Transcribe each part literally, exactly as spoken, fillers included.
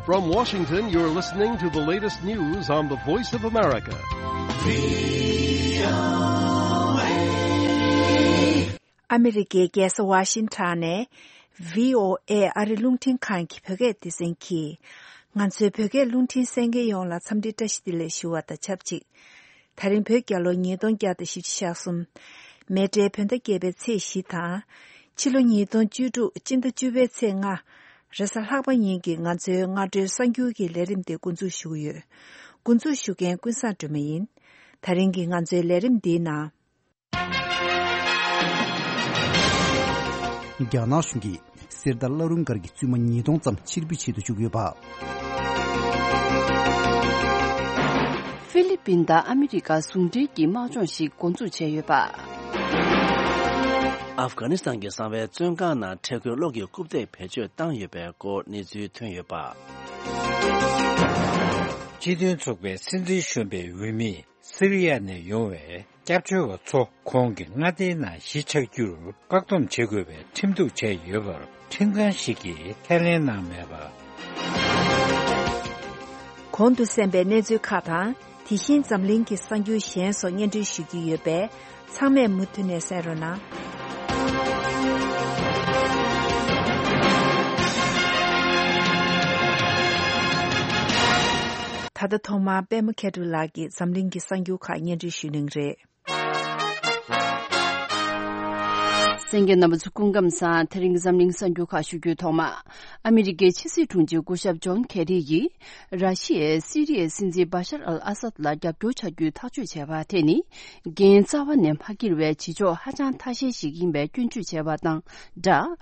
From Washington, you're listening to the latest news on the Voice of America. ཨ་མི་རི་ཀའི་རྒྱལ་ས་ཝ་ཤིང་ཊོན་ནས་བྷི་ཨོ་ཨེ་ཨ་རི་རླུང་འཕྲིན་ཁང་གི་བོད་སྐད་སྡེ་ཚན་གྱིས། ང་ཚོའི་བོད་སྐད་རླུང་འཕྲིན་གསན་མཁན་ཡོངས་ལ་འཚམས་འདྲི་བཀྲ་ཤིས་བདེ་ལེགས་ཞུ་བ་དང་ཆབས་ཅིག་ད་རིང་བོད་རྒྱལ་ལོ་ཉིས་སྟོང་བརྒྱ་དང་བཞི་བཅུ་ཞེ་གསུམ། མེ་སྤྲེལ་བོད་ཟླ་བརྒྱད་པའི་ཚེས་བཞི་དང་། ཕྱི་ལོ་ཉིས་སྟོང་བཅུ་དྲུག་སྤྱི་ཟླ་བཅུ་པའི་ཚེས་ལྔ། རེས་གཟའ་ལྷག་པ་ཉིན་གྱི་ང་ཚོའི་སྔ་དྲོའི་གསར་འགྱུར་གྱི་ལས་རིམ་དེ་འགོ་འཛུགས་ཞུ་གི་ཡོད། འགོ་འཛུགས་ཞུ་མཁན་ཀུན་བཟང་སྒྲོལ་མ་ཡིན། ད་རིང་གི་ང་ཚོའི་ལས་རིམ་འདིའི་ནང་། རྒྱ་ནག་གཞུང་གིས་གསེར་རྟ་བླ་རུང་སྒར་གྱི་བཙུན་མ་ཉིས་སྟོང་ཙམ་ཕྱིར་འབུད་བྱེད་དུ་བཅུག་ཡོད་པ། ཧྥི་ལི་པིན་དང་ཨ་མི་རི་ཀ་ཟུང་འབྲེལ་གྱི་དམག་སྦྱོང་ཞིག་འགོ་འཛུགས་བྱས་ཡོད་པ། ཨབ་གྷ་ནི་སི་ཐན་གྱི་གསང་བའི་བཙོན་ཁང་ནང་འཕྲལ་མཁོའི་གློག་གི་རྐུབ་སྟེགས་བེད་སྤྱོད་བཏང་ཡོད་པའི་སྐོར་གནས་ཚུལ་ཐོན་ཡོད་པ། སྤྱི་མཐུན་ཚོགས་པའི་སྲིད་འཛིན་གཞོན་པའི་འོས་མི། སི་རི་ཡ་ནས་ཡོང་བའི་སྐྱབས་བཅོལ་བ་ཚོ་ཁོང་གི་མངའ་སྡེའི་ནང་གཞིས་ཆགས་རྒྱུར་བཀག་སྡོམ་བྱེད་དགོས་པའི་ཁྲིམས་གཏུག་བྱས་ཡོད་པར་ཁྲིམས་ཁང་ཞིག་གིས་ཁས་ལེན་གནང་མེད་པ། གོང་དུ་གསན་པའི་གནས་ཚུལ་ཁག་དང་། དེ་བཞིན་འཛམ་གླིང་གི་གསར་འགྱུར་གཞན་སོགས་སྙན་སྒྲོན་ཞུ་རྒྱུ་ཡོད་པས། ཚང་མས་མུ་མཐུད་ནས་གསན་རོགས་གནང་། ད་ལྟ་ཐོག་མར་པད་མ་མཁས་གྲུབ་ལགས་ཀྱིས་འཛམ་གླིང་གི་གསར་འགྱུར་ཁག་སྙན་སྒྲོན་ཞུ་གནང་གི་རེད། གསན་མཁན་རྣམ་པ་ཚོ་སྐུ་ཁམས་བཟང་། དེ་རིང་གི་འཛམ་གླིང་གསར་འགྱུར་ཁག་ཞུ་རྒྱུའི་ཐོག་མ། ཨ་མི་རི་ཀའི་ཕྱི་སྲིད་དྲུང་ཆེ་སྐུ་ཞབས་ཇོན་ཁེ་རི་ཡིས། ར་ཤི་ཡས་སི་རི་ཡའི་སྲིད་འཛིན་བྷ་ཤར་ཨལ་ཨ་སད་ལ་རྒྱབ་སྐྱོར་བྱ་རྒྱུའི་ཐག་གཅོད་བྱས་པ་དེ་ནི། འགན་རྩ་བ་ནས་མ་འཁྱེར་བའི་བྱེད་ཕྱོགས་ཧ་ཅང་ཐ་ཤལ་ཞིག་ཡིན་པའི་སྐྱོན་བརྗོད་བྱས་པ་དང་སྦྲགས།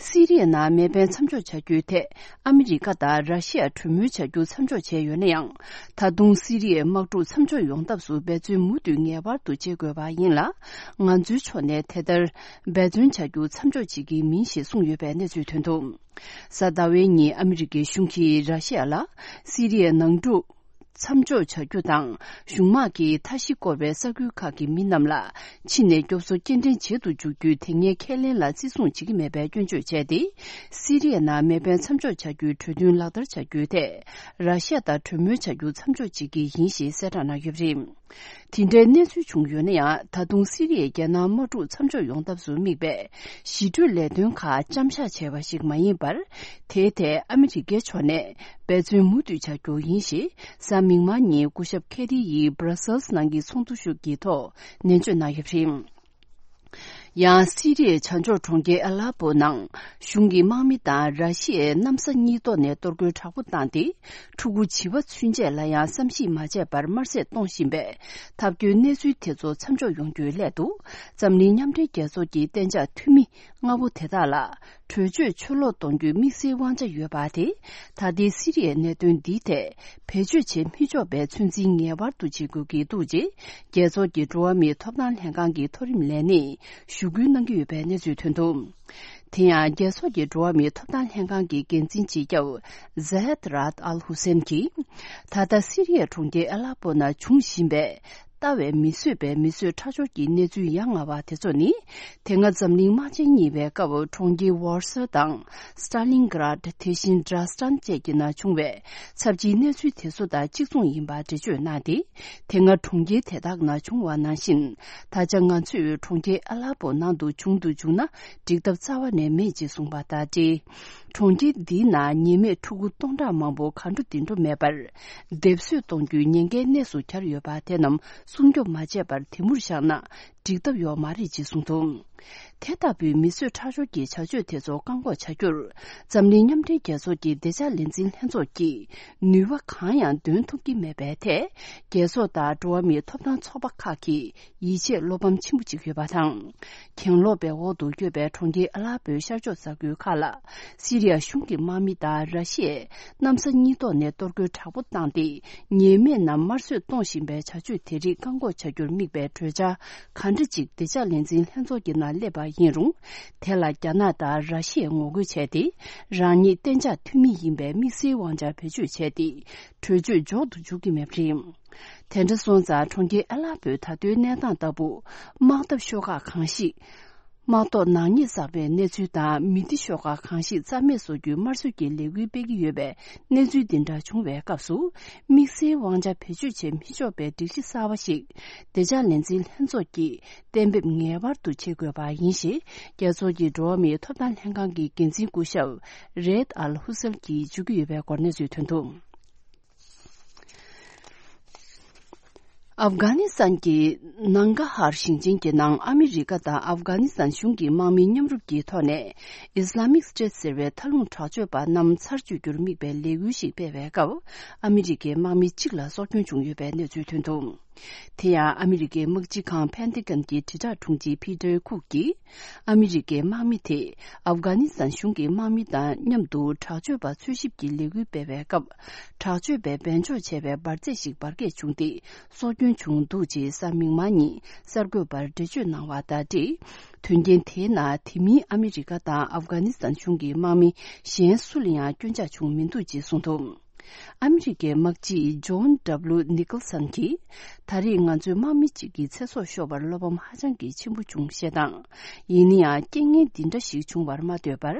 སི་རི་ཡའི་ནང་མེ་འཕེན་མཚམས་འཇོག་བྱ་རྒྱུའི་ཐད། ཨ་མི་རི་ཀ་དང་ར་ཤི་ཡ་གྲོས་མོལ་བྱ་རྒྱུ་མཚམས་འཇོག་བྱས་ཡོད་ན་ཡང་། ད་དུང་སི་རི་ཡའི་དམག་འཁྲུག་མཚམས་འཇོག་ཡོང་ཐབས་སུ་འབད་བརྩོན་མུ་མཐུད་ངེས་པར་དུ་བྱེད་དགོས་པ་ཡིན་ལ། ང་ཚོའི་ཕྱོགས་ནས་དེ་ལྟར་འབད་བརྩོན་བྱ་རྒྱུ་མཚམས་འཇོག་བྱེད་ཀྱི་མིན་ཞེས་གསུངས་ཡོད་པའི་གནས་ཚུལ་ཐོན་འདུག་གཟའ་ཟླ་བའི་ཉིན་ཨ་མི་རི་ཀའི་གཞུང་གིས་ར་ཤི་ཡ་ལ་སི་རི་ཡའི་ནང་འཁྲུག་མཚམས་འཇོག་བྱ་རྒྱུ་དང་། གཞུང་དམག་གིས་མཐའ་བཞི་བསྐོར་བའི་ས་ཁུལ་ཁག་གི་མི་རྣམས་ལ། ཕྱི་ནས་སྐྱོབ་གསོ་སྐྱེལ་འདྲེན་བྱེད་དུ་འཇུག་རྒྱུའི་དེ་སྔའི་ཁས་ལེན་ལ་བརྩི་སྲུང་བྱེད་ཀྱི་མེད་པའི་སྐྱོན་བརྗོད་བྱས་ཏེ། སི་རི་ཡའི་ནང་མེ་འཕེན་མཚམས་འཇོག་བྱ་རྒྱུའི་གྲོས་མཐུན་ལག་བསྟར་བྱ་རྒྱུའི་ཐད། ར་ཤི་ཡ་དང་གྲོས་མོལ་བྱ་རྒྱུ་མཚམས་འཇོག་བྱེད་ཀྱི་ཡིན་ཞེས་གསལ་བསྒྲགས་གནང་ཡོད་པ་རེད། དེ་འདྲའི་གནས་ཚུལ་བྱུང་ཡོད་ན་ཡང་། ད་དུང་སི་རི་ཡའི་རྒྱལ་ནང་དམག་འཁྲུག་མཚམས་འཇོག་ཡོང་ཐབས་སུ་དམིགས་པའི་ཞི་གྲོས་ལས་དོན་ཁག་མཚམས་བཞག་བྱས་པ་ཞིག་མ་ཡིན་པར། དེའི་ཐད་ཨ་མི་རི་ཀའི་ཕྱོགས་ནས་འབད་བརྩོན་མུ་མཐུད་བྱ་རྒྱུ་ཡིན་ཞེས། གཟའ་མིག་དམར་ཉིན་སྐུ་ཞབས་ཁེ་རི་ཡིས་སྦྲ་སེལ་སི་ནང་གི་ཚོགས་འདུ་ཞིག་གི་ཐོག་ནན་བརྗོད་གནང་ཡོད་པ་རེད། ཡང་སི་རི་ཡའི་བྱང་ཕྱོགས་གྲོང་ཁྱེར་ཨ་ལ་པོ་ནང་གཞུང་གི་དམག་མི་དང་ར་ཤི་ཡའི་གནམ་ས་གཉིས་ཐོག་ནས་གཏོར་རྒོལ་དྲག་པོ་བཏང་སྟེ། ཕྲུ་གུ་བྱིས་པ་ཚུན་ཆད་ལ་ཡང་བསམ་ཤེས་མ་བྱས་པར་དམར་གསོད་གཏོང་བཞིན་པའི་ཐབས་སྐྱོའི་གནས་ཚུལ་དེ་ཚོ་མཚམས་འཇོག་ཡོང་རྒྱུའི་སླད་དུ། འཛམ་གླིང་མཉམ་འབྲེལ་རྒྱལ་ཚོགས་ཀྱི་གཏན་འཇགས་འཐུས་མི་ལྔ་པོ་དེ་དག་ལ། གྲོས་ཆོད་ཕྱིར་སློག་གཏོང་རྒྱུའི་དམིགས་བསལ་དབང་ཆ་ཡོད་པ་དེ། ད་ལྟའི་སི་རི་ཡའི་གནད་དོན་འདིའི་ཐད་བེད་སྤྱོད་བྱེད་མི་ཆོག་པའི་ཚོད་འཛིན་ངེས་པར་དུ་བྱེད་དགོས་ཀྱི་འདུག་ཅེས། རྒྱལ་ཚོགས་ཀྱི་འགྲོ་བ་མིའི་ཐོབ་ཐང་ལྷན་ཁང་གི་མཐོ་རིམ་ལས་སྣེས་ཞུ་སྐུལ་གནང་གི་ཡོད་པའི་གནས་ཚུལ་ཐོན་འདུག་དེ་ཡང་རྒྱལ་ཚོགས་ཀྱི་འགྲོ་བ་མིའི་ཐོབ་ཐང་ལྷན་ཁང་གི་འགན་འཛིན་སྤྱི་ཁྱབ་Zeid Ra'ad Al Hussein་གྱིས། ད་ལྟ་སི་རི་ཡའི་གྲོང་ཁྱེར་ཨ་ལ་པོ་ན་འབྱུང་བཞིན་པའི། ལྟ་བས་མི་བཟོད་པའི་མི་གསོད་ཁྲག་སྦྱོར་གྱི་གནས་ཚུལ་ཡ་ང་བ་དེ་ཚོ་ནི། དེ་སྔ་འཛམ་གླིང་དམག་ཆེན་གཉིས་པའི་སྐབས་གྲོང་ཁྱེར་ཝོར་སོ་དང་སི་ཏཱ་ལིན་གྷ་རཱད། དེ་བཞིན་ཌ་ར་སི་ཊན་བཅས་ཀྱི་ནང་བྱུང་བའི་ཚབས་ཆེའི་གནས་ཚུལ་དེ་ཚོ་དང་གཅིག་མཚུངས་ཡིན་པ་འགྲེལ་བརྗོད་གནང་སྟེ། དེ་སྔ་གྲོང་ཁྱེར་དེ་དག་ནང་བྱུང་བ་ནང་བཞིན། ད་ཆ་ང་ཚོས་གྲོང་ཁྱེར་ཨ་ལ་པོ་ནང་དུ་བྱུང་དུ་བཅུག་ན་འགྲིག་ཐབས་རྩ་བ་ནས་མེད་ཅེས་གསུངས་པ་དང་འབྲེལ། གྲོང་ཁྱེར་འདིའི་ནང་ཉེས་མེད་ཕྲུ་གུ་སྟོང་ཕྲག་མང་པོ་ག་འགྲོ་དེ་འགྲོ་མེད་པར། སྡེབ་གསོད་གཏོང་རྒྱུའི་ཉེན་ཁའི་གནས་སུ་གྱར་ཡོད་པ་དེ་རྣམས་སྲུང་སྐྱོབ་མ་བྱས་པར་དེ་མུར་བཞག་ན་འགྲིག་ཐབས་ཡོད་མ་རེད་ཅེས་གསུངས་འདུག་དེ་ལྟ་བུའི་མི་གསོད་ཁྲག་སྦྱོར་གྱི་བྱ་སྤྱོད་དེ་ཚོ་བཀག་འགོག་བྱ་རྒྱུར། འཛམ་གླིང་མཉམ་འབྲེལ་རྒྱལ་ཚོགས་ཀྱི་བདེ་འཇགས་ལས་འཛིན་ལྷན་ཚོགས་ཀྱིས་ནུས་པ་གང་ཡང་འདོན་ཐུབ་ཀྱི་མེད་པའི་ཐད། རྒྱལ་ཚོགས་དང་འགྲོ་བ་མིའི་ཐོབ་ཐང་ཚོགས་པ་ཁག་གིས། ཡིད་ཆེས་བློ་ཕམ་ཆེན་པོ་ཅིག་ཡོད་པ་དང་། གྱེན་ལོག་པའི་འོག་ཏུ་ཡོད་པའི་གྲོང་ཁྱེར་ཨ་ལ་པོའི་ཤར་ཕྱོགས་ས་ཁུལ་ཁག་ལ། སི་རི་ཡ་གཞུང་གི་དམག་མི་དང་ར་ཤི་ཡས་གནམ་ས་གཉིས་ཐོག་ནས་གཏོར་རྒོལ་དྲག་པོ་བཏང་སྟེ། ཉེས་མེད་རྣམས་དམར་གསོད་གཏོང་བཞིན་པའི་བྱ་སྤྱོད་དེ་རིགས་བཀག་འགོག་བྱ་རྒྱུར་དམིགས་པའི་གྲོས་འཆར་ག་འདྲ་ཅིག་བདེ་འཇགས་ལས་འཛིན་ལྷན་ཚོགས་ཀྱི་ནང་སླེབས་པ་ཡིན་རུང་། དེ་ལ་རྒྱ་ནག་དང་ར་ཤི་ཡས་ངོ་རྒོལ་བྱས་ཏེ། རང་ཉིད་གཏན་འཇགས་འཐུས་མི་ཡིན་པའི་དམིགས་བསལ་དབང་ཆ་བེད་སྤྱོད་བྱས་ཏེ། གྲོས་ཆོད་འཇོག་ཏུ་འཇུག་གི་མེད་པ་རེད། དེ་འདྲ་སོང་ཙང་གྲོང་ཁྱེར་ཨ་ལ་པོའི་ད་ལྟའི་གནས་སྟངས་ལྟ་བུ། དམག་འཐབ་ཤོག་ཁག་གང་ཞིག་ དམག་ཐོག་ནག་ཉེས་བསགས་པའི་གནས་ཚུལ་དང་། མི་སྡེ་ཤོག་ཁག་གང་ཞིག་རྩ་མེད་བཟོ་རྒྱུའི་དམར་གསོད་ཀྱི་ལས་འགུལ་སྤེལ་གྱི་ཡོད་པའི་གནས་ཚུལ་འདི་འདྲ་བྱུང་བའི་སྐབས་སུ། དམིགས་བསལ་དབང་ཆ་བེད་སྤྱོད་བྱེད་མི་ཆོག་པའི་སྒྲིག་གཞི་གསར་པ་ཞིག་བདེ་འཇགས་ལས་འཛིན་ལྷན་ཚོགས་ཀྱིས་གཏན་འབེབས་ངེས་པར་དུ་བྱེད་དགོས་པ་ཡིན་ཞེས། རྒྱལ་ཚོགས་ཀྱི་འགྲོ་བ་མིའི་ཐོབ་ཐང་ལྷན་ཁང་གི་འགན་འཛིན་སྐུ་ཞབས་རེད་ཨལ་ཧུ་སེལ་གྱིས་བརྗོད་ཀྱི་ཡོད་པའི་སྐོར་གནས་ཚུལ་ཐོན་འདུག། ཨབ་གྷ་ནི་སི་ཐན་གྱི་ནང་གྷ་ཧར་ཞིང་ཆེན་གྱི་ནང་ཨ་མི་རི་ཀ་དང་ཨབ་གྷ་ནི་སི་ཐན་གཞུང་གི་དམག་མི་མཉམ་རུབ་ཀྱི་ཐོག་ནས་Islamic State ཟེར་བའི་མཐའ་ལྷུང་དྲག་སྤྱོད་པ་རྣམས་ཚར་གཅོད་རྒྱུར་དམིགས་པའི་ལས་འགུལ་ཞིག་སྤེལ་བའི་སྐབས། ཨ་མི་རི་ཀའི་དམག་མི་གཅིག་ལ་སྲོག་སྐྱོན་བྱུང་ཡོད་པའི་གནས་ཚུལ་ཐོན་འདུག། དེ་ཡང་ཨ་མི་རི་ཀའི་དམག་སྤྱི་ཁང་Pentagon གྱི་དྲིལ་བསྒྲགས་དྲུང་ཆེ་Peter Cook གིས། ཨ་མི་རི་ཀའི་དམག་མི་དེས་ཨབ་གྷ་ནི་སི་ཐན་གཞུང་གི་དམག་མི་དང་མཉམ་དུ་དྲག་སྤྱོད་པ་འཚོལ་ཞིབ་ཀྱི་ལས་འགུལ་སྤེལ་བའི་སྐབས། དྲག་སྤྱོད་པས་སྦས་འཇོག་བྱས་པའི་འབར་རྫས་ཤིག་འབར་གས་བྱུང་སྟེ། སྲོག་སྐྱོན་བྱུང་འདུག་ཅེས་གཟའ་མིག་དམར་ཉིན་གསར་འགོད་པར་འགྲེལ་བརྗོད་གནང་བ་དང་འབྲེལ། དོན་རྐྱེན་དེའི་ནང་དེ་མིན་ཨ་མི་རི་ཀ་དང་ཨབ་གྷ་ནི་སི་ཐན་གཞུང་གི་དམག་མི་གཞན་སུ་ལ་ཡང་སྐྱོན་ཆག་བྱུང་མི་འདུག་ཅེས་གསུངས་འདུག། ཨ་མི་རི་ཀའི་དམག་སྤྱི་John W Nicholson གྱིས། ད་རེས་ང་ཚོའི་དམག་མི་གཅིག་གི་ཚེ་སྲོག་ཤོར་བར་བློ་ཕམ་ཧ་ཅང་གི་ཆེན་པོ་བྱུང་ཞེས་དང་། ཡིན་ན་ཡང་རྐྱེན་ངན་འདི་འདྲ་ཞིག་བྱུང་བར་མ་ལྟོས་པར།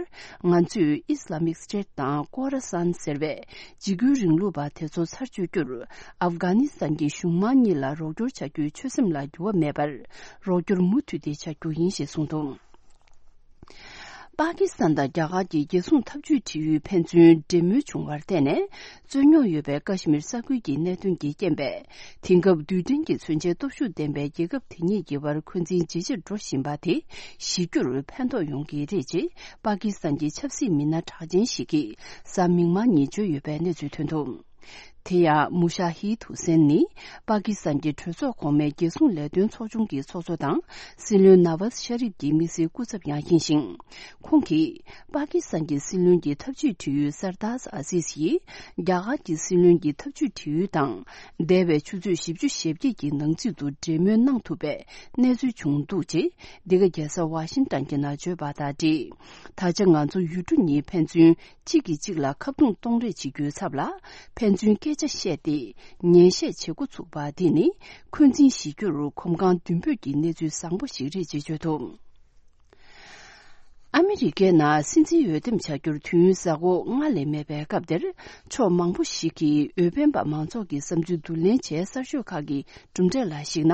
ང་ཚོས་Islamic State དང་Khorasan ཟེར་བའི་འཇིགས་སྐུལ་རིང་ལུགས་པ་དེ་ཚོ་ཚར་གཅོད་རྒྱུར། ཨབ་གྷ་ནི་སི་ཐན་གྱི་གཞུང་དམངས་གཉིས་ལ་རོགས་སྐྱོར་བྱ་རྒྱུའི་ཆོད་སེམས་ལ་འགྱུར་བ་མེད་པར། རོགས་སྐྱོར་མུ་མཐུད་དེ་བྱ་རྒྱུ་ཡིན་ཞེས་གསུངས་འདུག། པ་ཀི་སི་ཐན་དང་རྒྱ་གར་གྱི་རྒྱལ་སྲུང་འཐབ་ཇུས་དྲིལ་ཡུལ་ཕན་ཚུན་འབྲེལ་མོལ་བྱུང་བར་བརྟེན་ནས། རྩོད་རྙོག་ཡོད་པའི་ཀ་ཤི་མིར་ས་ཁུལ་གྱི་གནད་དོན་གྱི་རྐྱེན་པས། དེང་སྐབས་རྡུལ་ཕྲན་གྱི་མཚོན་ཆའི་སྟོབས་ཤུགས་ལྡན་པའི་རྒྱལ་ཁབ་དེ་གཉིས་ཀྱི་བར་འཁོན་འཛིན་ཇེ་ཆེར་འགྲོ་བཞིན་པ་དེ་ཞི་རྒྱུར་ཕན་ཐོགས་ཡོང་གི་རེད་ཅེས། པ་ཀི་སི་ཐན་གྱི་ཆབ་སྲིད་མི་སྣ་གྲགས་ཅན་ཞིག་གིས་གཟའ་མིག་དམར་ཉིན་བརྗོད་ཡོད་པའི་གནས་ཚུལ་ཐོན་འདུག། དེ་ཡང་མུ་ཤ་ཧིད་ཧུ་སེན་ནི། པ་ཀི་སི་ཐན་གྱི་གྲོས་ཚོགས་གོང་མའི་རྒྱལ་སྲུང་ལས་དོན་ཚོགས་ཆུང་གི་ཚོགས་གཙོ་དང་། སྲིད་བློན་ནཱ་ཝཱཛ་ཤ་རིབ་ཀྱི་དམིགས་བསལ་སྐུ་ཚབ་ཡང་ཡིན་ཞིང་། ཁོང་གིས། པ་ཀི་སི་ཐན་གྱི་སྲིད་བློན་གྱི་འཐབ་ཇུས་དྲིལ་ཡུལ་སར་དཱས་ཨ་ཟིས་ཡིས། རྒྱ་གར་གྱི་སྲིད་བློན་གྱི་འཐབ་ཇུས་དྲིལ་ཡུལ་དང་། འདས་པའི་ཆུ་ཚོད་བཞི་བཅུ་ཞེ་བརྒྱད་ཀྱི་ནང་ཚུད་དུ་འབྲེལ་མོལ་གནང་ཐུབ་པའི་གནས་ཚུལ་བྱུང་འདུག་ཅེས། འདི་ག་རྒྱལ་ས་ཝ་ཤིང་ཏན་གྱི་ནང་བརྗོད་པ་དང་འབྲེལ། ད་ཆ་ང་ཚོ་ཡུལ་གྲུ་གཉིས་ཕན་ཚུན། གཅིག་གིས་གཅིག་ལ་ཁ་རྡུང་གཏོང་རེས་བྱེད་རྒྱུའི་ཚབ་ལ། ཕན་ཚུན་སྐད་ཆ་བཤད་དེ། ཉན་བཤད་བྱེད་འགོ་ཚུགས་པ་འདི་ནི། འཁོན་འཛིན་ཞི་རྒྱུར་གོམ་གང་མདུན་སྤོས་ཀྱི་གནས་ཚུལ་བཟང་པོ་ཞིག་རེད་ཅེས་བརྗོད་འདུག། ཨ་མི་རི་ཀའི་ནང་སྲིད་འཛིན་འོས་འདེམས་བྱ་རྒྱུར་དུས་ཡུན་གཟའ་འཁོར་ལྔ་ལས་མེད་པའི་སྐབས་འདིར། ཕྱོགས་མང་པོ་ཞིག་གིས་འོས་འཕེན་པ་མང་ཚོགས་ཀྱི་བསམ་ཚུལ་བསྡུ་ལེན་བྱས། གསར་ཤོག་ཁག་གི་གྲུབ་འབྲས་ལ་གཞིགས་ན།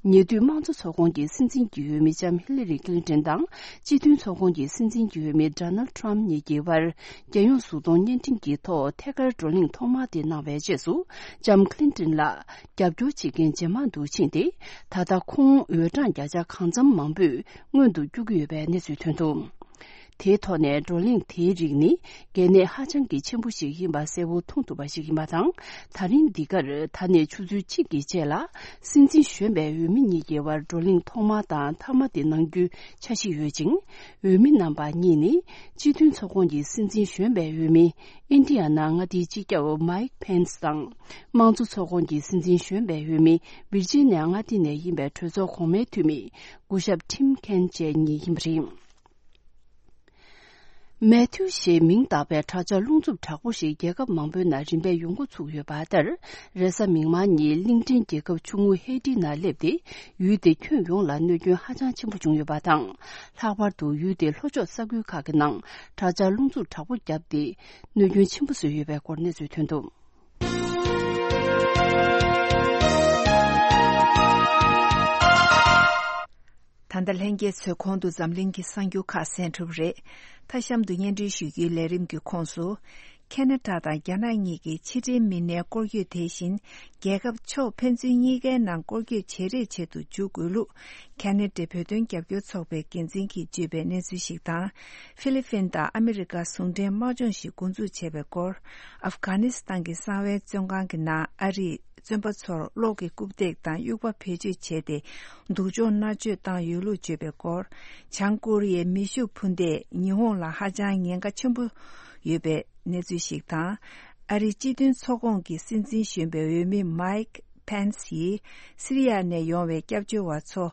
ཉེ་དུས་དམངས་གཙོ་ཚོགས་ཁོངས་ཀྱི་སྲིད་འཛིན་གྱི་འོས་མི་ལྕམ་ཧི་ལི་རི་ཀླིན་ཏོན་དང་། སྤྱི་མཐུན་ཚོགས་ཁོངས་ཀྱི་སྲིད་འཛིན་གྱི་འོས་མི་ཌོ་ནལ་ཊམ་གཉིས་ཀྱི་དབར། རྒྱལ་ཡོངས་གཟུགས་མཐོང་བརྙན་འཕྲིན་གྱི་ཐོག་ཐད་ཀར་བགྲོ་གླེང་ཐོག་མ་དེ་གནང་བའི་རྗེས་སུ། ལྕམ་ཀླིན་ཏོན་ལ་རྒྱབ་སྐྱོར་བྱེད་མཁན་ཇེ་མང་དུ་ཕྱིན་ཏེ། ད་ལྟ་ཁོང་འོས་གྲངས་བརྒྱ་ཆ་གང་འཚམ་མང་པོས་སྔོན་དུ་བསྐྱོད་ཀྱི་ཡོད་པའི་གནས་ཚུལ་ཐོན་འདུག། དེའི་ཐོག་ནས་བགྲོ་གླེང་དེའི་རིགས་ནི་གལ་གནད་ཧ་ཅང་གི་ཆེན་པོ་ཞིག་ཡིན་པ་གསལ་བོ་མཐོང་ཐུབ་པ་ཞིག་ཡིན་པ་དང་། ད་རིང་འདི་གར་ད་ནས་ཆུ་ཚོད་གཅིག་གི་རྗེས་ལ། སྲིད་འཛིན་གཞོན་པའི་འོས་མི་གཉིས་ཀྱི་དབར་བགྲོ་གླེང་ཐོག་མ་དང་མཐའ་མ་དེ་གནང་རྒྱུའི་འཆར་གཞི་ཡོད་ཅིང་། འོས་མི་རྣམ་པ་གཉིས་ནི། སྤྱི་མཐུན་ཚོགས་ཁོངས་ཀྱི་སྲིད་འཛིན་གཞོན་པའི་འོས་མི། ཨིན་ཌི་ཡ་ན་མངའ་སྡེའི་སྤྱི་ཁྱབ་མའིག་ཕེན་སི་དང་། དམངས་གཙོ་ཚོགས་ཁོངས་ཀྱི་སྲིད་འཛིན་གཞོན་པའི་འོས་མི། ཝིར་ཇི་ནི་ཡ་མངའ་སྡེ་ནས་ཡིན་པའི་གྲོས་ཚོགས་གོང་མའི་འཐུས་མི། སྐུ་ཞབས་ཊིམ་ཁེན་བཅས་གཉིས་ཡིན་པ་རེད། མེ་ཐིའུ་ཞེས་མིང་བཏགས་པའི་དྲ་ལྕགས་རླུང་འཚུབ་དྲག་པོ་ཞིག་རྒྱལ་ཁབ་མང་པོའི་ནང་རིམ་པས་ཡོང་འགོ་ཚུགས་ཡོད་པ་ལྟར། རེས་གཟའ་མིག་དམར་ཉིན་གླིང་ཕྲན་རྒྱལ་ཁབ་ཆུང་ངུ་ཧེ་ཏི་ནང་སླེབས་ཏེ། ཡུལ་དེ་ཁྱོན་ཡོངས་ལ་གནོད་སྐྱོན་ཧ་ཅང་ཆེན་པོ་བྱུང་ཡོད་པ་དང་། ལྷག་པར་དུ་ཡུལ་དེའི་ལྷོ་ཕྱོགས་ས་ཁུལ་ཁག་གི་ནང་དྲ་ལྕགས་རླུང་འཚུབ་དྲག་པོ་བརྒྱབ་སྟེ། གནོད་སྐྱོན་ཆེན་པོ་བཟོས་ཡོད་པའི་སྐོར་གནས་ཚུལ་ཐོན་འདུག། ད་ལྟ་ལྷན་རྒྱས་ཚོས་གོང་དུ་འཛམ་གླིང་གི་གསར་འགྱུར་ཁག་གསན་གྲུབ་རེད། མཐའ་གཤམ་དུ་སྙན་སྒྲོན་ཞུ་རྒྱུའི་ལས་རིམ་གྱི་ཁོངས་སུ། ཁེ་ན་ཌ་དང་རྒྱ་ནག་གཉིས་ཀྱི་ཕྱི་འབྲེལ་མི་སྣའི་སྐོར་སྐྱོད་དེ་བཞིན། རྒྱལ་ཁབ་ཕྱོགས་ཕན་ཚུན་གཉིས་ཀའི་ནང་སྐོར་སྐྱོད་བྱེད་རེས་བྱེད་དུ་འཇུག་དགོས་ལུགས། ཁ་ན་ཌའི་བོད་དོན་རྒྱབ་སྐྱོར་ཚོགས་པའི་འགན་འཛིན་གྱིས་བརྗོད་པའི་གནས་ཚུལ་ཞིག་དང་། ཧྥི་ལི་ཕིན་དང་ཨ་མི་རི་ཀ་ཟུང་འབྲེལ་དམག་སྦྱོང་ཞིག་འགོ་འཛུགས་བྱས་པའི་སྐོར། ཨབ་གྷ་ནི་སི་ཐན་གྱི་གསང་བའི་བཙོན་ཁང་གི་ནང་ཨ་རིས་བཙོན་པ་ཚོར་གློག་གི་རྐུབ་སྟེགས་དང་དབྱུག་པ་བེད་སྤྱོད་བྱས་ཏེ། སྡུག་སྦྱོང་མནར་གཅོད་བཏང་ཡོད་ལུགས་བརྗོད་པའི་སྐོར། བྱང་ཀོ་རི་ཡའི་མེ་ཤུགས་འཕུར་མདེལ་ཉི་ཧོང་ལ་ཧ་ཅང་ཉེན་ཁ་ཆེན་པོ་ཡོད་པའི་གནས་ཚུལ་ཞིག་དང་། ཨ་རིའི་སྤྱི་མཐུན་ཚོགས་ཁོངས་ཀྱི་སྲིད་འཛིན་གཞོན་པའི་འོས་མི་མའིག་ཕེན་སི་ཡིས་སི་རི་ཡ་ནས་ཡོང་བའི་སྐྱབས་བཅོལ་བ་ཚོ་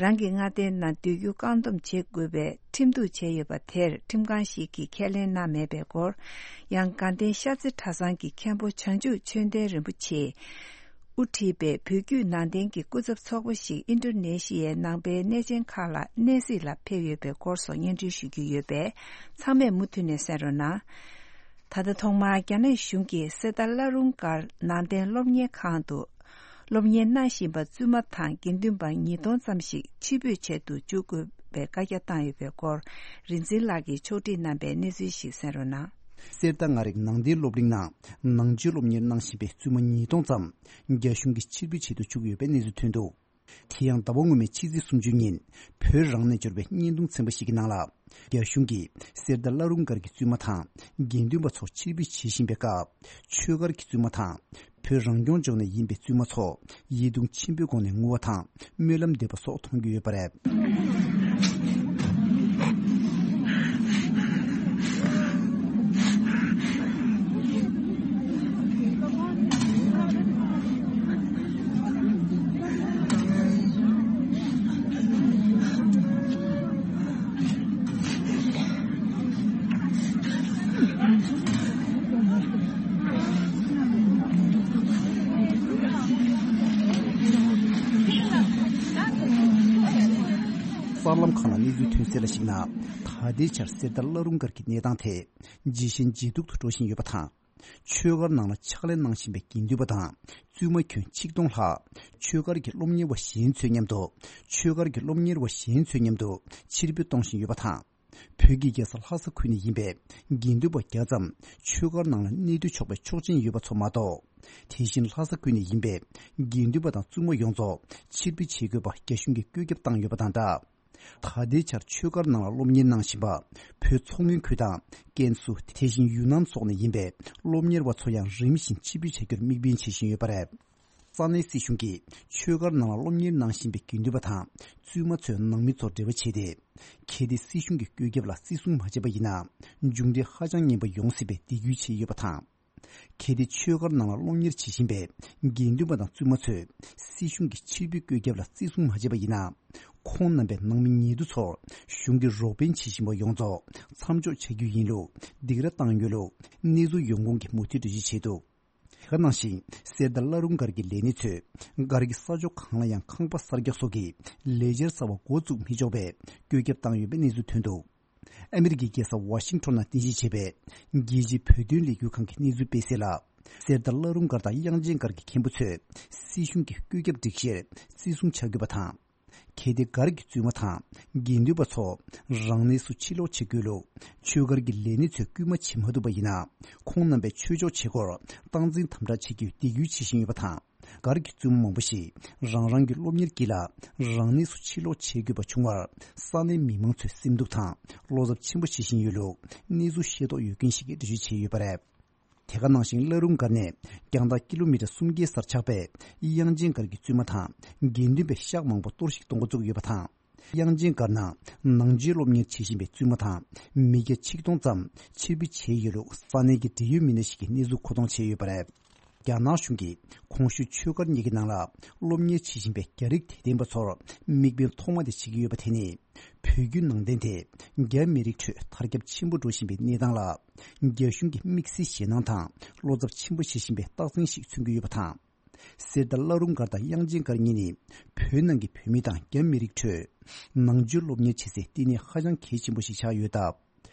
རང་གི་མངའ་སྡེའི་ནང་སྡོད་རྒྱུ་བཀག་སྡོམ་བྱེད་དགོས་པའི་ཁྲིམས་གཏུག་བྱས་ཡོད་པ་དེར་ཁྲིམས་ཁང་ཞིག་གིས་ཁས་ལེན་གནང་མེད་པའི་སྐོར། ཡང་དགའ་ལྡན་ཤར་རྩེ་གྲྭ་ཚང་གི་མཁན་པོ་བྱང་ཆུབ་ཆོས་ལྡན་རིན་པོ་ཆེས། དབུ་ཁྲིད་པའི་བོད་བརྒྱུད་ནང་བསྟན་གྱི་སྐུ་ཚབ་ཚོགས་པ་ཞིག་ཨིན་ཌོ་ནེ་ཤི་ཡའི་ནང་པའི་གནས་ཆེན་ཁག་ལ་གནས་གཟིགས་ལ་ཕེབས་ཡོད་པའི་སྐོར་སོགས་སྙན་སྒྲོན་ཞུ་རྒྱུ་ཡོད་པས། ཚང་མས་མུ་མཐུད་ནས་གསན་རོགས་གནང་། ད་ལྟ་ཐོག་མར་རྒྱ་ནག་གཞུང་གིས་གསེར་རྟ་བླ་རུང་སྒར་ནང་བསྟན་སློབ་གཉེར་ཁང་དུ་སློབ་གཉེར་གནང་བཞིན་པ་བཙུན་མ་དང་དགེ་འདུན་པ་ཉིས་སྟོང་ཙམ་ཞིག་ཕྱིར་འབུད་བྱེད་དུ་བཅུག་དགོས་པའི་བཀའ་རྒྱ་བཏང་ཡོད་པའི་སྐོར། རིག་འཛིན་ལགས་ཀྱིས་ཕྱོགས་སྒྲིག་གནང་པའི་གནས་ཚུལ་ཞིག་གསན་རོགས་གནང་། གསེར་རྟ་མངའ་རིས་ནང་བསྟན་སློབ་གླིང་ནང་ནང་ཆོས་སློབ་གཉེར་གནང་བཞིན་པའི་བཙུན་མ་ཉིས་སྟོང་ཙམ་རྒྱ་གཞུང་གིས་ཕྱིར་འབུད་བྱེད་དུ་བཅུག་ཡོད་པའི་གནས་ཚུལ་ཐོན་འདུག་དེ་ཡང་ཟླ་བ་སྔོན་མའི་ཕྱི་ཚེས་སུམ་ཅུ་ཉིན་བོད་རང་ནས་འབྱོར་བའི་བརྙན་ཐུང་ཚན་པ་ཞིག་གི་ནང་ལ། རྒྱ་གཞུང་གིས་གསེར་རྟ་བླ་རུང་སྒར་གྱི་བཙུན་མ་དང་དགེ་འདུན་པ་ཚོ་ཕྱིར་འབུད་བྱེད་བཞིན་པའི་སྐབས། ཆོས་སྒར་གྱི་བཙུན་མ་དང་བོད་རང་སྐྱོང་ལྗོངས་ནས་ཡིན་པའི་བཙུན་མ་ཚོ་ཡིད་གདུང་ཆེན་པོའི་སྒོ་ནས་ངུ་བ་དང་སྨོན་ལམ་འདེབས་པ་སོགས་མཐོང་རྒྱུ་ཡོད་པ་རེད། གསར་ལམ་ཁག་ནང་གནས་ཚུལ་ཐོན་གསལ་ལ་གཞིགས་ན། ད་ལྟའི་ཆར་གསེར་རྟ་བླ་རུང་སྒར་གྱི་གནས་སྟངས་དེ་ཇེ་ཞན་ཇེ་སྡུག་ཏུ་འགྲོ་བཞིན་ཡོད་པ་དང་། ཆོས་སྒར་ནང་ལ་ཕྱག་ལས་གནང་བཞིན་པའི་དགེ་འདུན་པ་དང་བཙུན་མ་ཁྱོན་ཆིག་སྟོང་ལྷག་ཆོས་སྒར་གྱི་སློབ་གཉེར་བ་གཞན་ཚོའི་མཉམ་དུ། ཆོས་སྒར་གྱི་སློབ་གཉེར་བ་གཞན་ཚོའི་མཉམ་དུ་ཕྱིར་འབུད་གཏོང་བཞིན་ཡོད་པ་དང་། བོད་ཀྱི་རྒྱལ་ས་ལྷ་ས་ཁུལ་ནས་ཡིན་པའི་དགེ་འདུན་པ་བརྒྱ་ཙམ་ཆོས་སྒར་ནང་ལ་གནས་སྡོད་ཆོག་པའི་ཆོག་མཆན་ཡོད་པ་ཚོ་མ་གཏོགས། དེ་བཞིན་ལྷ་ས་ཁུལ་ནས་ཡིན་པའི་དགེ་འདུན་པ་དང་བཙུན་མ་ཡོངས་རྫོགས་ཕྱིར་འབུད་བྱེད་དགོས་པ་རྒྱ་གཞུང་གིས་བཀོད་ཁྱབ་བཏང་ཡོད་པ་དང་སྦྲགས། ད་ལྟའི་ཆར་ཆོས་སྒར་ནང་ལ་སློབ་གཉེར་གནང་བཞིན་པ། བོད་མཚོ་སྔོན་ཁུལ་དང་ཀན་སུའུ། དེ་བཞིན་ཡུན་ནན་སོགས་ནས་ཡིན་པའི་སློབ་གཉེར་བ་ཚོ་ཡང་རིམ་བཞིན་ཕྱིར་འབུད་བྱ་རྒྱུར་དམིགས་འབེན་བྱེད་བཞིན་ཡོད་པ་རེད། ས་གནས་སྲིད་གཞུང་གིས་ཆོས་སྒར་ནང་ལ་སློབ་གཉེར་གནང་བཞིན་པའི་དགེ་འདུན་པ་དང་བཙུན་མ་ཚོའི་ནང་མི་ཚོར་འབྲེལ་བ་བྱས་ཏེ། གལ་ཏེ་སྲིད་གཞུང་གི་བཀོད་ཁྱབ་ལ་བརྩི་སྲུང་མ་བྱས་པ་ཡིན་ན། མཇུག་འབྲས་ཧ་ཅང་ངན་པ་ཡོང་སྲིད་པའི་འདོད་སྐུལ་བྱས་ཡོད་པ་དང་། གལ་ཏེ་ཆོས་སྒར་ནང་ལ་སློབ་གཉེར་བྱེད་བཞིན་པའི་དགེ་འདུན་པ་དང་བཙུན་མ་ཚོས་སྲིད་གཞུང་གི་ཕྱིར་འབུད་བཀོད་ཁྱབ་ལ་བརྩི་སྲུང་མ་བྱས་པ་ཡིན་ན། ཁོང་རྣམ་པའི་ནང་མི་ཉེ་དུ་ཚོར་གཞུང་གིས་རོགས་ཕན་བྱེད་བཞིན་པ་ཡོངས་རྫོགས་མཚམས་འཇོག་བྱ་རྒྱུ་ཡིན་ལུགས་སྡིགས་ར་བཏང་ཡོད་ལུགས་གནས་ཚུལ་ཡོང་ཁུངས་ཀྱིས་མུ་མཐུད་འགྲེལ་བརྗོད་བྱས་འདུག་དེ་ག་ནང་བཞིན་གསེར་རྟ་བླ་རུང་སྒར་གྱི་ལས་སྣེ་ཚོས་སྒར་གྱི་ས་ཕྱོགས་གང་ལ་ཡང་ཁང་པ་གསར་རྒྱག་སོགས་ཀྱི་ལས་འཆར་གསར་བ་འགོ་བཙུགས་མི་ཆོག་པའི་བཀོད་ཁྱབ་བཏང་ཡོད་པའི་གནས་ཚུལ་ཐོན་འདུག་ཨ་མི་རི་ཀའི་རྒྱལ་ས་ཝ་ཤིང་ཊོན་ནང་རྟེན་གཞི་བྱས་པའི་རྒྱལ་སྤྱིའི་བོད་དོན་ལས་འགུལ་ཁང་གི་གནས་ཚུལ་སྤེལ་གསལ་ལ། གསེར་རྟ་བླ་རུང་སྒར་དང་དབྱངས་ཅན་སྒར་གྱི་མཁན་པོ་ཚོས་སྲིད་གཞུང་གི་བཀོད་ཁྱབ་སྒྲིག་གཞིར་བརྩི་སྲུང་བྱ་དགོས་པ་དང་། གལ་ཏེ་སྒར་གྱི་བཙུན་མ་དང་དགེ་འདུན་པ་ཚོ་རང་གནས་སུ་ཕྱིར་ལོག་བྱེད་དགོས་ལུགས་ཆོས་སྒར་གྱི་ལས་སྣེ་ཚོས་སྐུལ་མ་བྱེད་མ་ཐུབ་པ་ཡིན་ན། ཁོང་རྣམ་པའི་ཆོས་ཕྱོགས་བྱེད་སྒོར་སྟངས་འཛིན་དམ་དྲག་བྱེད་རྒྱུའི་འདེད་སྐུལ་བྱེད་བཞིན་ཡོད་པ་དང་། སྒར་གྱི་བཙུན་མ་མང་པོ་ཞིག་རང་རང་གི་སློབ་གཉེར་དཀྱིལ་ལ་རང་གནས་སུ་ཕྱིར་ལོག་བྱེད་དགོས་པ་བྱུང་བར། ས་གནས་མི་མང་ཚོས་སེམས་སྡུག་དང་བློ་འཚབ་ཆེན་པོ་བྱེད་བཞིན་ཡོད་ལུགས་གནས་ཚུལ་ཤེས་རྟོགས་ཡོད་མཁན་ཞིག་གིས་འགྲེལ་བརྗོད་བྱས་ཡོད་པ་རེད། དེ་ག་ནང་བཞིན་བླ་རུང་སྒར་ནས་རྒྱང་ཐག་ཀི་ལོ་མི་ཊར་སུམ་བརྒྱའི་སར་ཆགས་པའི་དབྱངས་ཅན་སྒར་གྱི་བཙུན་མ་དང་དགེ་འདུན་པའི་ཤག་མང་པོ་གཏོར་བཤིག་གཏོང་འགོ་བཙུགས་ཡོད་པ་དང་། དབྱངས་ཅན་སྒར་ནང་ནང་ཆོས་སློབ་གཉེར་བྱེད་བཞིན་པའི་བཙུན་མ་དང་མི་སྐྱ་ཆིག་སྟོང་ཙམ་ཕྱིར་འབུད་བྱས་ཡོད་ལུགས་ས་གནས་ཀྱི་འབྲེལ་ཡོད་མི་སྣ་ཞིག་གིས་གནས་ཚུལ་མཁོ་གཏོང་བྱས་ཡོད་པ་རེད། རྒྱ་ནག་གཞུང་གིས་གོང་ཞུས་ཆོས་སྒར་གཉིས་ཀྱི་ནང་ལ་སློབ་གཉེར་བྱེད་བཞིན་པའི་རྒྱ་རིགས་དད་ལྡན་པ་ཚོར་དམིགས་འབེན་ཐོག་མ་དེ་བྱེད་ཀྱི་ཡོད་པ་དེ་ནི། བོད་བརྒྱུད་ནང་བསྟན་དེ་རྒྱ་མི་རིགས་ཁྲོད་དར་ཁྱབ་ཆེན་པོ་འགྲོ་བཞིན་པའི་གནས་སྟངས་ལ། རྒྱ་གཞུང་གིས་དམིགས་བསལ་ཞེད་སྣང་དང་བློ་འཚབ་ཆེན་པོ་བྱེད་བཞིན་པའི་རྟགས་མཚན་ཞིག་མཚོན་གྱི་ཡོད་པ་དང་། གསེར་རྟ་བླ་རུང་སྒར་དང་དབྱངས་ཅན་སྒར་གཉིས་ནི་བོད་ནང་གི་བོད་མི་དང་རྒྱ་མི་རིགས་ཁྲོད་ནང་ཆོས་སློབ་གཉེར་བྱེད་སའི་བསྟི་གནས་ཧ་ཅང་གལ་ཆེན་པོ་ཞིག་ཆགས་ཡོད་སྟབས།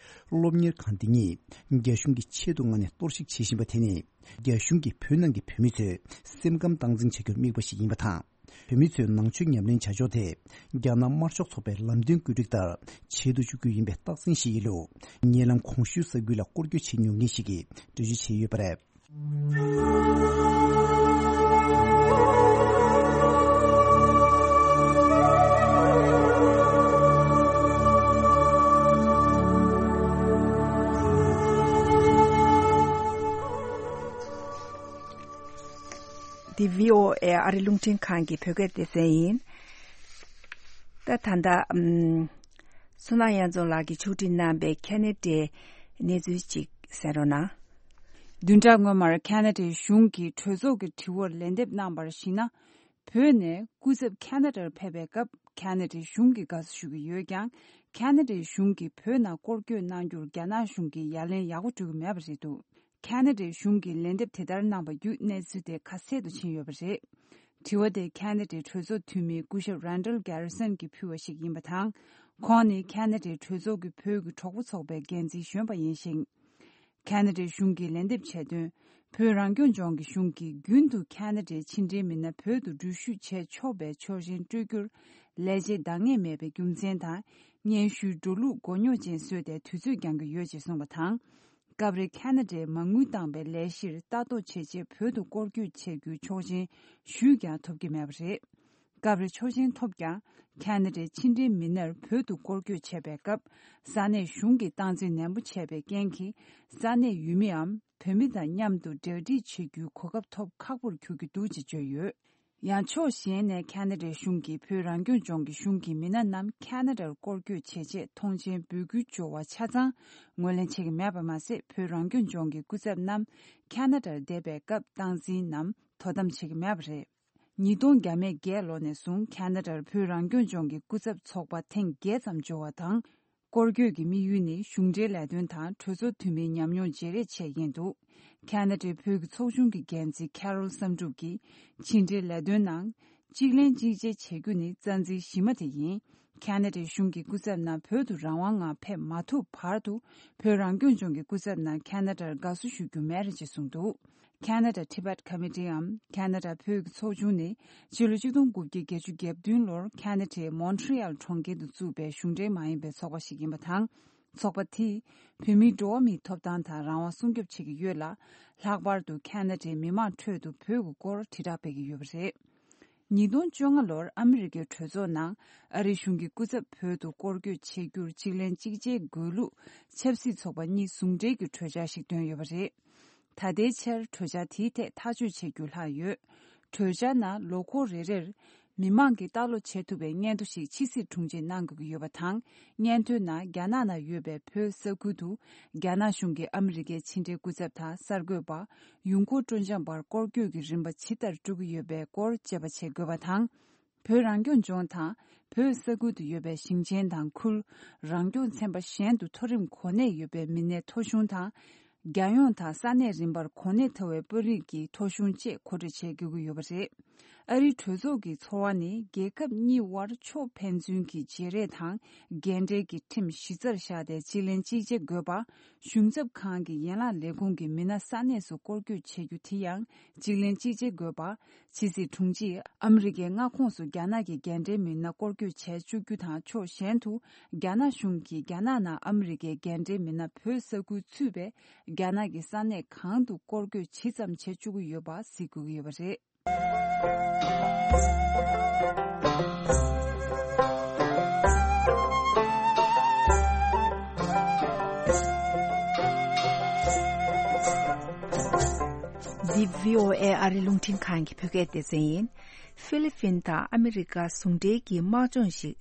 སློབ་གཉེར་ཁང་འདི་ཉིད་རྒྱ་གཞུང་གིས་ཆེད་དུ་མངགས་ནས་གཏོར་བཤིག་བྱེད་བཞིན་པ་དེ་ནི། རྒྱ་གཞུང་གིས་བོད་ནང་གི་བོད་མི་ཚོའི་སེམས་ཁམས་སྟངས་འཛིན་བྱ་རྒྱུར་དམིགས་པ་ཞིག་ཡིན་པ་དང་། བོད་མི་ཚོས་ནང་ཆོས་ཉམས་ལེན་བྱ་ཕྱོགས་དེ་རྒྱ་ནག་དམར་ཤོག་ཚོགས་པའི་ལམ་སྟོན་བཀོད་སྒྲིག་ལྟར་བྱེད་དུ་བཅུག་རྒྱུ་ཡིན་པའི་རྟགས་མཚན་ཞིག་ཡིན་ལུགས་ཉེ་ལམ་གོང་ཞུས་ས་ཁུལ་ལ་སྐོར་སྐྱོད་བྱེད་མྱོང་མཁན་ཞིག་གིས་འགྲེལ་བརྗོད་བྱས་ཡོད་པ་རེད། འདི་བྷི་ཨོ་ཨེ་ཨ་རི་རླུང་འཕྲིན་ཁང་གི་བོད་སྐད་སྡེ་ཚན་ཡིན། ད་ད་ལྟ་ཨམ། བསོད་ནམས་དབྱངས་འཛོམས་ལགས་ཀྱིས་ཕྱོགས་སྒྲིག་གནང་པའི་ཁ་ན་ཌའི་གནས་ཚུལ་ཅིག་གསན་རོགས་གནང་། བདུན་ཕྲག་སྔོན་མར་ཁ་ན་ཌའི་གཞུང་གིས་གྲོས་ཚོགས་ཀྱི་དྲི་བར་ལན་འདེབས་གནང་བར་གཞིགས་ན། བོད་ནས་སྐུ་ཚབ་ཁ་ན་ཌར་ཕེབས་པའི་སྐབས་ཁ་ན་ཌའི་གཞུང་གིས་དགའ་བསུ་ཞུ་གི་ཡོད་ཀྱང་། ཁ་ན་ཌའི་གཞུང་གིས་བོད་ནང་སྐོར་སྐྱོད་གནང་རྒྱུར་རྒྱ་ནག་གཞུང་གིས་ཡ་ལན་ཡག་པོ་སྤྲོད་ཀྱི་མེད་པ་རེད་འདུག་ཁ་ན་ཌའི་གཞུང་གིས་ལན་འདེབས་དེ་ལྟར་གནང་བ་བརྒྱུད་གནས་ཚུལ་དེ་ཁ་གསལ་དུ་ཕྱིན་ཡོད་པ་རེད། དྲི་བ་དེ་ཁ་ན་ཌའི་གྲོས་ཚོགས་འཐུས་མི་སྐུ་ཞབས་Randall Garrison་གྱིས་ཕུལ་བ་ཞིག་ཡིན་པ་དང་། ཁོང་ནི་ཁ་ན་ཌའི་གྲོས་ཚོགས་ཀྱི་བོད་ཀྱི་གྲོགས་པོ་ཚོགས་པའི་འགན་འཛིན་གཞོན་པ་ཡིན་ཞིང་། ཁ་ན་ཌའི་གཞུང་གིས་ལན་འདེབས་བྱས་དོན། བོད་རང་སྐྱོང་ལྗོངས་ཀྱི་གཞུང་གིས་རྒྱུན་དུ་ཁ་ན་ཌའི་ཕྱི་འབྲེལ་མི་སྣ་བོད་དུ་འགྲུལ་བཞུད་བྱས་ཆོག་པའི་ཆོག་མཆན་སྤྲོད་རྒྱུར་ལས་བྱེད་འདང་ངེས་མེད་པའི་རྒྱུ་མཚན་དང་། སྙན་ཞུའི་འགྲོ་ལུགས་མགོ་རྙོག་ཅན་བཟོས་ཏེ་དུས་ཚོད་འགྱངས་ཀྱི་ཡོད་ཅེས་གསུངས་པ་དང་། སྐབས་རེ་ཁ་ན་ཌས་མ་དངུལ་བཏང་པའི་ལས་གཞིར་ལྟ་རྟོག་བྱེད་ཆེད་བོད་དུ་སྐོར་སྐྱོད་བྱེད་རྒྱུའི་ཆོག་མཆན་ཞུས་ཀྱང་ཐོབ་ཀྱི་མེད་པ་རེད། སྐབས་རེ་ཆོག་མཆན་ཐོབ་ཀྱང་ཁ་ན་ཌའི་ཕྱི་འབྲེལ་མི་སྣར་བོད་དུ་སྐོར་སྐྱོད་བྱེད་པའི་སྐབས་ས་གནས་གཞུང་གིས་སྟངས་འཛིན་ནན་པོ་བྱས་པའི་རྐྱེན་གྱིས་ས་གནས་ཡུལ་མིའམ་བོད་མི་དང་མཉམ་དུ་གྲ་སྒྲིག་བྱེད་རྒྱུའི་གོ་སྐབས་ཐོབ་ཁག་པོར་གྱུར་གྱི་འདུག་ཅེས་བརྗོད་ཡོད། ཡང་ཕྱོགས་གཞན་ནས་ཁ་ན་ཌའི་གཞུང་གིས་བོད་རང་སྐྱོང་ལྗོངས་ཀྱི་གཞུང་གི་མི་སྣ་རྣམས་ཁ་ན་ཌར་སྐོར་སྐྱོད་བྱེད་ཆེད་ཐོངས་མཆན་འབུལ་རྒྱུའི་སྦྱོར་བ་ཆ་ཚང་ངོས་ལེན་བྱེད་ཀྱི་མེད་པ་མ་ཟད། བོད་རང་སྐྱོང་ལྗོངས་ཀྱི་སྐུ་ཚབ་རྣམས་ཁ་ན་ཌར་བསྡད་པའི་སྐབས་སྟངས་འཛིན་ནམ་དོ་དམ་བྱེད་ཀྱི་མེད་པ་རེད། ཉིས་སྟོང་བརྒྱ་མེད་བརྒྱད་ལོ་ནས་བཟུང་ཁ་ན་ཌར་བོད་རང་སྐྱོང་ལྗོངས་ཀྱི་སྐུ་ཚབ་ཚོགས་པ་ཐེངས་བརྒྱད་ཙམ་འབྱོར་བ་དང་། སྐོར་སྐྱོད་ཀྱི་དམིགས་ཡུལ་ནི་གཞུང་འབྲེལ་ལས་དོན་དང་གྲོས་ཚོགས་འཐུས་མིའི་ཉམས་མྱོང་བརྗེ་རེས་ཆེད་ཡིན་འདུག་ཁ་ན་ཌའི་བོད་ཀྱི་ཚོགས་ཆུང་གི་འགན་འཛིན་Carol བསམ་གྲུབ་ཀྱིས་ཕྱི་འབྲེལ་ལས་དོན་ནང་གཅིག་ལེན་གཅིག་བྱེད་བྱེད་རྒྱུ་ནི་རྩ་འཛིན་གཞི་མ་དེ་ཡིན། ཁ་ན་ཌའི་གཞུང་གི་སྐུ་ཚབ་རྣམས་བོད་དུ་རང་དབང་ངང་ཕེབས་མ་ཐུབ་བར་དུ་བོད་རང་སྐྱོང་ལྗོངས་ཀྱི་སྐུ་ཚབ་རྣམས་ཁ་ན་ཌར་དགའ་བསུ་ཞུ་རྒྱུ་མེད་རེད་ཅེས་གསུངས་འདུག Canada Tibet Committeeའམ་ཁ་ན་ཌ་བོད་ཀྱི་ཚོགས་ཆུང་ནི་ཕྱི་ལོ་ཆིག་སྟོང་དགུ་བརྒྱ་བརྒྱད་ཅུ་གྱ་བདུན་ལོར་ཁ་ན་ཌའི་མོན་ཊི་ཡལ་གྲོང་ཁྱེར་དུ་བཙུགས་པའི་གཞུང་འབྲེལ་མ་ཡིན་པའི་ཚོགས་པ་ཞིག་ཡིན་པ་དང་། ཚོགས་པ་དེས་བོད་མིའི་འགྲོ་བ་མིའི་ཐོབ་ཐང་དང་རང་དབང་སྲུང་སྐྱོབ་བྱེད་ཀྱི་ཡོད་ལ། ལྷག་པར་དུ་ཁ་ན་ཌའི་མི་མང་ཁྲོད་དུ་བོད་ཀྱི་སྐོར་དྲིལ་བསྒྲགས་སྤེལ་གྱི་ཡོད་པ་རེད། ཉིས་སྟོང་བཅོ་ལྔ་ལོར་ཨ་མི་རི་ཀའི་གྲོས་ཚོགས་ནང་ཨ་རིའི་གཞུང་གི་སྐུ་ཚབ་བོད་དུ་སྐོར་སྐྱོད་བྱེད་རྒྱུར་གཅིག་ལན་གཅིག་བྱེད་དགོས་ལུགས་ཆབ་སྲིད་ཚོགས་པ་གཉིས་ཟུང་འབྲེལ་གྱི་གྲོས་འཆར་ཞིག་བཏོན་ཡོད་པ་རེད། ད་ལྟའི་ཆར་གྲོས་འཆར་དེའི་ཐད་ཐག་གཅོད་བྱེད་རྒྱུ་ལྷག་ཡོད། གྲོས་འཆར་ནང་ལོ་འཁོར་རེ་རེར་མི་མང་གིས་ལྟ་ཀློག་བྱེད་ཐུབ་པའི་སྙན་ཐོ་ཞིག་ཕྱི་སྲིད་དྲུང་ཆེས་གནང་དགོས་ཀྱི་ཡོད་པ་དང་། སྙན་ཐོའི་ནང་རྒྱ་ནག་ནང་ཡོད་པའི་བོད་ས་ཁུལ་དུ་རྒྱ་ནག་གཞུང་གིས་ཨ་མི་རི་ཀའི་ཕྱི་འབྲེལ་སྐུ་ཚབ་དང་གསར་འགོད་པ། ཡུལ་སྐོར་སྤྲོ་འཆམ་པར་སྐོར་སྐྱོད་ཀྱི་རིམ་པ་ཇི་ལྟར་སྤྲོད་ཀྱི་ཡོད་པའི་སྐོར་དཔྱད་པ་བྱེད་དགོས་པ་དང་། བོད་རང་སྐྱོང་ལྗོངས་དང་བོད་ས་ཁུལ་དུ་ཡོད་པའི་ཞིང་ཆེན་དང་ཁུལ། རང་སྐྱོང་ཚན་པ་གཞན་དུ་མཐོ་རིམ་གོ་གནས་ཡོད་པའི་མི་སྣའི་ཐོ་གཞུང་དང་། རྒྱལ་ཡོངས་དང་ས་གནས་རིམ་པར་གོ་གནས་མཐོ་བའི་དཔོན་རིགས་ཀྱི་ཐོ་གཞུང་བཅས་མཁོ་སྤྲོད་བྱེད་དགོས་ཀྱི་ཡོད་པ་རེད། ཨ་རིའི་གྲོས་ཚོགས་ཀྱི་ཚོར་བ་ནི་རྒྱལ་ཁབ་གཉིས་དབར་ཕྱོགས་ཕན་ཚུན་གྱི་བརྗེ་རེས་དང་འགན་འཁྲིའི་ཁྲིམས་གཞི་རྩར་བཞག་སྟེ་གཅིག་ལན་གཅིག་བྱེད་དགོས་པ། གཞུང་ཚབ་ཁང་གི་ཡན་ལག་ལས་ཁུངས་ཀྱི་མི་སྣ་ས་གནས་སུ་སྐོར་སྐྱོད་བྱེད་རྒྱུ་དེ་ཡང་གཅིག་ལན་གཅིག་བྱེད་དགོས་པ། ཕྱི་སྲིད་དྲུང་ཆེས་ཨ་མི་རི་ཀའི་མངའ་ཁོངས་སུ་རྒྱ་ནག་གི་རྒན་གྲས་མི་སྣ་སྐོར་སྐྱོད་བྱས་བཅུག་རྒྱུ་དང་། ཕྱོགས་གཞན་དུ་རྒྱ་ནག་གཞུང་གིས་རྒྱ་ནག་ནང་ཨ་མི་རི་ཀའི་རྒན་གྲས་མི་སྣ་བོད་ས་ཁུལ་ཚུད་པའི་རྒྱ་ནག་གི་ས་གནས་གང་དུ་སྐོར་སྐྱོད་ཇི་ཙམ་བྱེད་བཅུག་གི་ཡོད་པ་གཟིགས་དགོས་ཀྱི་ཡོད་པ་རེད། འདི་བྷི་ཨོ་ཨེ་ཨ་རི་རླུང་འཕྲིན་ཁང་གི་བོད་སྐད་སྡེ་ཚན་ཡིན། ཧྥི་ལི་ཕིན་དང་ཨ་མི་རི་ཀ་ཟུང་འབྲེལ་གྱི་དམག་སྦྱོང་ཞིག་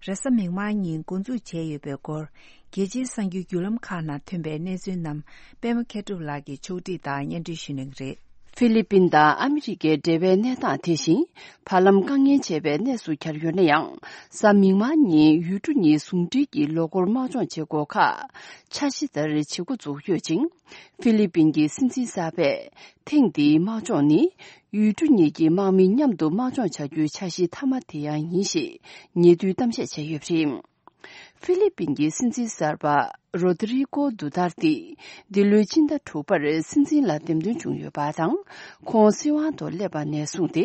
རེས་གཟའ་མིག་དམར་ཉིན་འགོ་འཛུགས་བྱས་ཡོད་པའི་སྐོར། རྒྱལ་སྤྱིའི་གསར་འགྱུར་བརྒྱུད་ལམ་ཁག་ནང་ཐོན་པའི་གནས་ཚུལ་རྣམས་པད་མ་མཁས་གྲུབ་ལགས་ཀྱིས་ཕྱོགས་སྒྲིག་དང་སྙན་སྒྲོན་ཞུ་གནང་གི་རེད། ཧྥི་ལི་པིན་དང་ཨ་མི་རི་ཀའི་འབྲེལ་བའི་གནས་སྟངས་དེ་བཞིན་བར་ལམ་དཀའ་ངལ་འཕྱད་པའི་གནས་སུ་གྱར་ཡོད་ན་ཡང་། གཟའ་མིག་དམར་ཉིན་ཡུལ་གྲུ་གཉིས་ཟུང་འབྲེལ་གྱི་ལོ་འཁོར་དམག་སྦྱོང་བྱེད་སྒོ་ཁག་འཆར་གཞི་ལྟར་བྱེད་འགོ་འཛུགས་ཡོད་ཅིང་། ཧྥི་ལི་པིན་གྱི་སྲིད་འཛིན་གསར་པས་ཐེངས་འདིའི་དམག་སྦྱོང་ནི་ཡུལ་གྲུ་གཉིས་ཀྱི་དམག་མི་མཉམ་དུ་དམག་སྦྱོང་བྱ་རྒྱུའི་འཆར་གཞི་མཐའ་མ་དེ་ཡང་ཡིན་ཞེས་ཉེ་དུས་གཏམ་བཤད་བྱས་ཡོད་པ་རེད། ཧྥི་ལི་པིན་གྱི་སྲིད་འཛིན་གསར་པ་རོ་དི་རི་ཀོ་དུ་ཏར་ཏི་འདི་ལོའི་སྤྱི་ཟླ་དྲུག་པར་སྲིད་འཛིན་ལ་འདེམས་ཐོན་བྱུང་ཡོད་པ་དང་། ཁོང་སྲིད་དབང་དུ་སླེབས་པ་ནས་བཟུང་སྟེ་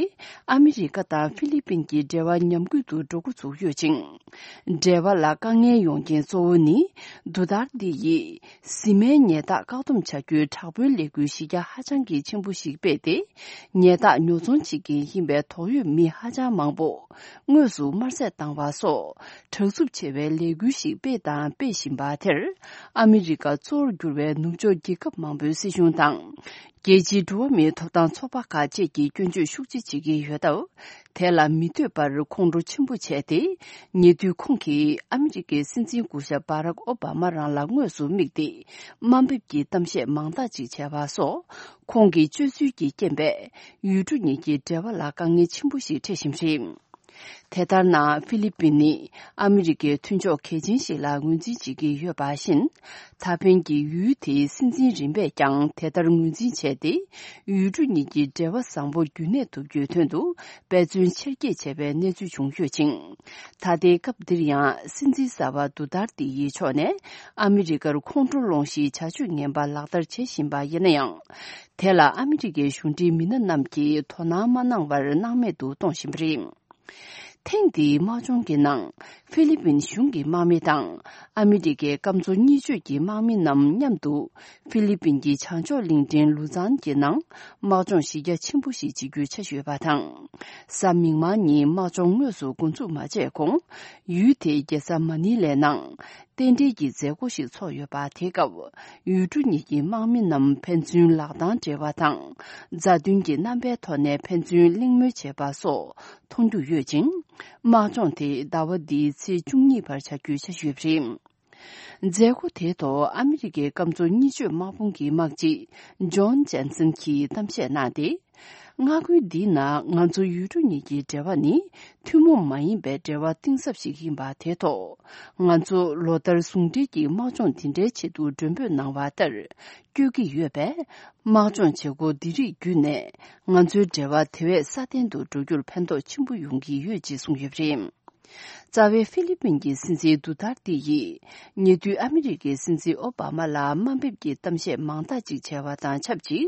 ཨ་མི་རི་ཀ་དང་ཧྥི་ལི་པིན་གྱི་འབྲེལ་བ་ཉམས་རྒུད་དུ་འགྲོ་འགོ་ཚུགས་ཡོད་ཅིང་། འབྲེལ་བ་ལ་དཀའ་ངལ་ཡོང་རྐྱེན་གཙོ་བོ་ནི་དུ་ཏར་ཏི་ཡིས་བཟི་སྨན་ཉལ་ཐག་བཀག་སྡོམ་བྱ་རྒྱུའི་དྲག་པོའི་ལས་འགུལ་གཞི་རྒྱ་ཧ་ཅང་གི་ཆེན་པོ་ཞིག་སྤེལ་ཏེ། ཉལ་ཐག་ཉོ་ཚོང་བྱེད་མཁན་ཡིན་པའི་དོགས་ཡོད་མི་ཧ་ཅང་མང་པོ་དངོས་སུ་དམར་གསོད་བཏང་བ་སོགས་དྲག་རྩུབ་ཆེ་བའི་ལས་འགུལ་ཞིག་སྤེལ་དང་སྤེལ་བཞིན་པ་དེར། ཨ་མི་རི་ཀ་གཙོ་བོར་གྱུར་བའི་ནུབ་ཕྱོགས་རྒྱལ་ཁབ་མང་པོའི་སྲིད་གཞུང་དང་། རྒྱལ་སྤྱིའི་འགྲོ་བ་མིའི་ཐོབ་ཐང་ཚོགས་པ་ཁག་བཅས་ཀྱིས་སྐྱོན་བརྗོད་ཤུགས་ཆེ་བྱེད་ཀྱི་ཡོད་སྟབས། དེ་ལ་མི་འདོད་པར་ཁོང་ཁྲོ་ཆེན་པོ་བྱས་ཏེ། ཉེ་དུས་ཁོང་གིས་ཨ་མི་རི་ཀའི་སྲིད་འཛིན་སྐུ་ཞབས་བྷ་རག་ཨོ་བྷ་མ་རང་ལ་དངོས་སུ་དམིགས་ཏེ། དམའ་འབེབས་ཀྱི་གཏམ་བཤད་མང་དག་ཅིག་བྱས་པ་སོགས། ཁོང་གི་སྤྱོད་ཚུལ་གྱི་རྐྱེན་པས། ཡུལ་གྲུ་གཉིས་ཀྱི་འབྲེལ་བ་ལ་དཀའ་ངལ་ཆེན་པོ་ཞིག་འཕྲད་བཞིན་པ་རེད། དེ་ལྟར་ན་ཧྥི་ལི་པིན་ནི་ཨ་མི་རི་ཀའི་མཐུན་ཕྱོགས་གལ་ཆེན་ཞིག་ལ་ངོས་འཛིན་བྱེད་ཀྱི་ཡོད་པ་བཞིན། ད་ཕན་གྱི་ཡུལ་དེའི་སྲིད་འཛིན་རིམ་པས་ཀྱང་དེ་ལྟར་ངོས་འཛིན་བྱས་ཏེ། ཡུལ་གྲུ་གཉིས་ཀྱི་འབྲེལ་བ་བཟང་པོ་རྒྱུན་གནས་ཐུབ་རྒྱུའི་དོན་དུ་འབད་བརྩོན་ཆེར་སྐྱེད་བྱས་པའི་གནས་ཚུལ་བྱུང་ཡོད་ཅིང་། ད་ལྟའི་སྐབས་འདིར་ཡང་སྲིད་འཛིན་གསར་པ་དུ་ཏར་ཏི་ཡི་ཕྱོགས་ནས་ཨ་མི་རི་ཀར་ཁོང་ཁྲོ་སློང་གཞིའི་བྱ་སྤྱོད་ངན་པ་ལག་བསྟར་བྱེད་བཞིན་པ་ཡིན་ན་ཡང་། དེ་ལ་ཨ་མི་རི་ཀའི་གཞུང་འབྲེལ་མི་སྣ་རྣམས་ཀྱིས་དོ་སྣང་མ་གནང་བར་སྣང་མེད་དུ་གཏོང་བཞིན་པ་རེད། ཐེངས་འདིའི་དམག་སྦྱོང་གི་ནང་ཧྥི་ལི་པིན་གཞུང་གི་དམག་མི་དང་ཨ་མི་རི་ཀའི་སྐམ་མཚོ་གཉིས་ཕྱོད་ཀྱི་དམག་མི་རྣམས་མཉམ་དུ་ཧྥི་ལི་པིན་གྱི་བྱང་ཕྱོགས་གླིང་ཕྲན་ལུ་ཛན་གྱི་ནང་དམག་སྦྱོང་གཞི་རྒྱ་ཆེན་པོ་ཞིག་བྱེད་རྒྱུའི་འཆར་གཞི་ཡོད་པ་དང་། གཟའ་མིག་དམར་ཉིན་དམག་སྦྱོང་དངོས་སུ་འགོ་འཛུགས་མ་བྱས་གོང་། ཡུལ་དེའི་རྒྱལ་ས་མ་ནི་ལའི་ནང་རྟེན་འབྲེལ་གྱི་མཛད་སྒོ་ཞིག་ཚོགས་ཡོད་པ། དེའི་སྐབས་ཡུལ་གྲུ་གཉིས་ཀྱི་དམག་མི་རྣམས་ཕན་ཚུན་ལག་གདང་སྦྲེལ་བ་དང་། མཛའ་མཐུན་གྱི་རྣམ་པའི་ཐོག་ནས་ཕན་ཚུན་གླེང་མོལ་བྱེད་པ་སོགས་མཐོང་རྒྱུ་ཡོད་ཅིང་། དམག་སྦྱོང་དེ་ཟླ་བ་འདིའི་ཚེས་བཅུ་གཉིས་བར་བྱ་རྒྱུའི་འཆར་གཞི་ཡོད་པ་རེད། མཛད་སྒོ་དེའི་ཐོག་ཨ་མི་རི་ཀའི་སྐམ་མཚོ་གཉིས་ཕྱོད་དམག་དཔུང་གི་དམག་སྤྱི་ཇོན་ཇན་སན་གྱིས་གཏམ་བཤད་གནང་སྟེ། མངའ་ཁུལ་འདིའི་ནང་ང་ཚོ་ཡུལ་གྲུ་གཉིས་ཀྱི་འབྲེལ་བ་ནི་ཐུན་མོང་མ་ཡིན་པའི་འབྲེལ་བ་གཏིང་ཟབ་ཞིག་ཡིན་པ་དེ་ཐོག་ང་ཚོ་ལོ་ལྟར་ཟུང་འབྲེལ་གྱི་དམག་སྦྱོང་འདི་འདྲའི་ཆེད་དུ་མགྲོན་འབོད་གནང་བ་ལྟར་བསྐྱོད་ཀྱི་ཡོད་པས། དམག་སྦྱོང་བྱེད་སྒོ་འདི་རིགས་བརྒྱུད་ནས་ང་ཚོའི་འབྲེལ་བ་དེ་བས་སྲ་བརྟན་དུ་འགྲོ་རྒྱུར་ཕན་ཐོགས་ཆེན་པོ་ཡོང་གི་ཡོད་ཅེས་གསུངས་ཡོད་པ་རེད། རྩ་བའི་ཧྥི་ལི་པིན་གྱི་སྲིད་འཛིན་དུ་ཏར་ཏི་ཡིས་ཉེ་དུས་ཨ་མི་རི་ཀའི་སྲིད་འཛིན་ཨོ་བྷ་མ་ལ་དམའ་འབེབས་ཀྱི་གཏམ་བཤད་མང་དག་ཅིག་བྱས་པ་དང་ཆབས་ཅིག་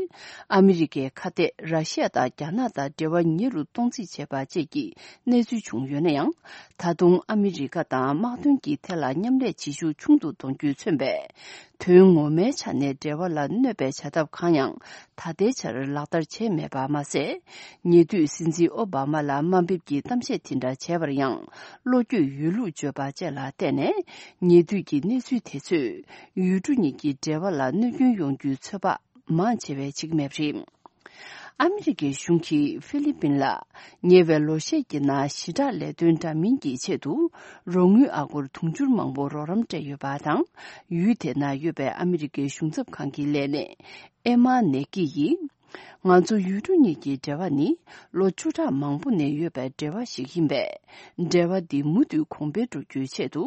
ཨ་མི་རི་ཀའི་ཁ་གཏད་ར་ཤི་ཡ་དང་རྒྱ་ནག་དང་འབྲེལ་བ་ཉེ་རུ་གཏོང་རྩིས་བྱས་པ་བཅས་ཀྱི་གནས་ཚུལ་བྱུང་ཡོད་ན་ཡང་། ད་དུང་ཨ་མི་རི་ཀ་དང་དམག་དོན་གྱི་ཐད་ལ་མཉམ་ལས་བྱེད་ཤུགས་ཆུང་དུ་གཏོང་རྒྱུས་མཚོན་པའི། དོན་ངོ་མའི་ཆ་ནས་འབྲེལ་བ་ལ་གནོད་པའི་བྱ་ཐབས་གང་ཡང་ད་ལྟའི་ཆར་ལག་བསྟར་བྱས་མེད་པ་མ་ཟད། ཉེ་དུས་སྲིད་འཛིན་ཨོ་བྷ་མ་ལ་དམའ་འབེབས་ཀྱི་གཏམ་བཤད་དེ་འདྲ་བྱས་པར་ཡང་བློ་འགྱོད་ཡོད་ལུགས་བརྗོད་པ་བཅས་ལ་བརྟེན་ནས། ཉེ་དུས་ཀྱི་གནས་ཚུལ་དེ་ཚོས་ཡུལ་གྲུ་གཉིས་ཀྱི་འབྲེལ་བ་ལ་གནོད་སྐྱོན་ཡོང་རྒྱུའི་ཚོད་དཔག་མང་ཆེ་བས་བྱེད་ཀྱི་མེད་པ་རེད། ཨ་མི་རི་ཀའི་གཞུང་གིས་ཧྥི་ལི་པིན་ལ་ཉེ་བའི་ལོ་ཤས་ཀྱི་ནང་ཞི་དྲག་ལས་དོན་འདྲ་མིན་གྱི་ཆེད་དུ་རོགས་དངུལ་ཨ་སྒོར་དུང་ཕྱུར་མང་པོ་རོགས་རམ་སྤྲད་ཡོད་པ་དང་། ཡུལ་དེ་ན་ཡོད་པའི་ཨ་མི་རི་ཀའི་གཞུང་ཚབ་ཁང་གི་ལས་སྣེ་ཨེ་མ་ནེ་ཀི་ཡིས། ང་ཚོ་ཡུལ་གྲུ་གཉིས་ཀྱི་འབྲེལ་བ་ནི་ལོ་བཅུ་ཕྲག་མང་པོ་ནས་ཡོད་པའི་འབྲེལ་བ་ཞིག་ཡིན་པས། འབྲེལ་བ་འདི་མུ་མཐུད་གོང་འཕེལ་འགྲོ་རྒྱུའི་ཆེད་དུ།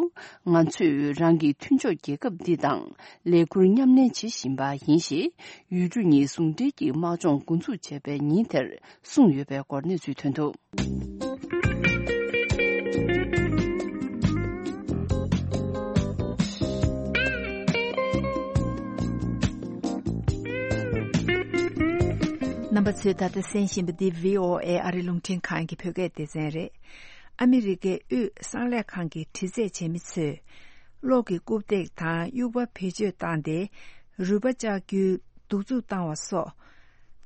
ང་ཚོས་རང་གི་མཐུན་ཕྱོགས་རྒྱལ་ཁབ་འདི་དང་ལས་འཁུར་མཉམ་ལེན་བྱེད་བཞིན་པ་ཡིན་ཞེས། ཡུལ་གྲུ་གཉིས་ཟུང་འབྲེལ་གྱི་དམག་སྦྱོང་འགོ་འཛུགས་བྱས་པའི་ཉིན་དེར་གསུངས་ཡོད་པའི་སྐོར་གནས་ཚུལ་ཐོན་འདུག་རྣམ་པ་ཚོས་ད་ལྟ་གསན་བཞིན་པ་འདི་བྷི་ཨོ་ཨེ་ཨ་རི་རླུང་འཕྲིན་ཁང་གི་བོད་སྐད་སྡེ་ཚན་རེད། ཨ་མི་རི་ཀའི་དབུས་གསང་ལས་ཁང་གི་དྲི་རྩད་བྱེད་མི་ཚོས་གློག་གི་རྐུབ་སྟེགས་དང་དབྱུག་པ་བེད་སྤྱོད་བཏང་སྟེ་རུས་པ་བཅག་རྒྱུའི་གདུག་རྩུབ་བཏང་བ་སོགས།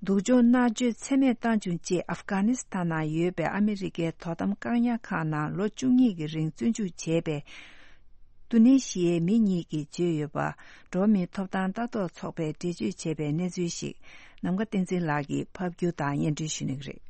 སྡུག་སྦྱོང་མནར་གཅོད་ཚད་མེད་བཏང་བྱུང་ཅེས་ཨབ་གྷ་ནི་སི་ཐན་ནང་ཡོད་པའི་ཨ་མི་རི་ཀའི་དོ་དམ་བཀག་ཉར་ཁང་ནང་ལོ་བཅུ་གཉིས་ཀྱི་རིང་བཙོན་འཇུག་བྱས་པའི་ཏུ་ནེ་ཤི་ཡའི་མི་གཉིས་ཀྱིས་བརྗོད་ཡོད་པ། འགྲོ་བ་མིའི་ཐོབ་ཐང་ལྟ་རྟོག་ཚོགས་པས་འགྲེལ་བརྗོད་བྱས་པའི་གནས་ཚུལ་ཞིག་ནམ་མཁའ་བསྟན་འཛིན་ལགས་ཀྱིས་ཕབ་སྒྱུར་དང་སྙན་སྒྲོན་ཞུ་གནང་གི་རེད།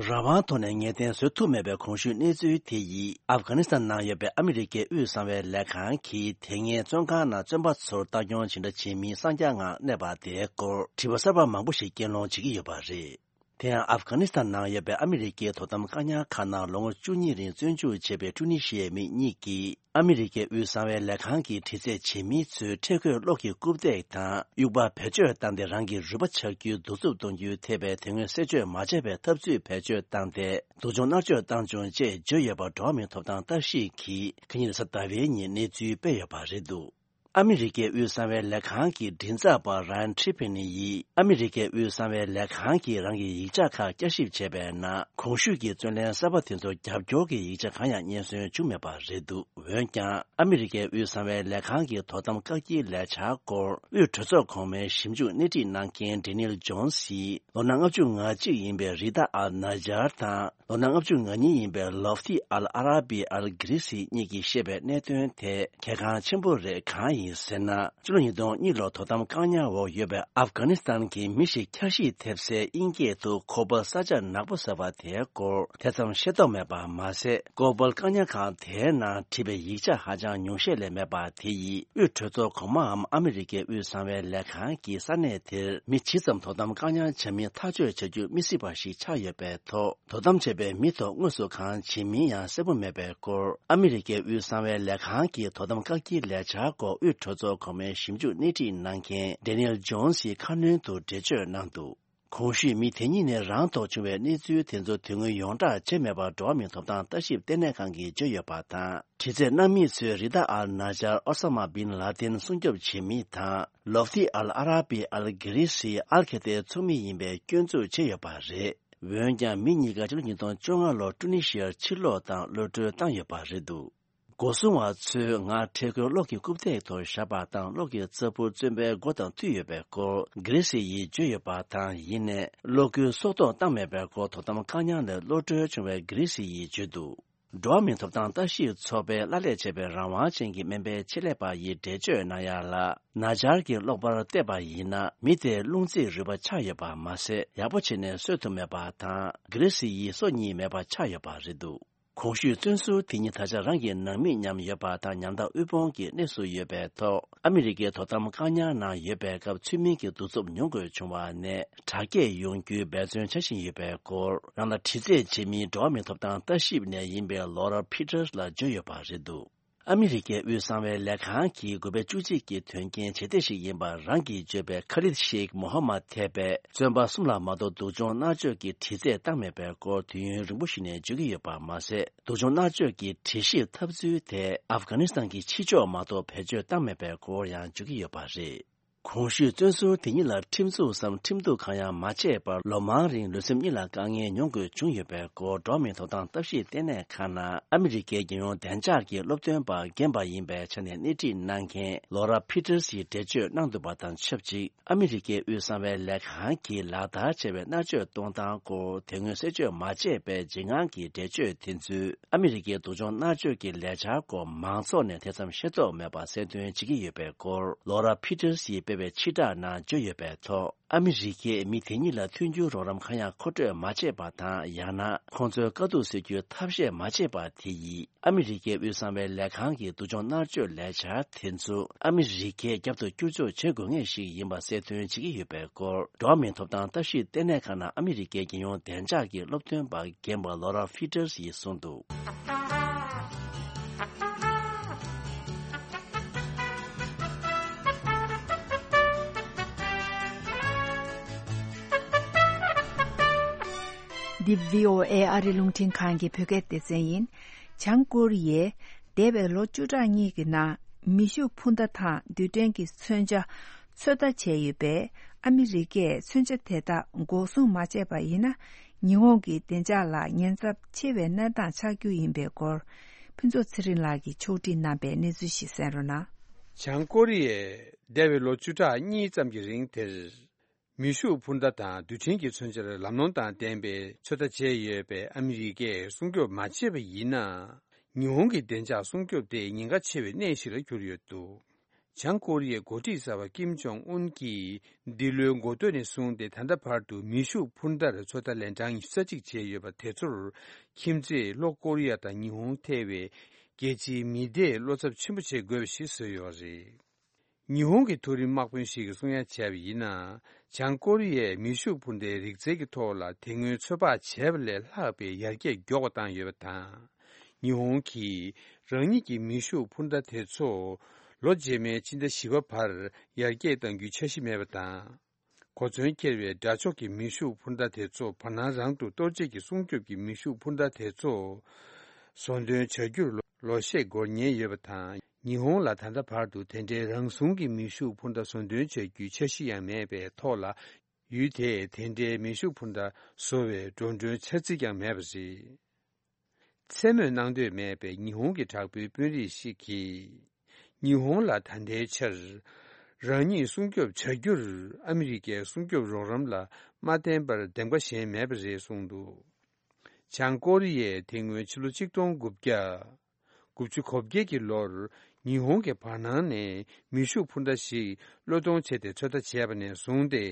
རང་དབང་ཐོག་ནས་ངེས་གཏན་བཟོ་ཐུབ་མེད་པའི་གོང་ཞུས་གནས་ཚུལ་དེ་ཡིས། ཨབ་གྷ་ནི་སི་ཐན་ནང་ཡོད་པའི་ཨ་མི་རི་ཀའི་དབུས་གསང་བའི་ལས་ཁང་གིས་དེ་སྔའི་བཙོན་ཁང་ནང་བཙོན་པ་ཚོར་ལྟ་སྐྱོང་ཇི་འདྲ་བྱེད་མིན་གསང་རྒྱ་ངང་གནས་པ་དེའི་སྐོར་དྲི་བ་གསར་པ་མང་པོ་ཞིག་རྐྱེན་སློང་བྱེད་ཀྱི་ཡོད་པ་རེད། དེ་ཡང་ཨབ་གྷ་ནི་སི་ཐན་ནང་ཡོད་པའི་ཨ་མི་རི་ཀའི་དོ་དམ་བཀག་ཉར་ཁང་ནང་ལོ་ངོ་བཅུ་གཉིས་རིང་བཙོན་འཇུག་བྱས་པའི་ཀྲུ་ནི་ཤི་ཡའི་མི་གཉིས་ཀྱིས། ཨ་མི་རི་ཀའི་དབུས་གསང་བའི་ལས་ཁང་གིས་དྲི་རྩད་བྱེད་མི་ཚོའི་ཁྲེལ་དགོད་གློག་གི་རྐུབ་སྟེགས་དང་དབྱུག་པ་བེད་སྤྱོད་བཏང་སྟེ་རང་གི་རུས་པ་ཆག་རྒྱུའི་གདུག་རྩུབ་གཏོང་རྒྱུའི་ཐེབས་པའི་དེ་སྔོན་གསད་གཅོད་མ་བྱས་པའི་ཐབས་ཚུལ་བེད་སྤྱོད་བཏང་སྟེ་སྡུག་སྦྱོང་མནར་གཅོད་བཏང་བྱུང་ཅེས་བརྗོད་ཡོད་པ་འགྲོ་བ་མིའི་ཐོབ་ཐང་ལྟ་ཞིབ་ཀྱིས་ཁ་ཉིན་རེས་གཟའ་ཟླ་བའི་ཉིན་གནས་ཚུལ་སྤེལ་ཡོད་པ་རེད་འདུག་ཨ་མི་རི་ཀའི་དབུས་གསང་བའི་ལས་ཁང་གི་མགྲིན་ཚབ་པ་Ryan Tripini་ཡིས་ཨ་མི་རི་ཀའི་དབུས་གསང་བའི་ལས་ཁང་གིས་རང་གི་ཡིག་ཆ་ཁག་བསྐྱར་ཞིབ་བྱས་པའི་ནང་གོང་ཞུས་ཀྱི་བཙོན་ལེན་གསར་པ་དེ་ཚོར་རྒྱབ་སྐྱོར་གྱི་ཡིག་ཆ་གང་ཡང་རྙེད་སོན་བྱུང་མེད་པ་རེད་འདུག་འོན་ཀྱང་ཨ་མི་རི་ཀའི་དབུས་གསང་བའི་ལས་ཁང་གི་དོ་དམ་བཀག་སྐྱིལ་ལས་འཆར་སྐོར་དབུས་གྲོས་ཚོགས་གོང་མའི་ཞིབ་འཇུག་སྣེ་ཁྲིད་གནང་མཁན་Daniel Jones་ཡིས་ལོ་ན་ལྔ་བཅུ་ང་གཅིག་ཡིན་པའི་Rida Al-Najjar་དང་། ལོ་ན་ལྔ་བཅུ་ང་གཉིས་ཡིན་པའི་Lotfi Al-Arabi Al-Grisi་གཉིས་ཀྱིས་བཤད་པའི་གནད་དོན་དེ་གལ་འགངས་ཆེན་པོ་རེད། གང་ ཡིན་ཟེར་ན། ཕྱི་ལོ་ཉིས་སྟོང་གཉིས་ལོར་དོ་དམ་བཀག་ཉར་འོག་ཡོད་པའི་ཨབ་གྷ་ནི་སི་ཐན་གྱི་མི་ཞིག་འཁྱགས་ཤིང་ཐེབས་སའི་དབྱིན་སྐད་དུ་ཁོ་པལ་ས་ཆ་ནག་པོ་ཟེར་བ་དེའི་སྐོར་དེ་ཙམ་ཤེས་རྟོགས་མེད་པ་མ་ཟད། ཁོ་པལ་བཀག་ཉར་ཁང་དེའི་ནང་བྲིས་པའི་ཡིག་ཆ་ཧ་ཅང་ཉུང་ཤས་ལས་མེད་པ་དེ་ཡིས་དབུས་གྲོས་ཚོགས་གོང་མའམ་ཨ་མི་རི་ཀའི་དབུས་གསང་བའི་ལས་ཁང་གིས་ས་གནས་དེར་མི་ཇི་ཙམ་དོ་དམ་བཀག་ཉར་བྱ་མིན་ཐག་གཅོད་བྱ་རྒྱུ་མི་སྲིད་པ་ཞིག་ཆགས་ཡོད་པའི་ཐོག་དོ་དམ་བྱས་པའི་མི་ཐོག་དངོས་སུ་གང་བྱེད་མིན་ཡང་གསལ་པོ་མེད་པའི་སྐོར། ཨ་མི་རི་ཀའི་དབུས་གསང་བའི་ལས་ཁང་གི་དོ་དམ་བཀག་སྐྱིལ་ལས་འཆར་སྐོར་དབུས་གྲོས་ཚོགས་གོང་མའི་ཞིབ་འཇུག་སྣེ་ཁྲིད་གནང་མཁན་Daniel Jones་ཡིས་ཁ་སྣོན་དུ་འགྲེལ་བརྗོད་གནང་འདུག་གོང་ཞུས་མི་དེ་གཉིས་ནས་རང་ཐོག་བྱུང་བའི་གནས་ཚུལ་དེ་ཚོ་དོན་དངོས་ཡོངས་བསྒྲགས་བྱས་མེད་པར་འགྲོ་བ་མིའི་ཐོབ་ཐང་ལྟ་ཞིབ་ལྟེ་གནས་ཁང་གིས་བརྗོད་ཡོད་པ་དང་། དྲི་རྩད་གནང་མི་ཚོས་རི་ད་ཨལ་ནཱ་ཇར་ཨོ་ས་མ་བིན་ལ་ཏིན་སྲུང་སྐྱོབ་བྱེད་མི་དང་། ལོབ་ཏི་ཨལ་ཨ་ར་པི་ཨལ་གྷི་རི་སི་ཨལ་ཁེ་ཏའི་ཚོགས་མི་ཡིན་པའི་སྐྱོན་འཛུགས་བྱས་ཡོད་པ་རེད། འོན་ཀྱང་མི་གཉིས་ཀ་ཕྱི་ལོ་ཉིས་སྟོང་བཅོ་ལྔ་ལོར་ཀྲུ་ནི་ཤི་ཡར་ཕྱིར་ལོག་དང་གློད་གྲོལ་བཏང་ཡོད་པ་རེད་འདུག་སྒོ་སྲུང་བ་ཚོས་ང་འཕྲལ་རྒོལ་གློག་གི་རྐུབ་སྟེགས་ཐོག་བཞག་པ་དང་གློག་གི་རྩྭ་ཕུར་བཙོན་པའི་སྒོ་དང་མཐུད་ཡོད་པའི་སྐོར་གྷི་རི་སི་ཡིས་བརྗོད་ཡོད་པ་དང་། ཡིན་ནའི་གློག་སྒུལ་སྲོག་ཐོག་བཏང་མེད་པའི་སྐོར་དོ་དམ་བཀག་ཉར་ནས་གློད་གྲོལ་བྱུང་བའི་གྷི་རི་སི་ཡིས་བརྗོད་འདུག་འགྲོ་བ་མིའི་ཐོབ་ཐང་ལྟ་ཞིབ་ཚོགས་པའི་ལྷ་ལས་བྱས་པའི་རང་དབང་ཅན་གྱི་སྨན་པའི་ཆེད་ལས་པ་ཡིས་འགྲེལ་བརྗོད་གནང་ཡ་ལ། ནཱ་ཇར་གྱི་གློག་པར་བལྟས་པ་ཡིན་ན། མི་དེར་རླུང་རྩིས་རུས་པ་ཆགས་ཡོད་པ་མ་ཟད། ཡག་པོ་བྱས་ནས་གསོ་ཐུབ་མེད་པ་དང་། གྷི་རི་སི་ཡིས་སོ་གཉིས་མེད་པ་ཆགས་ཡོད་པ་རེད་འདུག་གོང་ཞུས་བཙོན་ཟུར་དེ་གཉིས་ད་ཆ་རང་གི་ནང་མི་མཉམ་ཡོད་པ་དང་། ཉམ་ཐག་དབུལ་ཕོངས་ཀྱི་གནས་སུ་ཡོད་པའི་ཐོག་ཨ་མི་རི་ཀའི་དོ་དམ་བཀག་ཉར་ནང་ཡོད་པའི་སྐབས་ཚུལ་མིན་གྱི་གདུག་རྩུབ་མྱོང་དགོས་བྱུང་བ་ནས་དྲག་སྐྱེད་ཡོང་རྒྱུའི་འབད་བརྩོན་བྱ་བཞིན་ཡོད་པའི་སྐོར། རང་ལ་དྲི་རྩད་བྱེད་མིན་འགྲོ་བ་མིའི་ཐོབ་ཐང་ལྟ་ཞིབ་ནས་ཡིན་པའི་ལོ་ར་ཕི་ཏར་ལ་བརྗོད་ཡོད་པ་རེད་འདུག་ཨ་མི་རི་ཀའི་དབུས་གསང་བའི་ལས་ཁང་གིས་དགུ་པའི་བཅུ་གཅིག་གི་དོན་རྐྱེན་བྱེད་གཏེ་ཞིག་ཡིན་པ་རང་གིས་བརྗོད་པའི་ཁ་ལིད་ཤེག་མོ་ཧ་མད་ཐེ་པས་བཙོན་པ་གསུམ་ལ་མ་གཏོགས་སྡུག་སྦྱོང་མནར་གཅོད་ཀྱི་དྲི་རྩད་བཏང་མེད་པའི་སྐོར་དུས་ཡུན་རིང་པོ་ཞིག་ནས་བརྗོད་ཀྱི་ཡོད་པ་མ་ཟད། སྡུག་སྦྱོང་མནར་གཅོད་ཀྱི་དྲི་ཞིབ་ཐབས་ཚུལ་དེ་ཨབ་གྷ་ནི་སི་ཐན་གྱི་ཕྱི་ཕྱོགས་མ་གཏོགས་བེད་སྤྱོད་བཏང་མེད་པའི་སྐོར་ཡང་བརྗོད་ཀྱི་ཡོད་པ་རེད། གོང་ཞུས་བཙོན་ཟུར་དེ་གཉིས་ལ་ཁྲིམས་འཛུགས་སམ་ཁྲིམས་གཏུག་གང་ཡང་མ་བྱས་པར་ལོ་མང་རིང་ལུས་སེམས་གཉིས་ལ་དཀའ་ངལ་མྱོང་དགོས་བྱུང་ཡོད་པའི་སྐོར་འགྲོ་བ་མིའི་ཐོབ་ཐང་ལྟ་ཞིབ་ལྟེ་གནས་ཁང་ནང་ཨ་མི་རི་ཀའི་རྒྱལ་ཡོངས་བདེ་འཇགས་ཀྱི་སློབ་སྟོན་པ་རྒན་པ་ཡིན་པའི་ཆ་ནས་སྣེ་ཁྲིད་གནང་མཁན་ལོ་ར་ཕི་ཏར་སིས་འགྲེལ་བརྗོད་གནང་འདུག་པ་དང་ཆབས་ཅིག་ཨ་མི་རི་ཀའི་དབུས་གསང་བའི་ལས་ཁང་གིས་ལག་བསྟར་བྱས་པའི་མནར་གཅོད་གཏོང་སྟངས་སྐོར་དེ་སྔོན་གསལ་བརྗོད་མ་བྱས་པའི་འཇིགས་དངངས་ཀྱི་འགྲེལ་བརྗོད་དེ་ཚོས། ཨ་མི་རི་ཀའི་སྡུག་སྦྱོང་མནར་གཅོད་ཀྱི་ལས་འཆར་སྐོར་མང་ཚོགས་ནས་དེ་ཙམ་ཤེས་རྟོགས་མེད་པ་གསལ་སྟོན་བྱེད་ཀྱི་ཡོད་པའི་སྐོར་ལོ་ར་ཕི་ཏར་སིས་སྤེལ་བའི་ཕྱིར་བསྒྲགས་ནང་བརྗོད་ཡོད་པའི་ཐོག་ཨ་མི་རི་ཀས་མི་དེ་གཉིས་ལ་མཐུན་འགྱུར་རོགས་རམ་གང་ཡང་མཁོ་སྤྲོད་མ་བྱས་པ་དང་། ཡང་ན་ཁོང་ཚོའི་དཀའ་སྡུག་སེལ་རྒྱུའི་ཐབས་ཤེས་མ་བྱས་པ་དེ་ཡིས། ཨ་མི་རི་ཀའི་དབུས་གསང་བའི་ལས་ཁང་གི་སྡུག་སྦྱོང་མནར་གཅོད་ལས་འཆར་དེ་ཚོ་ཨ་མི་རི་ཀས་རྒྱབ་ཏུ་བསྐྱུར་བཅོས་བྱེད་དགོས་ངེས་ཤིག་ཡིན་པ་གསལ་སྟོན་བྱེད་ཀྱི་ཡོད་པའི་སྐོར་འགྲོ་བ་མིའི་ཐོབ་ཐང་ལྟ་ཞིབ་ལྟེ་གནས་ཁང་ནང་ཨ་མི་རི་ཀའི་རྒྱལ་ཡོངས་བདེ་འཇགས་ཀྱི་སློབ་སྟོན་པ་རྒན་པ་ལོ་ར་ཕི་ཏར་སིས་གསུངས་འདུག་འདི་བྷི་ཨོ་ཨེ་ཨ་རི་རླུང་འཕྲིན་ཁང་གི་བོད་སྐད་སྡེ་ཚན་ཡིན། བྱང་ཀོ་རི་ཡས་འདས་པའི་ལོ་བཅུ་ཕྲག་གཉིས་ཀྱི་ནང་མེ་ཤུགས་འཕུར་མདའ་དང་རྡུལ་ཕྲན་གྱི་མཚོན་ཆ་ཚོད་ལྟ་བྱས་ཡོད་པས། ཨ་མི་རི་ཀས་མཚོན་ཆ་དེ་དག་འགོག་སྲུང་མ་བྱས་པ་ཡིན་ན། ཉི་ཧོང་གི་བདེ་འཇགས་ལ་ཉེན་ཚབས་ཆེ་བའི་གནས་སྟངས་ཆགས་རྒྱུ་ཡིན་པའི་སྐོར། ཕུན་ཚོགས་ཚེ་རིང་ལགས་ཀྱིས་ཕྱོགས་སྒྲིག་གནང་པའི་གནས་ཚུལ་ཞིག་གསན་རོགས་གནང་། བྱང་ཀོ་རི་ཡས་འདས་པའི་ལོ་བཅུ་ཕྲག་གཉིས་ཙམ་གྱི་རིང་དེར། མེ་ཤུགས་འཕུར་མདའ་དང་རྡུལ་ཕྲན་གྱི་མཚོན་ཆར་ལམ་ལྷོང་དང་ལྡན་པའི་ཚོད་ལྟ་བྱས་ཡོད་པས། ཨ་མི་རི་ཀས་སྲུང་སྐྱོབ་མ་བྱས་པ་ཡིན་ན། ཉི་ཧོང་གི་བདེ་འཇགས་སྲུང་སྐྱོབ་དེ་ཉེན་ཁ་ཆེ་བའི་གནས་ཤིག་ལ་གྱུར་ཡོད་འདུག་བྱང་ཀོ་རི་ཡའི་འགོ་ཁྲིད་གསར་པ་ཀིམ་ཇོང་ཨུན་གྱིས་འདི་ལོའི་འགོ་སྟོད་ནས་བཟུང་སྟེ་ད་ལྟ་བར་དུ་མེ་ཤུགས་འཕུར་མདའ་ར་ཚོད་ལྟ་ལན་གྲངས་ཉི་ཤུ་རྩ་གཅིག་བྱས་ཡོད་པ་དེ་ཚོར་ཁྱིམ་མཚེས་ལྷོ་ཀོ་རི་ཡ་དང་ཉི་ཧོང་ཐེ་བའི་རྒྱལ་སྤྱིའི་མི་སྡེས་བློ་འཚབ་ཆེན་པོ་བྱེད་དགོས་པ་ཞིག་བཟོས་ཡོད་རེད། ཉི་ཧོང་གི་མཐོ་རིམ་དམག་དཔོན་ཞིག་གིས་གསུང་ཡ་བྱས་པ་ཡིན་ན། བྱང་ཀོ་རི་ཡས་མེ་ཤུགས་འཕུར་མདའི་རིག་རྩལ་གྱི་ཐོག་ལ་དེ་སྔོན་ཚོད་དཔག་བྱས་པ་ལས་ལྷག་པའི་ཡར་རྒྱས་མགྱོགས་པ་བཏང་ཡོད་པ་དང་། ཉི་ཧོང་གིས་རང་ཉིད་ཀྱི་མེ་ཤུགས་འཕུར་མདའ་དེ་ཚོ་ལོ་རྗེས་མའི་ཕྱི་ཟླ་བཞི་པ་བར་ཡར་རྒྱས་གཏང་རྒྱུའི་འཆར་གཞི་མེད་པ་དང་། གོ་མཚོན་འཁྱེར་བའི་དགྲ་ཕྱོགས་ཀྱི་མེ་ཤུགས་འཕུར་མདའ་དེ་ཚོ་བར་སྣང་རང་དུ་གཏོར་བྱེད་ཀྱི་སྲུང་སྐྱོབ་ཀྱི་མེ་ཤུགས་འཕུར་མདའ་དེ་ཚོ་བཟོ་འདོན་བྱ་རྒྱུར་ལོ་ལོ་ཤས་འགོར་ཉེན་ཡོད་པ་དང་། ཉི་ཧོང་ལ་ད་ལྟ་བར་དུ་དེ་འདྲའི་རང་བཟུང་གི་མེ་ཤུགས་འཕུར་མདའ་བཟོ་འདོན་བྱ་རྒྱུའི་འཆར་གཞི་ཡང་མེད་པའི་ཐོག་ལ། ཡུལ་དེས་དེ་འདྲའི་མེ་ཤུགས་འཕུར་མདའ་བཟོ་བའི་འགྲོ་གྲོན་འཆར་རྩིས་ཀྱང་མེད་པ་རེད། མཚན་སྨོས་གནང་འདོད་མེད་པའི་ཉི་ཧོང་གི་དྲག་པོའི་དཔོན་རིགས་ཤིག་གིས། ཉི་ཧོང་ལ་ད་ལྟའི་ཆར་རང་ཉིད་སྲུང་སྐྱོབ་བྱ་རྒྱུར་ཨ་མི་རི་ཀའི་སྲུང་སྐྱོབ་རོགས་རམ་ལ་མ་བརྟེན་པར་འདེམས་ཀ་གཞན་མེད་པ་རེད་གསུངས་འདུག་བྱང་ཀོ་རི་ཡས་དེ་སྔོན་ཕྱི་ལོ་ཆིག་སྟོང་དགུ་བརྒྱ་དགུ་བཅུ་གོ་བརྒྱད་ཀྱི་ལོར་ ཉི་ཧོང་གི་བར་སྣང་ནས་མེ་ཤུགས་འཕུར་མདའ་ཞིག་གློད་གཏོང་བྱས་ཏེ་ཚོད་ལྟ་བྱས་པ་ནས་བཟུང་སྟེ།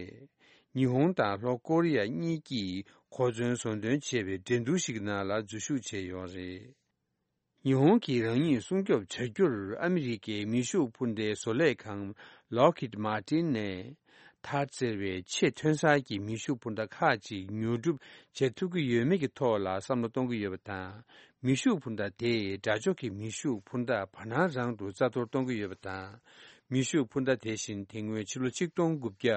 ཉི་ཧོང་དང་ལྷོ་ཀོ་རི་ཡ་གཉིས་ཀྱིས་གོ་མཚོན་བཟོ་འདོན་བྱས་པའི་འགྲན་བསྡུར་ཞིག་གི་ནང་ལ་འཛུལ་ཞུགས་བྱས་ཡོད་རེད། ཉི་ཧོང་གིས་རང་ཉིད་སྲུང་སྐྱོབ་བྱ་རྒྱུར་ཨ་མི་རི་ཀའི་མེ་ཤུགས་འཕུར་མདའི་བཟོ་ལས་ཁང་Lockheed Martin ནས་ཐཱད་ཟེར་བའི་ཆེས་ཐོན་གསར་གྱི་མེ་ཤུགས་འཕུར་མདའ་ཁག་ཅིག་ཉོ་སྒྲུབ་བྱེད་ཐུབ་ཀྱི་ཡོད་མེད་ཀྱི་ཐོག་ལ་བསམ་བློ་གཏོང་གི་ཡོད་པ་དང་། མེ་ཤུགས་འཕུར་མདའ་དེས་དགྲ་ཕྱོགས་ཀྱི་མེ་ཤུགས་འཕུར་མདའ་བར་སྣང་རང་དུ་རྩ་གཏོར་གཏོང་གི་ཡོད་པ་དང་། མེ་ཤུགས་འཕུར་མདའ་དེ་བཞིན་དེ་སྔོན་ཕྱི་ལོ་ཆིག་སྟོང་དགུ་བརྒྱ་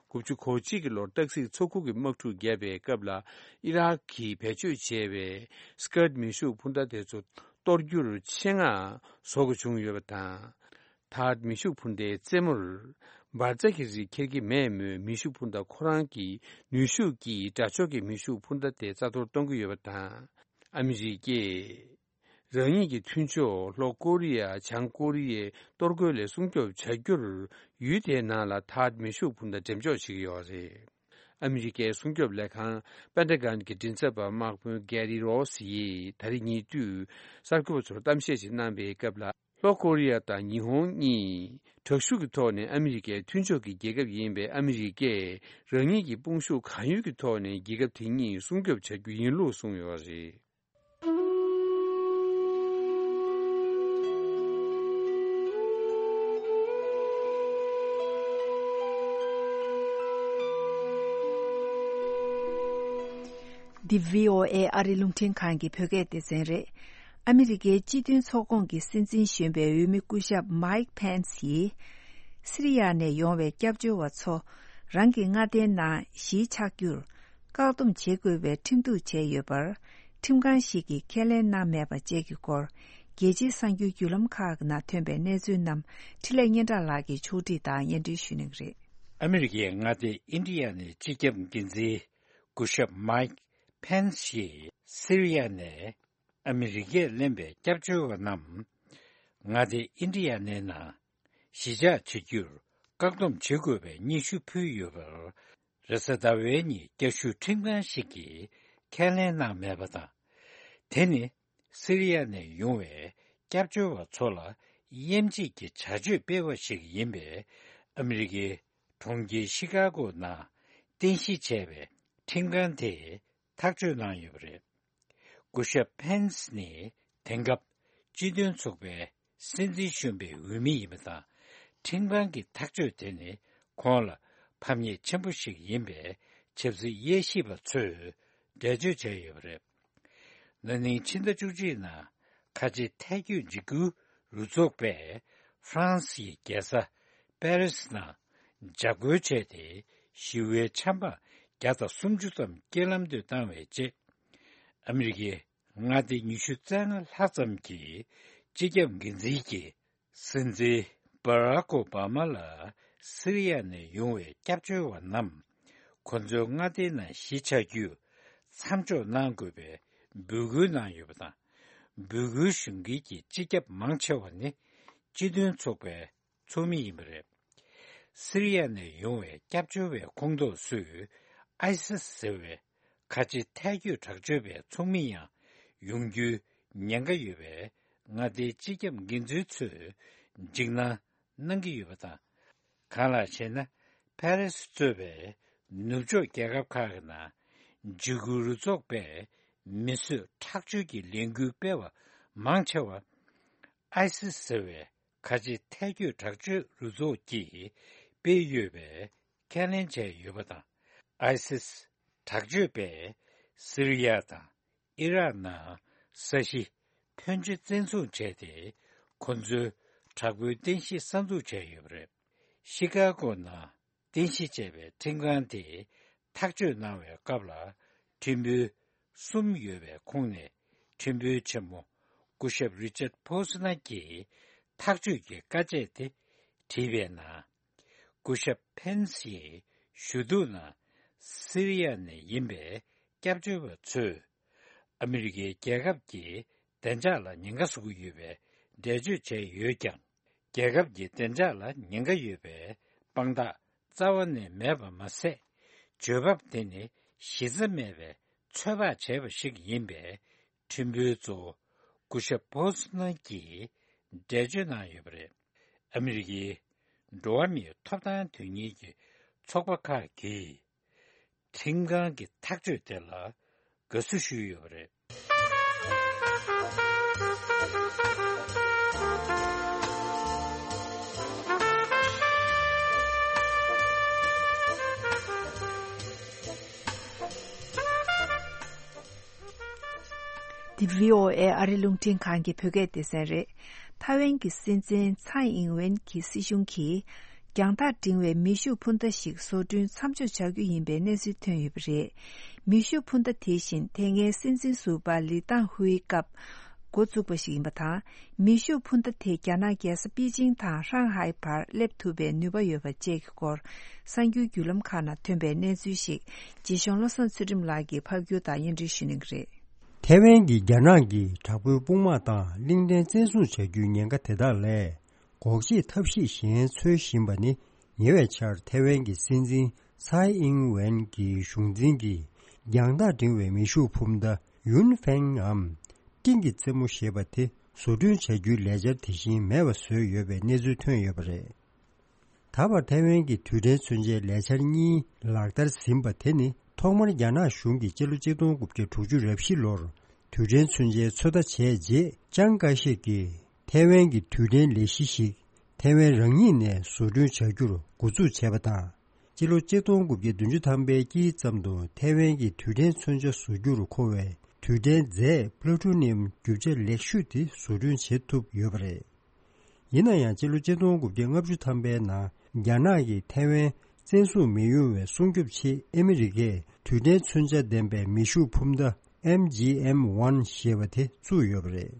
དགུ་བཅུ་གོ་གཅིག་གི་ལོར་སྟག་གཟིག་མཚོ་ཁུག་གི་དམག་འཁྲུག་བརྒྱབ་པའི་སྐབས་ལ་ཨི་རག་གིས་བེད་སྤྱོད་བྱས་པའི་Scud་མེ་ཤུགས་འཕུར་མདའ་དེ་ཚོ་གཏོར་རྒྱུར་ཆེད་མངགས་བཟོ་དགོས་བྱུང་ཡོད་པ་དང་། ཐཱད་མེ་ཤུགས་འཕུར་མདའི་རྩེ་མོར་འབར་རྫས་ཀྱི་རིགས་འཁྱེར་གྱི་མེད་མོད། མེ་ཤུགས་འཕུར་མདའ་ཁོ་རང་གི་ནུས་ཤུགས་ཀྱིས་དགྲ་ཕྱོགས་ཀྱི་མེ་ཤུགས་འཕུར་མདའ་དེ་རྩ་གཏོར་གཏོང་གི་ཡོད་པ་དང་། ཨ་མི་རི་ཀས་རང་ཉིད་ཀྱི་མཐུན་ཕྱོགས་ལྷོ་ཀོ་རི་ཡ་བྱང་ཀོ་རི་ཡའི་གཏོར་རྒོལ་ལས་སྲུང་སྐྱོབ་བྱ་རྒྱུར་ཡུལ་དེའི་ནང་ལ་ཐཱད་མེ་ཤུགས་འཕུར་མདའ་འགྲེམས་འཇོག་བྱེད་ཀྱི་ཡོད་རེད། ཨ་མི་རི་ཀའི་སྲུང་སྐྱོབ་ལས་ཁང་པེན་ཏ་གོན་གྱི་མགྲིན་ཚབ་པ་དམག་དཔོན་གྷེ་རི་རོ་སི་ཡིས་ད་རེས་ཉེ་དུས་གསར་འགོད་པ་ཚོར་གཏམ་བཤད་ཅིག་གནང་པའི་སྐབས་ལ། ལྷོ་ཀོ་རི་ཡ་དང་ཉི་ཧོང་གཉིས་དྲག་ཤུགས་ཀྱི་ཐོག་ནས་ཨ་མི་རི་ཀའི་མཐུན་ཕྱོགས་ཀྱི་རྒྱལ་ཁབ་ཡིན་པས། ཨ་མི་རི་ཀས་རང་ཉིད་ཀྱི་དཔུང་ཤུགས་གང་ཡོད་ཀྱི་ཐོག་ནས་རྒྱལ་ཁབ་དེ་གཉིས་སྲུང་སྐྱོབ་བྱ་རྒྱུ་ཡིན་ལུགས་གསུངས་ཡོད་པ་རེད། འདི་བྷི་ཨོ་ཨེ་ཨ་རི་རླུང་འཕྲིན་ཁང་གི་བོད་སྐད་སྡེ་ཚན་རེད། ཨ་མི་རི་ཀའི་སྤྱི་མཐུན་ཚོགས་ཁོངས་ཀྱི་སྲིད་འཛིན་གཞོན་པའི་འོས་མི་སྐུ་ཞབས་མའིག་ཕེན་སི་ཡིས། སི་རི་ཡ་ནས་ཡོང་བའི་སྐྱབས་བཅོལ་བ་ཚོ་རང་གི་མངའ་སྡེའི་ནང་གཞིས་ཆགས་རྒྱུར་བཀག་སྡོམ་བྱེད་དགོས་པའི་ཁྲིམས་གཏུག་བྱས་ཡོད་པར། ཁྲིམས་ཁང་ཞིག་གིས་ཁས་ལེན་གནང་མེད་པ་བཅས་ཀྱི་སྐོར། རྒྱལ་སྤྱིའི་གསར་འགྱུར་བརྒྱུད་ལམ་ཁག་གི་ནང་ཐོན་པའི་གནས་ཚུལ་རྣམས་འཕྲིན་ལས་སྙན་གྲགས་ལགས་ཀྱིས་ཕྱོགས་སྒྲིག་དང་སྙན་སྒྲོན་ཞུ་གནང་གི་རེད། ཨ་མི་རི་ཀའི་མངའ་སྡེ་ཨིན་ཌི་ཡ་ནའི་སྤྱི་ཁྱབ་འགན་འཛིན་སྐུ་ཞབས་མའིག་ཕེན་སི་ཡིས་སི་རི་ཡ་ནས་ཨ་མི་རི་ཀས་ལེན་པའི་སྐྱབས་བཅོལ་བ་རྣམས་མངའ་སྡེ་ཨིན་ཌི་ཡ་ནའི་ནང་གཞིས་ཆགས་བྱེད་རྒྱུར་བཀག་སྡོམ་བྱེད་དགོས་པའི་སྙན་ཞུ་ཕུལ་ཡོད་པར། རེས་གཟའ་ཟླ་བའི་ཉིན་བསྐྱར་ཞུ་ཁྲིམས་ཁང་ཞིག་གིས་ཁས་ལེན་གནང་མེད་པ་དང་། དེ་ནི་སི་རི་ཡ་ནས་ཡོང་བའི་སྐྱབས་བཅོལ་བ་ཚོ་ལ་དབྱེ་འབྱེད་ཀྱི་བྱ་སྤྱོད་སྤེལ་བ་ཞིག་ཡིན་པས། ཨ་མི་རི་ཀའི་གྲོང་ཁྱེར་ཤི་ཀ་གོ་ནང་རྟེན་གཞི་བྱས་པའི་ཁྲིམས་ཁང་དེས་ཐག་གཅོད་གནང་ཡོད་པ་རེད། སྐུ་ཞབས་ཕེན་སི་ནི་དེང་སྐབས་སྤྱི་མཐུན་ཚོགས་པའི་སྲིད་འཛིན་གཞོན་པའི་འོས་མི་ཡིན་པ་དང་། ཁྲིམས་ཁང་གི་ཐག་གཅོད་དེ་ནི་ཁོང་ལ་ཕམ་ཉེས་ཆེན་པོ་ཞིག་ཡིན་པའི་ཆབ་སྲིད་དབྱེ་ཞིབ་པ་ཚོས་འགྲེལ་བརྗོད་བྱས་ཡོད་པ་རེད། ན་ནིང་ཕྱི་ཟླ་བཅུ་གཅིག་ནང་ཁ་ཆེ་ཐལ་སྐྱོད་འཇིགས་སྐུལ་རུ་ཚོགས་པས་ཧྥ་རན་སིའི་རྒྱལ་ས་པེ་རི་སི་ནང་འཇབ་རྒོལ་བྱས་ཏེ། ཞི་བའི་ཆབ་འབངས་བརྒྱ་དང་སུམ་ཅུ་ཙམ་རྐྱེན་ལམ་དུ་བཏང་བའི་རྗེས། ཨ་མི་རི་ཀའི་མངའ་སྡེ་ཉི་ཤུ་རྩ་ལྔ་ལྷག་ཙམ་གྱི་སྤྱི་ཁྱབ་འགན་འཛིན་གྱིས། སྲིད་འཛིན་བྷ་རག་ཨོ་བྷ་མ་ལ་སི་རི་ཡ་ནས་ཡོང་བའི་སྐྱབས་བཅོལ་བ་རྣམས་ཁོ་ཚོའི་མངའ་སྡེའི་ནང་གཞིས་ཆགས་རྒྱུ་མཚམས་འཇོག་གནང་དགོས་པའི་འབོད་སྐུལ་གནང་ཡོད་པ་དང་། འབོད་སྐུལ་ཞུ་མཁན་གྱི་སྤྱི་ཁྱབ་མང་ཆེ་བ་ནི་སྤྱི་མཐུན་ཚོགས་པའི་ཚོགས་མི་ཡིན་པ་རེད། སི་རི་ཡ་ནས་ཡོང་བའི་སྐྱབས་བཅོལ་བའི་ཁོངས་གཏོགས་ཚོས་ཨའི་སི་ཟེར་བའི་ཁ་ཆེ་ཐལ་སྐྱོད་དྲག་སྤྱོད་པའི་ཚོགས་མི་ཡང་ཡོང་རྒྱུའི་ཉེན་ཁ་ཡོད་པས། མངའ་སྡེའི་སྤྱི་ཁྱབ་འགན་འཛིན་ཚོས་འཇིགས་སྣང་གནང་གི་ཡོད་པ་དང་། གང་ལགས་ཤེ་ན། ཕ་རི་སི་གཙོས་པའི་ནུབ་ཕྱོགས་རྒྱལ་ཁབ་ཁག་གི་ནང་འཇིགས་སྐུལ་རུ་ཚོགས་པས་མི་གསོད་ཁྲག་སྦྱོར་གྱི་ལས་འགུལ་སྤེལ་བ་མང་ཆེ་བ་ཨའི་སི་ཟེར་བའི་ཁ་ཆེ་ཐལ་སྐྱོད་དྲག་སྤྱོད་རུ་ཚོགས་ཀྱིས་སྤེལ་ཡོད་པའི་ཁས་ལེན་བྱས་ཡོད་པ་དང་། ཨའི་སི་དྲག་སྤྱོད་པས་སི་རི་ཡ་དང་ཨི་རག་ནང་ས་གཞི་ཕོན་ཆེ་བཙན་བཟུང་བྱས་ཏེ། ཁོ་ཚོའི་དྲག་པོའི་རྟེན་གཞི་གསར་འཛུགས་བྱས་ཡོད་པ་རེད། ཤི་ཀ་གོ་ནང་རྟེན་གཞི་བྱས་པའི་ཁྲིམས་ཁང་དེས་ཐག་གཅོད་གནང་བའི་སྐབས་ལ། ཁྲིམས་དཔོན་གསུམ་ཡོད་པའི་ཁོངས་ནས་ཁྲིམས་དཔོན་ཆེན་མོ་སྐུ་ཞབས་རི་ཅར་ཕོ་སི་ནར་གྱིས་ཐག་གཅོད་ཀྱི་བཀའ་ཆད་དེ་བྲིས་པའི་ནང་། སྐུ་ཞབས་ཕེན་སི་ཡིས་ཞུ་གཏུག་ནང་སི་རི་ཡ་ནས་ཡིན་པའི་སྐྱབས་བཅོལ་བ་ཚོས་ཨ་མི་རི་ཀའི་རྒྱལ་ཁབ་ཀྱི་བདེ་འཇགས་ལ་ཉེན་ཁ་བཟོ་གི་ཡོད་པའི་འགྲེལ་བརྗོད་བྱས་ཡོད་ཀྱང་། རྒྱལ་ཁབ་ཀྱི་བདེ་འཇགས་ལ་ཉེན་ཁ་ཡོད་པའི་དཔང་རྟགས་རྩ་བ་ནས་མེད་པ་མ་ཟད། བརྗོད་བབ་དེ་ནི་གཞི་རྩ་མེད་པའི་ཚོད་དཔག་བྱས་པ་ཞིག་ཡིན་པས། ཁྲིམས་དཔོན་གཙོ་བོ་སྐུ་ཞབས་ཕོ་སི་ནར་གྱིས་ འགྲེལ་བརྗོད་གནང་ཡོད་པ་རེད། ཨ་མི་རི་ཀའི་འགྲོ་བ་མིའི་ཐོབ་ཐང་དོན་གཉེར་གྱི་ཚོགས་པ་ཁག་གིས་ཁྲིམས་ཁང་གི་ཐག་གཅོད་དེ་ལ་དགའ་བསུ་ཞུས་ཡོད་པ་རེད། འདི་བྷི་ཨོ་ཨེ་ཨ་རི་རླུང་འཕྲིན་ཁང་གི་བོད་སྐད་སྡེ་ཚན་རེད། ཐའེ་ཝན་གྱི་སྲིད་འཛིན་ཚའེ་ཨིང་ཝེན་གྱི་སྲིད་གཞུང་གིས་རྒྱང་ཐག་འབྲིང་བའི་མེ་ཤུགས་འཕུར་མདའ་ཞིག་བཟོ་སྐྲུན་མཚམས་འཇོག་བྱ་རྒྱུ་ཡིན་པའི་གནས་ཚུལ་ཐོན་ཡོད་པ་རེད། མེ་ཤུགས་འཕུར་མདའ་དེ་བཞིན་དེ་སྔའི་སྲིད་འཛིན་ཟུར་པ་ལི་ཏང་ཧུའེ་སྐབས་འགོ་བཙུགས་པ་ཞིག་ཡིན་པ་དང་། མེ་ཤུགས་འཕུར་མདའ་དེ་རྒྱ་ནག་རྒྱལ་ས་པེ་ཅིང་དང་ཧྲང་ཧའེ་བར་སླེབས་ཐུབ་པའི་ནུས་པ་ཡོད་པ་བཅས་ཀྱི་སྐོར་གསར་འགྱུར་བརྒྱུད་ལམ་ཁག་ནང་ཐོན་པའི་གནས་ཚུལ་ཞིག་རྗེ་གཞུང་བློ་བཟང་ཚུལ་ཁྲིམས་ལགས་ཀྱིས་ཕབ་སྒྱུར་དང་སྙན་སྒྲོན་ཞུ་གནང་གི་རེད། ཐའེ་ཝན་གྱིས་རྒྱ་ནག་གི་དྲག་པོའི་དཔུང་དམག་དང་གླིང་ཕྲན་བཙན་བཟུང་བྱ་རྒྱུའི་ཉེན་ཁ་དེ་དག་ལས་འགོག་བྱེད་ཐབས་ཤེས་གཞན་འཚོལ་བཞིན་པ་ནི། ཉེ་བའི་ཆར་ཐའེ་ཝན་གྱི་སྲིད་འཛིན་ཚའེ་ཨིང་ཝེན་གྱི་གཞུང་འཛིན་གྱིས་རྒྱང་ཐག་འབྲིང་བའི་མེ་ཤུགས་འཕུར་མདའ་ཡུན་ཧྥེང་འམ་སྤྲིན་གྱི་རྩེ་མོ་ཞེས་པ་དེ་བཟོ་སྐྲུན་བྱ་རྒྱུའི་ལས་འཆར་དེ་བཞིན་མེད་པ་བཟོས་ཡོད་པའི་གནས་ཚུལ་ཐོན་ཡོད་པ་རེད། ད་བར་ཐའེ་ཝན་གྱི་རྡུལ་ཕྲན་མཚོན་ཆའི་ལས་འཆར་གཉིས་ལག་བསྟར་ཟིན་པ་དེ་ནི། ཐོག་མར་རྒྱ་ནག་གཞུང་གིས་སྤྱི་ལོ་ཆིག་སྟོང་དགུ་བརྒྱ་དྲུག་ཅུ་རེ་བཞི་ལོར་རྡུལ་ཕྲན་མཚོན་ཆའི་ཚོད་ལྟ་བྱས་རྗེས། ཅང་ཀ་ཤེ་ཀྱིས་ཐའེ་ཝན་གྱི་རྡུལ་ཕྲན་ལས་གཞི་ཞིག་ཐའེ་ཝན་རང་ཉིད་ནས་བཟོ་སྐྲུན་བྱ་རྒྱུར་འགོ་འཛུགས་བྱས་པ་དང་། སྤྱི་ལོ་ཆིག་སྟོང་དགུ་བརྒྱ་བདུན་ཅུ་ཐམ་པའི་དཀྱིལ་ཙམ་དུ་ཐའེ་ཝན་གྱི་རྡུལ་ཕྲན་མཚོན་ཆ་བཟོ་རྒྱུར་མཁོ་བའི་རྡུལ་ཕྲན་རྫས་པླུ་ཊོ་ནི་ཡམ་རྒྱུ་ཆ་ལེགས་ཤོས་དེ་བཟོ་སྐྲུན་བྱེད་ཐུབ་ཡོད་པ་རེད། ཡིན་ན་ཡང་། སྤྱི་ལོ་ཆིག་སྟོང་དགུ་བརྒྱ་ལྔ་བཅུ་ཐམ་པའི་ནང་རྒྱ་ནག་གིས་ཐའེ་ཝན་བཙན་བཟུང་མི་ཡོང་བའི་སྲུང་སྐྱོབ་ཆེད། ཨ་མི་རི་ཀས་རྡུལ་ཕྲན་མཚོན་ཆ་ལྡན་པའི་མེ་ཤུགས་འཕུར་མདའ་ཨེམ་ཇི་ཨེམ་ཝན་ཞེས་པ་དེ་བཙུགས་ཡོད་པ་རེད།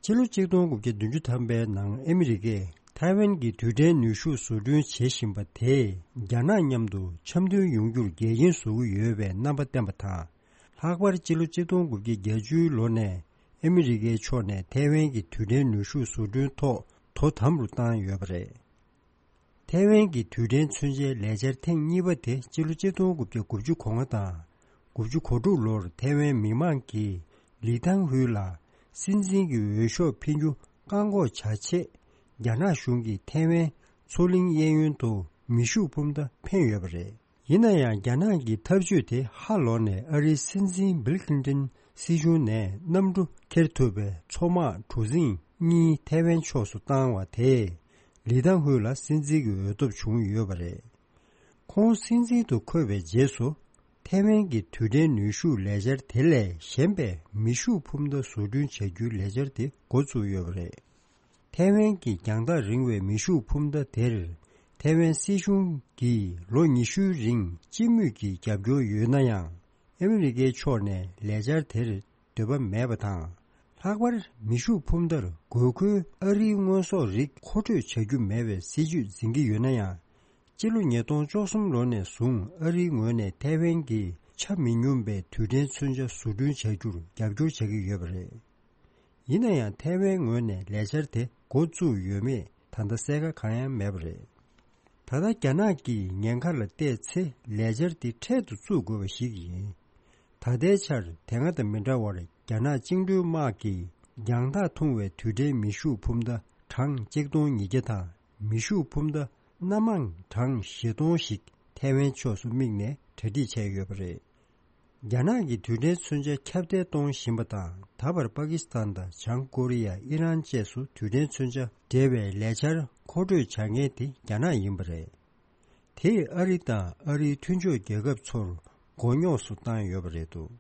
ཕྱི་ལོ་ཆིག་སྟོང་དགུ་བརྒྱ་བདུན་ཅུ་ཐམ་པའི་ནང་ཨ་མི་རི་ཀས་ཐའེ་ཝན་གྱི་རྡུལ་ཕྲན་ནུས་ཤུགས་བཟོ་སྐྲུན་བྱེད་བཞིན་པ་དེས་རྒྱ་ནག་མཉམ་དུ་འཆམ་མཐུན་ཡོང་རྒྱུར་འགལ་རྐྱེན་བཟོ་གི་ཡོད་པའི་རྣམ་པ་བསྟན་པ་དང་། ལྷག་པར་སྤྱི་ལོ་ཆིག་སྟོང་དགུ་བརྒྱ་བརྒྱད་ཅུའི་ལོ་ནས་ཨ་མི་རི་ཀའི་ཕྱོགས་ནས་ཐའེ་ཝན་གྱི་རྡུལ་ཕྲན་ནུས་ཤུགས་བཟོ་སྐྲུན་ཐོག་དོ་དམ་རུ་བཏང་ཡོད་པ་རེད། ཐའེ་ཝན་གྱི་རྡུལ་ཕྲན་མཚོན་ཆའི་ལས་འཆར་ཐེངས་གཉིས་པ་དེ་སྤྱི་ལོ་ཆིག་སྟོང་དགུ་བརྒྱ་དགུ་བཅུ་གོ་ལྔ་དང་དགུ་བཅུ་གོ་དྲུག་ལོར་ཐའེ་ཝན་མི་མང་གིས་ལི་ཐང་ཧུའེ་ལ་སྲིད་འཛིན་གྱི་འོས་ཤོག་འཕེན་རྒྱུ་བཀག་འགོག་བྱ་ཆེད། རྒྱ་ནག་གཞུང་གིས་ཐའེ་ཝན་མཚོ་གླིང་གཡས་གཡོན་དུ་མེ་ཤུགས་འཕུར་མདའ་འཕེན་ཡོད་པ་རེད། ཡིན་ན་ཡང་། རྒྱ་ནག་གི་ཐབས་ཇུས་དེ་ཧ་ལོག་ནས། ཨ་རིའི་སྲིད་འཛིན་བིལ་ཁི་ལིན་ཏོན་སྲིད་གཞུང་ནས་གནམ་གྲུ་འཁྱེར་ཐུབ་པའི་མཚོ་དམག་གྲུ་གཟིངས་གཉིས་ཐའེ་ཝན་ཕྱོགས་སུ་བཏང་བ་དེས། ལི་ཐང་ཧུའེ་ལ་སྲིད་འཛིན་གྱི་འོས་ཐོབ་བྱུང་ཡོད་པ་རེད། ཁོང་སྲིད་འཛིན་དུ་འཁོད་པའི་རྗེས་སུ། ཐའེ་ཝན་གྱི་རྡུལ་ཕྲན་ནུས་ཤུགས་ལས་འཆར་དེ་ལས་གཞན་པའི་མེ་ཤུགས་འཕུར་མདའ་བཟོ་སྐྲུན་བྱ་རྒྱུའི་ལས་འཆར་དེ་འགོ་བཙུགས་ཡོད་པ་རེད། ཐའེ་ཝན་གྱི་རྒྱང་ཐག་རིང་བའི་མེ་ཤུགས་འཕུར་མདའ་དེར། ཐའེ་ཝན་སྲིད་གཞུང་གིས་ལོ་ཉི་ཤུའི་རིང་སྤྱི་མོས་ཀྱིས་རྒྱབ་སྐྱོར་ཡོད་ན་ཡང་། ཨ་མི་རི་ཀའི་ཕྱོགས་ནས་ལས་འཆར་དེར་འདོད་པ་མེད་པ་དང་། ལྷག་པར་མེ་ཤུགས་འཕུར་མདའར་དགོས་མཁོའི་ཨ་རིའི་དངོས་ཟོག་རིགས་མཁོ་སྤྲོད་བྱ་རྒྱུ་མེད་པའི་སྲིད་ཇུས་འཛིན་གྱི་ཡོད་ན་ཡང་། སྤྱི་ལོ་ཉིས་སྟོང་བཅུ་གསུམ་ལོ་ནས་བཟུང་ཨ་རིའི་ངོས་ནས་ཐའེ་ཝན་གྱི་ཆ་མི་སྙོམས་པའི་རྡུལ་ཕྲན་མཚོན་ཆ་བཟོ་སྐྲུན་བྱ་རྒྱུར་རྒྱབ་སྐྱོར་བྱ་གི་ཡོད་པ་རེད། ཡིན་ན་ཡང་། ཐའེ་ཝན་ངོས་ནས་ལས་འཆར་དེ་འགོ་བཙུགས་ཡོད་མེད་ད་ལྟ་གསལ་ཁ་གང་ཡང་མེད་པ་རེད། ད་ལྟ་རྒྱ་ནག་གིས་ཉེན་ཁ་ལ་བལྟས་ཚེ་ལས་འཆར་འདི་འཕྲལ་དུ་བཙུགས་དགོས་པ་ཞིག་ཡིན། ད་ལྟའི་ཆར་དེ་སྔ་དང་མི་འདྲ་བར་རྒྱ་ནག་བཅིངས་འགྲོལ་དམག་གིས་རྒྱང་ཐག་ཐུང་བའི་རྡུལ་ཕྲན་མེ་ཤུགས་འཕུར་མདའ་གྲངས་གཅིག་སྟོང་ཉིས་བརྒྱ་དང་མེ་ཤུགས་འཕུར་མདའ་སྣ་མང་གྲངས་བཞི་སྟོང་ཞིག་ཐའེ་ཝན་ཕྱོགས་སུ་དམིགས་ནས་གྲ་སྒྲིག་བྱས་ཡོད་པ་རེད། རྒྱ་ནག་གིས་རྡུལ་ཕྲན་མཚོན་ཆ་ཁྱབ་གདལ་གཏོང་བཞིན་པ་དང་། ད་བར་པ་ཀི་སི་ཐན་དང་བྱང་ཀོ་རི་ཡ། ཨི་རན་བཅས་སུ་རྡུལ་ཕྲན་མཚོན་ཆ་འབྲེལ་བའི་ལས་འཆར་མཁོ་སྤྲོད་བྱ་མཁན་དེ་རྒྱ་ནག་ཡིན་པ་རེད། དེས་ཨ་རི་དང་ཨ་རིའི་མཐུན་ཕྱོགས་རྒྱལ་ཁབ་ཚོར་མགོ་རྙོག་སུ་བཏང་ཡོད་པ་རེད་འདུག་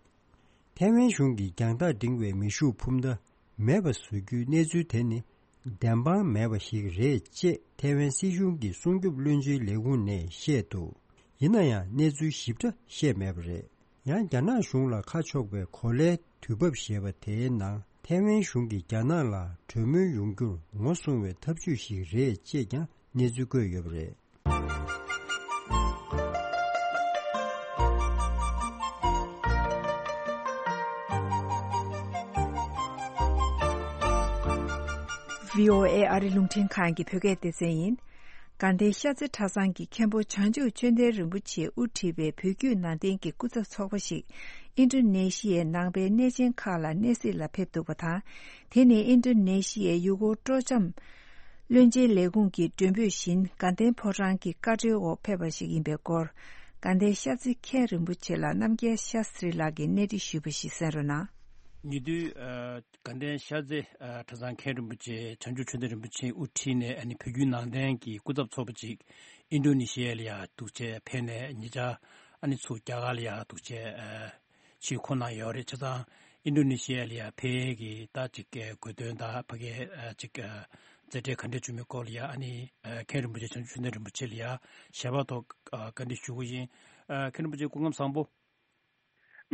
ཐའེ་ཝན་གཞུང་གིས་རྒྱང་ཐག་འབྲིང་བའི་མེ་ཤུགས་འཕུར་མདའ་མེད་པ་བཟོ་རྒྱུའི་གནས་ཚུལ་དེ་ནི། བདེན་དཔང་མེད་པ་ཞིག་རེད་ཅེས་ཐའེ་ཝན་སྲིད་གཞུང་གི་སྲུང་སྐྱོབ་བློན་ཆེན་ལས་ཁུངས་ནས་བཤད་འདུག་ཡིན་ན་ཡང་གནས་ཚུལ་ཞིབ་ཕྲ་བཤད་མེད་པ་རེད། ཡང་རྒྱ་ནག་གཞུང་ལ་ཁ་ཕྱོགས་པའི་གོ་ལའི་དུས་བབ་ཞེས་པ་དེའི་ནང་ཐའེ་ཝན་གཞུང་གིས་རྒྱ་ནག་ལ་གྲོས་མོལ་ཡོང་རྒྱུར་ངོ་སྲུང་བའི་ཐབས་ཇུས་ཤིག་རེད་ཅེས་ཀྱང་གནས་ཚུལ་བཀོད་ཡོད་པ་རེད། བྷི་ཨོ་ཨེ་ཨ་རི་རླུང་འཕྲིན་ཁང་གི་བོད་སྐད་སྡེ་ཚན་ཡིན། དགའ་ལྡན་ཤར་རྩེ་གྲྭ་ཚང་གི་མཁན་པོ་བྱང་ཆུབ་ཆོས་ལྡན་རིན་པོ་ཆེས་དབུ་ཁྲིད་པའི་བོད་བརྒྱུད་ནང་བསྟན་གྱི་སྐུ་ཚབ་ཚོགས་པ་ཞིག་ཨིན་ཌོ་ནེ་ཤི་ཡའི་ནང་པའི་གནས་ཆེན་ཁག་ལ་གནས་གཟིགས་ལ་ཕེབས་འདུག་པ་དང་། དེ་ནི་ཨིན་ཌོ་ནེ་ཤི་ཡའི་ཡུལ་སྐོར་སྤྲོ་འཆམ་བློན་ཆེན་ལས་ཁུངས་ཀྱི་མགྲོན་འབོད་བཞིན་དགའ་ལྡན་ཕོ་བྲང་གི་བཀའ་འཁྲོལ་འོག་ཕེབས་པ་ཞིག་ཡིན་པའི་སྐོར། དགའ་ལྡན་ཤར་རྩེ་མཁན་རིན་པོ་ཆེ་ལ་རྣམ་རྒྱལ་ཤཱ་སི་རི་ལགས་ཀྱིས་གནས་འདྲི་ཞུས་པ་ཞིག་གསན་རོགས་གནང་། ཉེ་དུས། ཨ། དགའ་ལྡན་ཤར་རྩེ། ཨ། གྲྭ་ཚང་མཁན་རིན་པོ་ཆེ་བྱང་ཆུབ་ཆོས་ལྡན་རིན་པོ་ཆེའི་དབུ་ཁྲིད་ནས་ཨ་ནི་བོད་བརྒྱུད་ནང་བསྟན་གྱི་སྐུ་ཚབ་ཚོགས་པ་ཅིག་ཨིན་ཌོ་ནེ་ཤི་ཡ་ལ་ཡ་འདུག་བྱས་ཕེབས་ནས་ཉེ་ཆར་ཨ་ནི་ཚུར་རྒྱ་གར་ལ་ཡ་འདུག་བྱས། ཨ། ཕྱིར་འཁོར་གནང་ཡོད་རེད། བྱས་ཙང་ཨིན་ཌོ་ནེ་ཤི་ཡ་ལ་ཡ་ཕེབས་ཀྱི་ད་ཅིག་གི་དགོས་དོན་དང་ཕ་གིའི་ཨ་ཅིག་ཨ་མཛད་བྲེལ་ག་འདྲ་བྱུང་མིན་སྐོར་ལ་ཡ་ཨ་ནི་ཨ་མཁན་རིན་པོ་ཆེ་བྱང་ཆུབ་ཆོས་ལྡན་རིན་པོ་ཆེ་ལ་ཡ་ཞལ་པར་ཐོག་ཨ་བཀའ་འདྲི་ཞུ་གི་ཡིན། ཨ་མཁན་རིན་པོ་ཆེ་སྐུ་ཁམས་བཟང་པོ།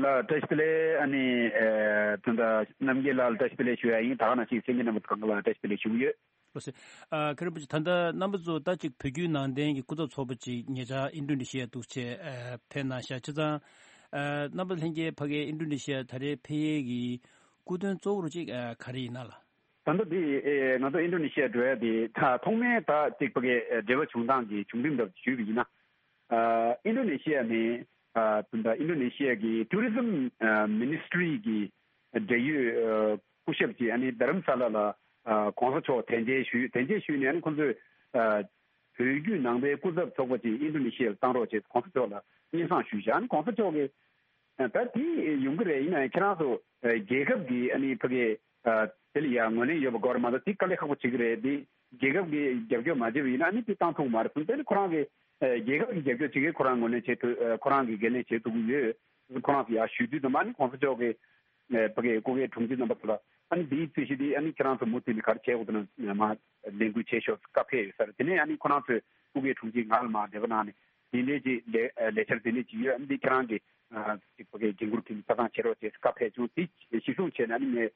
ལགས། བཀྲ་ཤིས་བདེ་ལེགས། ཨ་ནི་ཨ་ད་ལྟ་རྣམ་རྒྱལ་ལགས་ལ་བཀྲ་ཤིས་བདེ་ལེགས་ཞུ་ཡ་ཡིན། ད་ག་ནང་བཞིན་གསན་མཁན་རྣམ་པ་ཚོ་གང་ག་ལ་བཀྲ་ཤིས་བདེ་ལེགས་ཞུ་གི་ཡོད། ལགས་སོ། ཨ་མཁན་རིན་པོ་ཆེ་ད་ལྟ་རྣམ་པ་ཚོ་ད་ཅིག་བོད་བརྒྱུད་ནང་བསྟན་གྱི་སྐུ་ཚབ་ཚོགས་པ་ཅིག་ཉེ་ཆར་ཨིན་ཌོ་ནེ་ཤི་ཡ་འདུག་བྱས་ཨ་ཕེབས་གནང་ཤག་བྱས་ཙང་། ཨ་རྣམ་པ་ལྷན་རྒྱས་ཕ་གིའི་ཨིན་ཌོ་ནེ་ཤི་ཡ་ད་རེས་ཕེབས་ཡས་ཀྱི་སྐུ་དོན་གཙོ་བོར་ཅིག་ཨ་ག་རེ་ཡིན་ན་ལགས། ད་ལྟ་འདི་ཨེ་ང་ཚོ་ཨིན་ཌོ་ནེ་ཤི་ཡ་འགྲོ་ཡ་དེ་ད་ཐོག་མའི་ད་ཅིག་ཕ་གིའི་ཨེ་འབྲེལ་བ་བྱུང་སྟངས་ཀྱི་བྱུང་རིམ་འདྲ་ཞུས་པ་ཡིན་ན། ཨ་ཨིན་ཌོ་ནེ་ཤི་ཡ་ནས་ཨ་ད་ལྟ་ཨིན་ཌོ་ནེ་ཤི་ཡ་གི་ཊུ་རི་ཛིམ་ཨ་མི་ནི་སི་ཊི་རི་གི་འབྲེལ་ཡོད་ཨ་སྐུ་ཞབས་ཀྱིས་ཨ་ནི་རྡ་རམ་ས་ལ་ལ་ཨ་གོང་ས་མཆོག་དན་རྐྱལ་ཞུས། དན་རྐྱལ་ཞུས་ནས་ཨ་ནི་ཁོང་ཚོས་ཨ་བོད་བརྒྱུད་ནང་པའི་སྐུ་ཚབ་ཚོགས་པ་ཅིག་ཨིན་ཌོ་ནེ་ཤི་ཡ་ལ་བཏང་རོགས་བྱས་གོང་ས་མཆོག་ལ་སྙན་སེང་ཞུས་བཞག་ཨ་ནི་གོང་ས་མཆོག་གིས། ད་དེ་ཡོང་གི་རེད། ཡིན་ན་ཡང་ཁྱེད་རང་ཚོ་རྒྱལ་ཁབ་ཀྱི་ཨ་ནི་ཕ་གི་དེ་ལ་ཡང་ངོས་ལེན་ཡོད་པ་དགོས་རེད་མ་གཏོགས་དེ་དཀའ་ལས་ཁག་པོ་བྱེད་ཀྱི་རེད། དེ་རྒྱལ་ཁབ་ཀྱི་རྒྱབ་སྐྱོར་མ་བྱས་པ་ཡིན་ན་ཨ་ནི་དེ་བཏང་ཐུབ་ཀྱི་མ་རེད་གསུངས། དེ་ནི་ཁོ་རང་གི་རྒྱལ་ཁབ་བྱེད་ཀྱི་ཁོ་རང་ངོས་ལེན་བྱེད་ཐུབ། ཁོ་རང་གི་འགན་ལེན་བྱེད་ཐུབ་ཀྱི་ཡོད། ཁོ་རང་ཚོ་ཡར་ཞུ་དུས་ཙམ་པ་ཨ་ནི་གོང་ས་མཆོག་གིས་ཕ་གི་སྐུ་སྒེར་དྲུང་ཆེ་རྣམ་པ་ཚོ་ལ་ཨ་ནི་དེའི་རྩོད་གཞི་དེ་ཨ་ནི་ཁྱེད་རང་ཚོ་མུ་མཐུད་ནས་ག་རེ་བྱེད་དགོས་འདུག་ན་མ་ལས་འགུལ་བྱེད་ཤོག་བཀའ་ཕེབས་ཡོད་ས་རེད། དེ་ནས་ཨ་ནི་ཁོ་རང་ཚོས་སྐུ་སྒེར་དྲུང་ཆེ་ང་ལ་མར་འབྲེལ་བ་གནང་ནས། དེ་འདྲའི་ཅིག་ལས་ལས་འཆར་དེ་འདྲའི་ཅིག་ཡོད། འདི་ཁྱེད་རང་གི་ཅིག་ཕ་གིའི་འགན་འཁུར་འཐུས་མི་ཆ་ཚང་བྱེད་རོགས་ཅེས་བཀའ་ཕེབས་བྱུང་། དེ་གཞི་བཟུང་བྱས་ནས་ནི་ངས་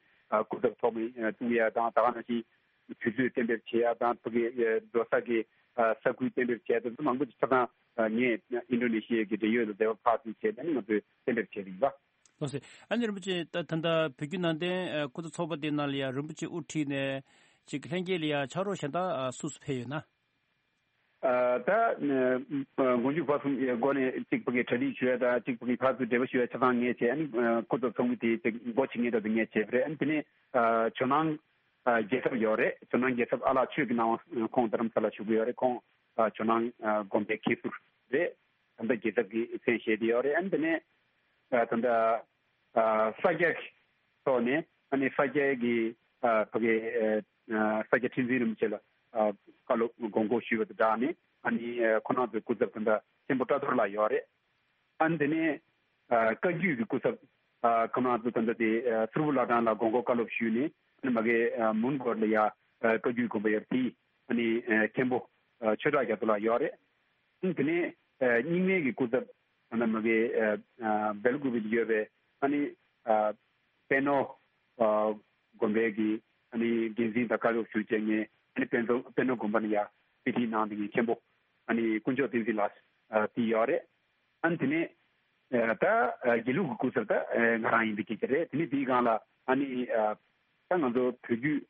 སྐུ་ཚབ་ཚོགས་མི་བཙུགས་ཡ་དང་ད་ག་ནང་བཞིན་དུས་ཚོད་གཏན་འབེབས་བྱེད་ཡ་དང་ཕ་གིའི་འགྲོ་ས་གི་ས་ཁུལ་གཏན་འབེབས་བྱེད་ཡ་དེ་ཚོ་མང་པོ་ཅིག་ཆ་ཚང་ངས་ཨིན་ཌོ་ནེ་ཤི་ཡའི་གི་འབྲེལ་ཡོད་ལ་འབྲེལ་བ་ཕར་ཚུར་བྱས་ནས་ནི་ང་ཚོས་གཏན་འབེབས་བྱས་པ་ཡིན་པ། ལགས་སོ། ཨ་ནི་རིན་པོ་ཆེ་ད་ད་ལྟ་བོད་བརྒྱུད་ནང་བསྟན་སྐུ་ཚབ་ཚོགས་པ་དེ་ནང་ལ་ཡ་རིན་པོ་ཆེ་དབུ་ཁྲིད་ནས་ཅིག་ལྷན་རྒྱས་ལ་ཡ་ཕྱག་རོགས་གཞན་དག་སུ་སུ་ཕེབས་ཡོད་ན། ད་མགོ་མཇུག་བར་གསུམ་སྒོ་ནས་གཅིག་ཕ་གི་གྲ་སྒྲིག་ཞུ་ཡ་དང་གཅིག་ཕ་གི་ཕར་ཚུར་འབྲེལ་བ་ཞུ་ཡ་ཆ་ཚང་ངས་བྱས། ཨ་ནི་སྐུ་ཚབ་ཚོགས་མི་དེ་གཅིག་འགོ་ཁྲིད་མཁན་དེ་ངས་བྱས་པ་རེད། ཨ་ནི་དེ་ནས་ཇོ་ནང་རྒྱལ་ཚབ་ཡོད་རེད། ཇོ་ནང་རྒྱལ་ཚབ་ཨ་ལགས་ཆོས་ཀྱི་སྣང་བ་ཁོང་རྡ་རམ་ས་ལ་བཞུགས་ཀྱི་ཡོད་རེད། ཁོང་ཇོ་ནང་དགོན་པའི་མཁན་ཟུར་རེད། ད་ལྟ་རྒྱལ་ཚབ་ཀྱི་མཚན་བཞེས་བསྡད་ཡོད་རེད། ཨ་ནི་དེ་ནས་ད་ལྟ་ས་སྐྱ་གི་ཐོག་ནས་ཨ་ནི་ས་སྐྱའི་གི་ཕ་གི་ས་སྐྱ་ཁྲི་འཛིན་རིན་པོ་ཆེ་ལ་བཀའ་སློབ་དགོངས་སྐོར་ཞུས་པ་དང་སྦྲགས་ནས་ཨ་ནི་ཁོ་རང་ཚོའི་སྐུ་ཚབ་ད་ལྟ་མཁན་པོ་བཀྲ་རྡོར་ལགས་ཡོད་རེད། ཨ་ནི་དེ་ནས་བཀའ་བརྒྱུད་ཀྱི་སྐུ་ཚབ་ཁོ་རང་ཚོ་ད་ལྟ་དེ་སུར་བུ་བླ་བྲང་ལ་དགོངས་སྐོར་བཀའ་སློབ་ཞུས་ནས་ཨ་ནི་མ་གི་མོན་གྷོ་ལ་ཡ་བཀའ་བརྒྱུད་དགོན་པ་ཡོད་རེད། དེ་ཨ་ནི་མཁན་པོ་ཆོས་གྲགས་རྒྱ་མཚོ་ལགས་ཡོད་རེད། དེ་ནས་རྙིང་མའི་གི་སྐུ་ཚབ་ད་ལྟ་མ་གི་སྦེལ་ཀོབ་ལ་ཡོད་པའི་ཨ་ནི་པད་ནོར་དགོན་པའི་གི་ཨ་ནི་འགན་འཛིན་དང་བཀའ་སློབ་ཞུ་བྱས་ནས་ཨ་ནི་པད་ནོར་པད་ནོར་དགོན་པ་ནས་ཡ་དཔེ་ཁྲིད་གནང་བསྡད་མཁན་མཁན་པོ་ཨ་ནི་དཀོན་མཆོག་བསྟན་འཛིན་ལགས་དེ་ཡོད་རེད། ཨ་ནི་དེ་ནས་ད་དགེ་ལུགས་ཀྱི་སྐུ་ཚབ་ད་ང་རང་ཡིན་པའི་སྐད་ཆ་རེད། དེ་ནས་དེའི་སྒང་ལ་ཨ་ནི་ད་ང་ཚོ་བོད་བརྒྱུད་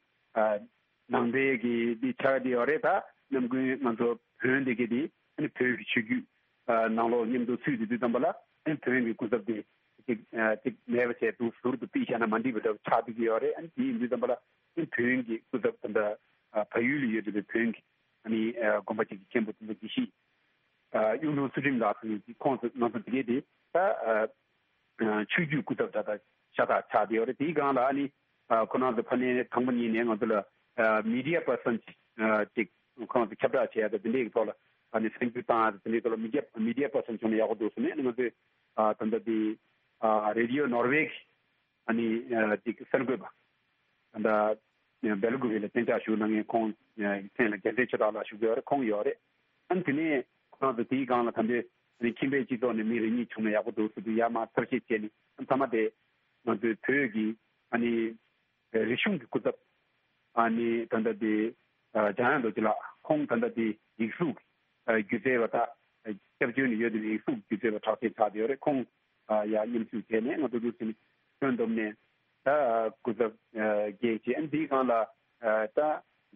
ནང་པའི་གི་འདི་ཆགས་བསྡད་ཡོད་རེད། ད་ནམ་རྒྱུན་ང་ཚོ་བོན་འདི་གི་འདི་ཨ་ནི་བོད་ཀྱི་ཆོས་བརྒྱུད་ནང་ལོགས་མཉམ་དུ་ཚུད་བསྡད་དུས་ཙམ་པ་ལ་ཨ་ནི་བོན་གྱི་སྐུ་ཚབ་འདི་ཅིག་ཅིག་མེད་པ་བྱས་འདུག་ཟུར་དུ་ཕུད་བཞག་ན་མ་འགྲིག་པ་འདྲ་བོ་ཆགས་བསྡད་ཀྱི་ཡོད་རེད། ཨ་ནི་དེ་ཡིན་དུས་ཙམ་པ་ལ་ཨ་ནི་བོན་གྱི་སྐུ་ཚབ་ད་ལྟ་བལ་ཡུལ་ལ་ཡོད་བསྡད་པའི་བོན་གྱི་ཨ་ནི་དགོན་པ་ཅིག་གི་མཁན་པོ་དེ་ཚོ་དགེ་བཤེས་གཡུང་དྲུང་ཚུལ་ཁྲིམས་ལགས་ཟེར་མཁན་ཅིག་ཁོང་ཚོ་ང་ཚོ་དེ་གས་དེ་ད་ཆོས་བརྒྱུད་སྐུ་ཚབ་ད་ལྟ་ཤ་སྟག་ཆགས་བསྡད་ཡོད་རེད། དེའི་སྒང་ལ་ཨ་ནི་ཁོ་རང་ཚོ་ཕ་ནས་དང་པོ་ཉིད་ནས་ང་ཚོ་ལ་མི་ཌི་ཡ་པར་སན་ཅིག་ཁོ་རང་ཚོ་ཁྱབ་བསྒྲགས་བྱེད་ཡ་ད་དེ་འདྲའི་གི་ཐོག་ལ་ཨ་ནི་སེམས་འགུལ་བཏང་ཡ་ད་དེ་འདྲའི་ཐོག་ལ་མི་ཌི་ཡ་མི་ཌི་ཡ་པར་སན་བྱུང་ན་ཡག་པོ་འདུག་ཟེར་ནས་ཨ་ནི་ང་ཚོས་ད་ལྟ་དེ་རེ་ཌི་ཡོ་ནོར་ཝེ་གི་ཨ་ནི་ཅིག་གསར་འགོད་པ་ད་ལྟ་སྦེལ་ཀོབ་ལ་གཏན་འཇགས་བཞུགས་གནང་མཁན་ཁོང་མཚན་ལ་རྒྱལ་མཚན་ཆོས་གྲགས་ལགས་བཞུགས་ཡོད་རེད། ཁོང་ཡོད་རེད། ཨ་ནི་དེ་ནས་ཁོང་ཚོ་དེའི་སྒང་ལ་ད་ལྟའི་ཨ་ནི་ཁྱིམ་པའི་སྤྱི་ཚོགས་ནས་མི་རེ་གཉིས་བྱུང་ན་ཡག་པོ་འདུག་ཟེར་དུས་ཡར་མར་ཐབས་ཤེས་བྱས་ནས་ཨ་ནི་མཐའ་མ་དེ་ང་ཚོའི་བོད་ཀྱི་ཨ་ནི་རིག་གཞུང་གི་སྐུ་ཚབ་ཨ་ནི་ད་ལྟ་དེ་འཇམ་དབྱངས་རྡོ་རྗེ་ལགས་ཁོང་ད་ལྟ་དེ་ཡིག་གཟུགས་སྒྱུ་རྩལ་བ་ད་སྐྱབས་བཅོལ་ནས་ཡོད་དེ་ཡིག་གཟུགས་སྒྱུ་རྩལ་བ་གྲགས་ཅན་ཆགས་བསྡད་ཡོད་རེད། ཁོང་ཡར་མཉམ་ཞུགས་བྱས་ནས་ང་ཚོ་འདུག་ཟེར་ནས་ཁྱོན་བསྡོམས་ནས་ད་སྐུ་ཚབ་བརྒྱད་བྱས། ཨ་ནི་དེའི་སྒང་ལ་ད་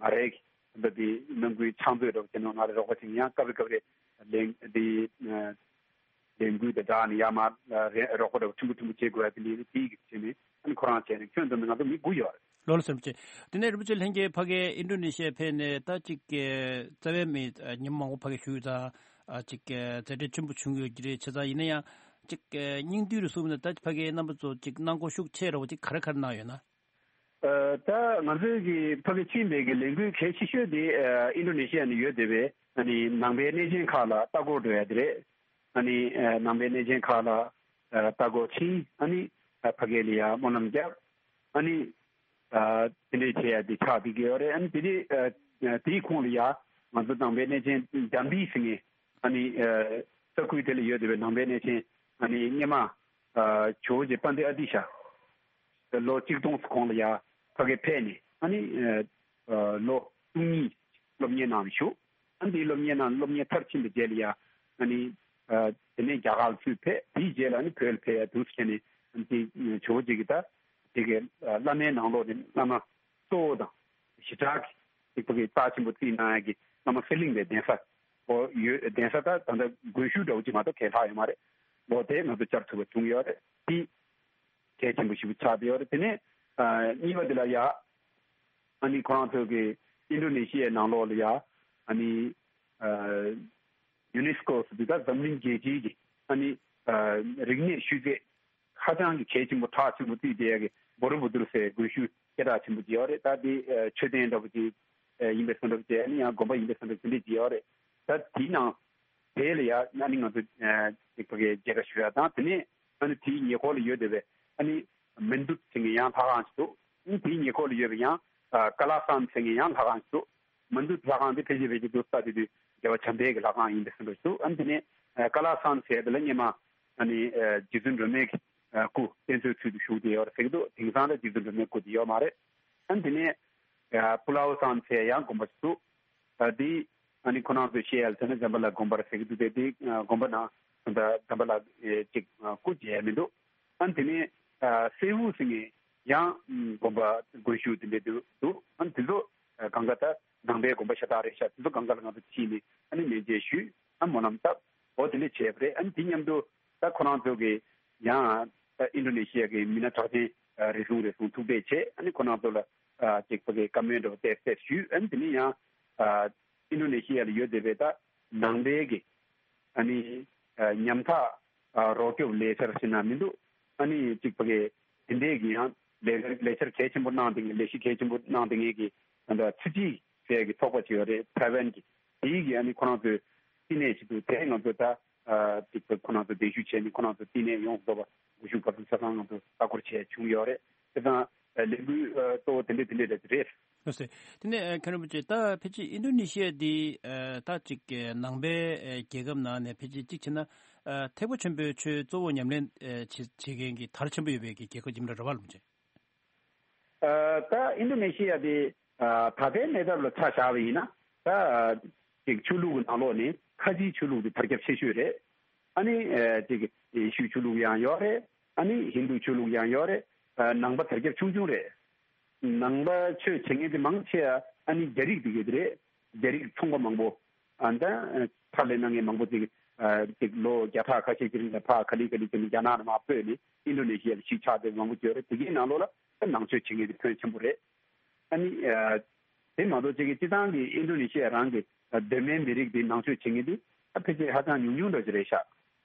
ང་རའི་ འདི་དེ་ནང་ཁུལ་ཕྱག་མཛོད་འདྲ་པོ་བྱས་ནས་ང་རེ་རོགས་པ་བྱེད་ཡང་སྐབས་རེ་སྐབས་རེ་ལས་འདི་ལས་འགུལ་དེ་དྲག་ནས་ཡར་མར་རོགས་པ་འདྲ་པོ་ཕྲན་བུ་ཕྲན་བུ་བྱེད་དགོས་ཡ་དེ་འདྲའི་དེའི་གི་བྱས་ནས་ཨ་ནི་ཁོ་རང་བྱས་ནས་ཁྱོན་བསྡོམས་ནས་ང་ཚོ་མི་དགུ་ཡོད་རེད། ལོ་ལ་སེམས་ཅན། དེ་ནས་རིན་པོ་ཆེ་ལྷན་རྒྱས་ཕ་གིའི་ཨིན་ཌོ་ནེ་ཤི་ཡ་ཕེབས་ནས་ད་ཅིག་རྩ་བའི་མི་ཉིན་མང་པོ་ཕ་གིར་བཞུགས་ཡོད་ཙང་ཅིག་མཛད་འཕྲིན་ཆེན་པོ་བྱུང་ཡོད་ཀྱི་རེད། བྱས་ཙང་ཡིན་ན་ཡང་ཅིག་སྙིང་བསྡུས་རུ་གསུངས་ན་ད་ཕ་གིའི་རྣམ་པ་ཚོ་ཅིག་གནང་སྒོ་ཤུགས་ཆེ་ར་བ་ཅིག་ག་རེ་ག་རེ་གནང་ཡོད་ན། ད་ང་ཚོའི་གི་ཕ་གི་ཕྱིན་པའི་གི་ལས་འགུལ་གལ་ཆེ་ཤོས་དེ་ཨིན་ཌོ་ནེ་ཤི་ཡ་ནས་ཡོད་བསྡད་པའི་ཨ་ནི་ནང་པའི་གནས་ཆེན་ཁག་ལ་ལྟ་སྐོར་འགྲོ་ཡ་དེ་རེད། ཨ་ནི་ནང་པའི་གནས་ཆེན་ཁག་ལ་ལྟ་སྐོར་ཕྱིན། ཨ་ནི་ཕ་གི་ལ་ཡ་སྨོན་ལམ་བརྒྱབ། ཨ་ནི་དེ་འདྲའི་བྱེད་ཡ་དེ་ཆགས་བསྡད་ཀྱི་ཡོད་རེད། ཨ་ནི་དེ་དེ་དེའི་ཁོངས་ལ་ཡ་ང་ཚོ་ནང་པའི་གནས་ཆེན་འཇམ་པའི་ཟེར་མཁན་ཨ་ནི་ས་ཁུལ་དེ་ལ་ཡོད་བསྡད་པའི་ནང་པའི་གནས་ཆེན་ཨ་ནི་སྔོན་མ་ཇོ་བོ་རྗེ་དཔལ་ལྡན་ཨ་ཏི་ཤ། ལོ་གཅིག་སྟོང་གོང་ལ་ཡ་ཕ་གི་ཕེབས་ནས་ཨ་ནི་ལོ་བཅུ་གཉིས་སློབ་གཉེར་གནང་བཞུགས། ཨ་ནི་དེའི་སློབ་གཉེར་གནང་སློབ་གཉེར་མཐར་ཕྱིན་པའི་རྗེས་ལ་ཡ་ཨ་ནི་དེ་ནས་རྒྱ་གར་ལ་ཚུར་ཕེབས། དེའི་རྗེས་ལ་ཨ་ནི་བོད་ལ་ཕེབས་ཡ་དུས་སུ་བྱས་ནས་ཨ་ནི་དེ་ཇོ་བོ་རྗེ་གི་ད་དེ་གི་བླ་མའི་ནང་ལོགས་ནས་བླ་མ་གཙོ་བོ་དང་ཞེ་དྲག་གི་དེ་ཕ་གི་རྩ་ཆེན་པོ་བརྩིས་གནང་ཡ་གི་བླ་མ་ཧྥེ་གླིང་པའི་གདན་ས་ཨོ་ཡོད། གདན་ས་ད་ད་ལྟ་དགོན་ཤུལ་འདྲ་བོ་ཅིག་མ་གཏོགས་གས་ལྷག་ཡོད་མ་རེད། ལོ་དེ་ང་ཚོ་བཅར་ཐུབ་པ་བྱུང་ཡོད་རེད། དེ་གལ་ཆེན་པོ་ཞིག་ཆགས་བསྡད་ཡོད་རེད། དེ་ནས་ཨ་གཉིས་པ་དེ་ལ་ཡ་ཨ་ནི་ཁོ་རང་ཚོ་གི་ཨིན་ཌོ་ནེ་ཤི་ཡའི་ནང་ལོགས་ལ་ཡ་ཨ་ནི་ཨ་ཡུ་ནེ་སི་ཀོ་ཟེར་དུས་ད་འཛམ་གླིང་རྒྱལ་སྤྱིའི་གི་ཨ་ནི་ཨ་རིག་གནས་ཤུལ་རྫས་ཧ་ཅང་གི་གལ་ཆེན་པོ་གྲགས་ཆེན་པོ་བརྩིས་བསྡད་ཡ་གི་བོ་རི་བུ་དུར་ཟེར་དགོན་ཤུལ་སྐད་གྲགས་ཆེན་པོ་ཅིག་ཡོད་རེད། ད་དེ་ཨ་མཆོད་རྟེན་འདྲ་པོ་ཅིག་ཨ་ཡིན་པའི་བཟོ་འདྲ་པོ་ཅིག་ཨ་ནི་ཡང་དགོན་པ་ཡིན་པའི་བཟོ་འདྲ་པོ་དེ་འདྲས་ཅིག་ཡོད་རེད། ད་དེའི་ནང་དེ་ལ་ཡ་ཨ་ནི་ང་ཚོ་ཨ་ཅིག་ཕ་གིའི་མཇལ་ཁ་ཞུ་ཡ་དང་། དེ་ནས་ཨ་ནི་དེའི་ཉེ་འཁོར་ལ་ཡོད་བསྡད་པའི་ཨ་ནི་མན་དུད་ཟེར་མཁན་ཡང་ལྷ་ཁང་ཞིག་འདུག་ཨ་ནི་དེའི་ཉེ་འཁོར་ལ་ཡོད་པའི་ཡང་ཨ་ཀ་ལ་སན་ཟེར་མཁན་ཡང་ལྷ་ཁང་ཞིག་འདུག་མན་དུད་ལྷ་ཁང་དེ་ཕལ་ཆེར་ཕལ་ཆེར་དུ་ལྟ་དུས་དུས་རྒྱལ་བ་བྱམས་པའི་གི་ལྷ་ཁང་ཡིན་པའི་བཟོ་འདྲ་ཞིག་འདུག་ཨ་ནི་དེ་ནས་ཨ་ཀ་ལ་སན་ཟེར་དེ་ལ་སྔོན་མ་ཨ་ནི་ཨ་རྗེ་བཙུན་སྒྲོལ་མའི་གི་ཨ་སྐུ་གདན་སའི་ཚུལ་དུ་བཞུགས་བསྡད་ཡོད་རེད་ཟེར་གི་འདུག་དེང་སང་ལ་རྗེ་བཙུན་སྒྲོལ་མའི་སྐུ་དེ་ཡོད་མ་རེད། ཨ་ནི་དེ་ནས་ཨ་པུ་ལའོ་སན་ཟེར་ཡང་དགོན་པ་ཞིག་འདུག་ཨ་དེ་ཨ་ནི་ཁོ་རང་ཚོས་བཤད་ཡ་ལ་བྱས་ན་ཛམ་བྷ་ལ་དགོན་པ་རེད་ཟེར་གི་འདུག་དེ་དེ་ཨ་དགོན་པ་ནང་ད་ཛམ་བྷ་ལ་ཨེ་ཅིག་ཨ་སྐུ་མཇལ་ཡ་མི་འདུག་ཨ་ནི་དེ་ནས་ཨ་སེའུ་ཟེར་མཁན་ཡང་དགོན་པ་དགོན་ཤུལ་དེ་འདྲས་འདུག་འདུག་ཨ་ནི་དེ་ཚོ་ཨ་གང་ག་ད་ནང་པའི་དགོན་པ་ཤ་སྟག་རེད་ཤག་དེ་ཚོ་གང་ག་ལ་ང་ཚོ་ཕྱིན་ནས་ཨ་ནི་མཉེས་མཇལ་ཞུས། ཨ་སྨོན་ལམ་བཏབ། འོ་དེ་འདྲས་བྱས་པ་རེད། ཨ་ནི་དེ་མཉམ་དུ་ད་ཁོ་རང་ཚོ་གི་ཡང་ད་ཨིན་ཌོ་ནེ་ཤི་ཡ་གི་མི་སྣ་གྲགས་ཅན་རེ་ཟུང་རེ་ཟུང་ཐུག་འཕྲད་བྱས། ཨ་ནི་ཁོ་རང་ཚོ་ལ་ཨ་ཅིག་ཕ་གིའི་བཀའ་མོལ་འདྲ་པོ་བསྩལ་བསྩལ་ཞུས། ཨ་ནི་དེ་ནས་ཡང་ཨ་ཨིན་ཌོ་ནེ་ཤི་ཡ་ལ་ཡོད་བསྡད་པའི་ད་ནང་པའི་གི་ཨ་ནི་ཨ་ཉམ་ཐག་ཨ་རོགས་སྐྱོབ་ལས་འཆར་ཟེར་ན་མི་འདུག་ཨ་ནི་ཅིག་ཕ་གིའི་དེ་འདྲའི་གི་ཡང་ལས་ལས་འཆར་གལ་ཆེན་པོ་གནང་བསྡད་མཁན། ལས་གཞི་གལ་ཆེན་པོ་གནང་བསྡད་མཁན་གི་ད་ལྟ་ཚི་ཅི་ཟེར་གི་ཚོགས་པ་ཅིག་ཡོད་རེད། ཐའེ་ཝན་གི། དེའི་གི་ཨ་ནི་ཁོ་རང་ཚོའི་བསྟི་གནས་ཅིག་འདུག་དེ་ང་ཚོ་ད་ཨ་ཅིག་ཁོ་རང་ཚོ་གདན་ཞུ་བྱས་ནས་ཁོ་རང་ཚོ་བསྟི་གནས་ཡོངས་རྫོགས་པ་སྒུལ་ཤུགས་བར་གསུམ་ཆ་ཚང་ང་ཚོ་ལྟ་སྐོར་བྱས་བྱུང་ཡོད་རེད། དེ་དང་ཨ་ལས་འགུལ་ཨ་གཙོ་བོ་དེ་འདྲས་དེ་འདྲས་རེད། ལགས་སོ། དེ་ནས་ཨ་མཁན་རིན་པོ་ཆེ་ད་ཕལ་ཆེར་ཨིན་ཌོ་ནེ་ཤི་ཡ་འདི་ཨ་ད་ཅིག་ཨ་ནང་པའི་ཨ་རྒྱལ་ཁབ་ནང་ནས་ཕལ་ཆེར་གཅིག་བྱས་ན་ཨ་ཐེག་པ་ཆེན་པོའི་ཆོས་གཙོ་བོ་ཉམས་ལེན་ཨ་བྱེད་བྱེད་མཁན་གྱི་དར་ཆེན་པོ་ཡོད་པའི་གི་རྒྱལ་ཁབ་ཅིག་རེད་པ་ལགས་སོ། ཨ་ད་ཨིན་ཌོ་ནེ་ཤི་ཡ་དེ་ཨ་ད་ལྟའི་གནས་སྟངས་ལ་ཆ་བཞག་པ་ཡིན་ན་ད་ཨ་ཅིག་ཆོས་ལུགས་ཀྱི་ནང་ལོགས་ནས་ཁ་ཆེའི་ཆོས་ལུགས་དེ་དར་ཁྱབ་ཆེ་ཤོས་རེད། ཨ་ནི་ཨ་ཅིག་ཡེ་ཤུའི་ཆོས་ལུགས་ཡང་ཡོད་རེད། ཨ་ནི་ཧིན་དུའི་ཆོས་ལུགས་ཡང་ཡོད་རེད། ཨ་ནང་པ་དར་ཁྱབ་ཆུང་ཆུང་རེད། ནང་པ་ཆོས་བྱེད་མཁན་དེ་མང་ཆེ་བ་ཨ་ནི་རྒྱ་རིགས་དེ་གས་དེ་རེད། རྒྱ་རིགས་ཚོང་པ་མང་པོ། ཨ་ད་ཕར་ལས་གནང་མཁན་མང་པོ་ཅིག་ཨ་ཅིག་ལོ་བརྒྱ་ཕྲག་ཁ་ཤས་ཀྱི་རིང་ལ་ཕར་ག་ལེ་ག་ལེ་བྱས་ནས་རྒྱ་ནག་ནས་མར་སྤོས་ནས་ཨིན་ཌོ་ནེ་ཤི་ཡ་ལ་གཞིས་ཆགས་བསྡད་མང་པོ་ཅིག་ཡོད་རེད། དེ་གའི་ནང་ལོགས་ལ་ད་ནང་ཆོས་བྱེད་མཁན་དེ་ཕོན་ཆེན་པོ་རེད། ཨ་ནི་ཨ་དེ་མ་གཏོགས་ཅིག་གི་སྤྱི་བཏང་གི་ཨིན་ཌོ་ནེ་ཤི་ཡ་རང་གི་ཨ་གདོད་མའི་མི་རིགས་དེ་ནང་ཆོས་བྱེད་མཁན་དེ་ཨ་ཕལ་ཆེར་ཧ་ཅང་ཉུང་ཉུང་འདྲ་ཅིག་རེད་ཤག་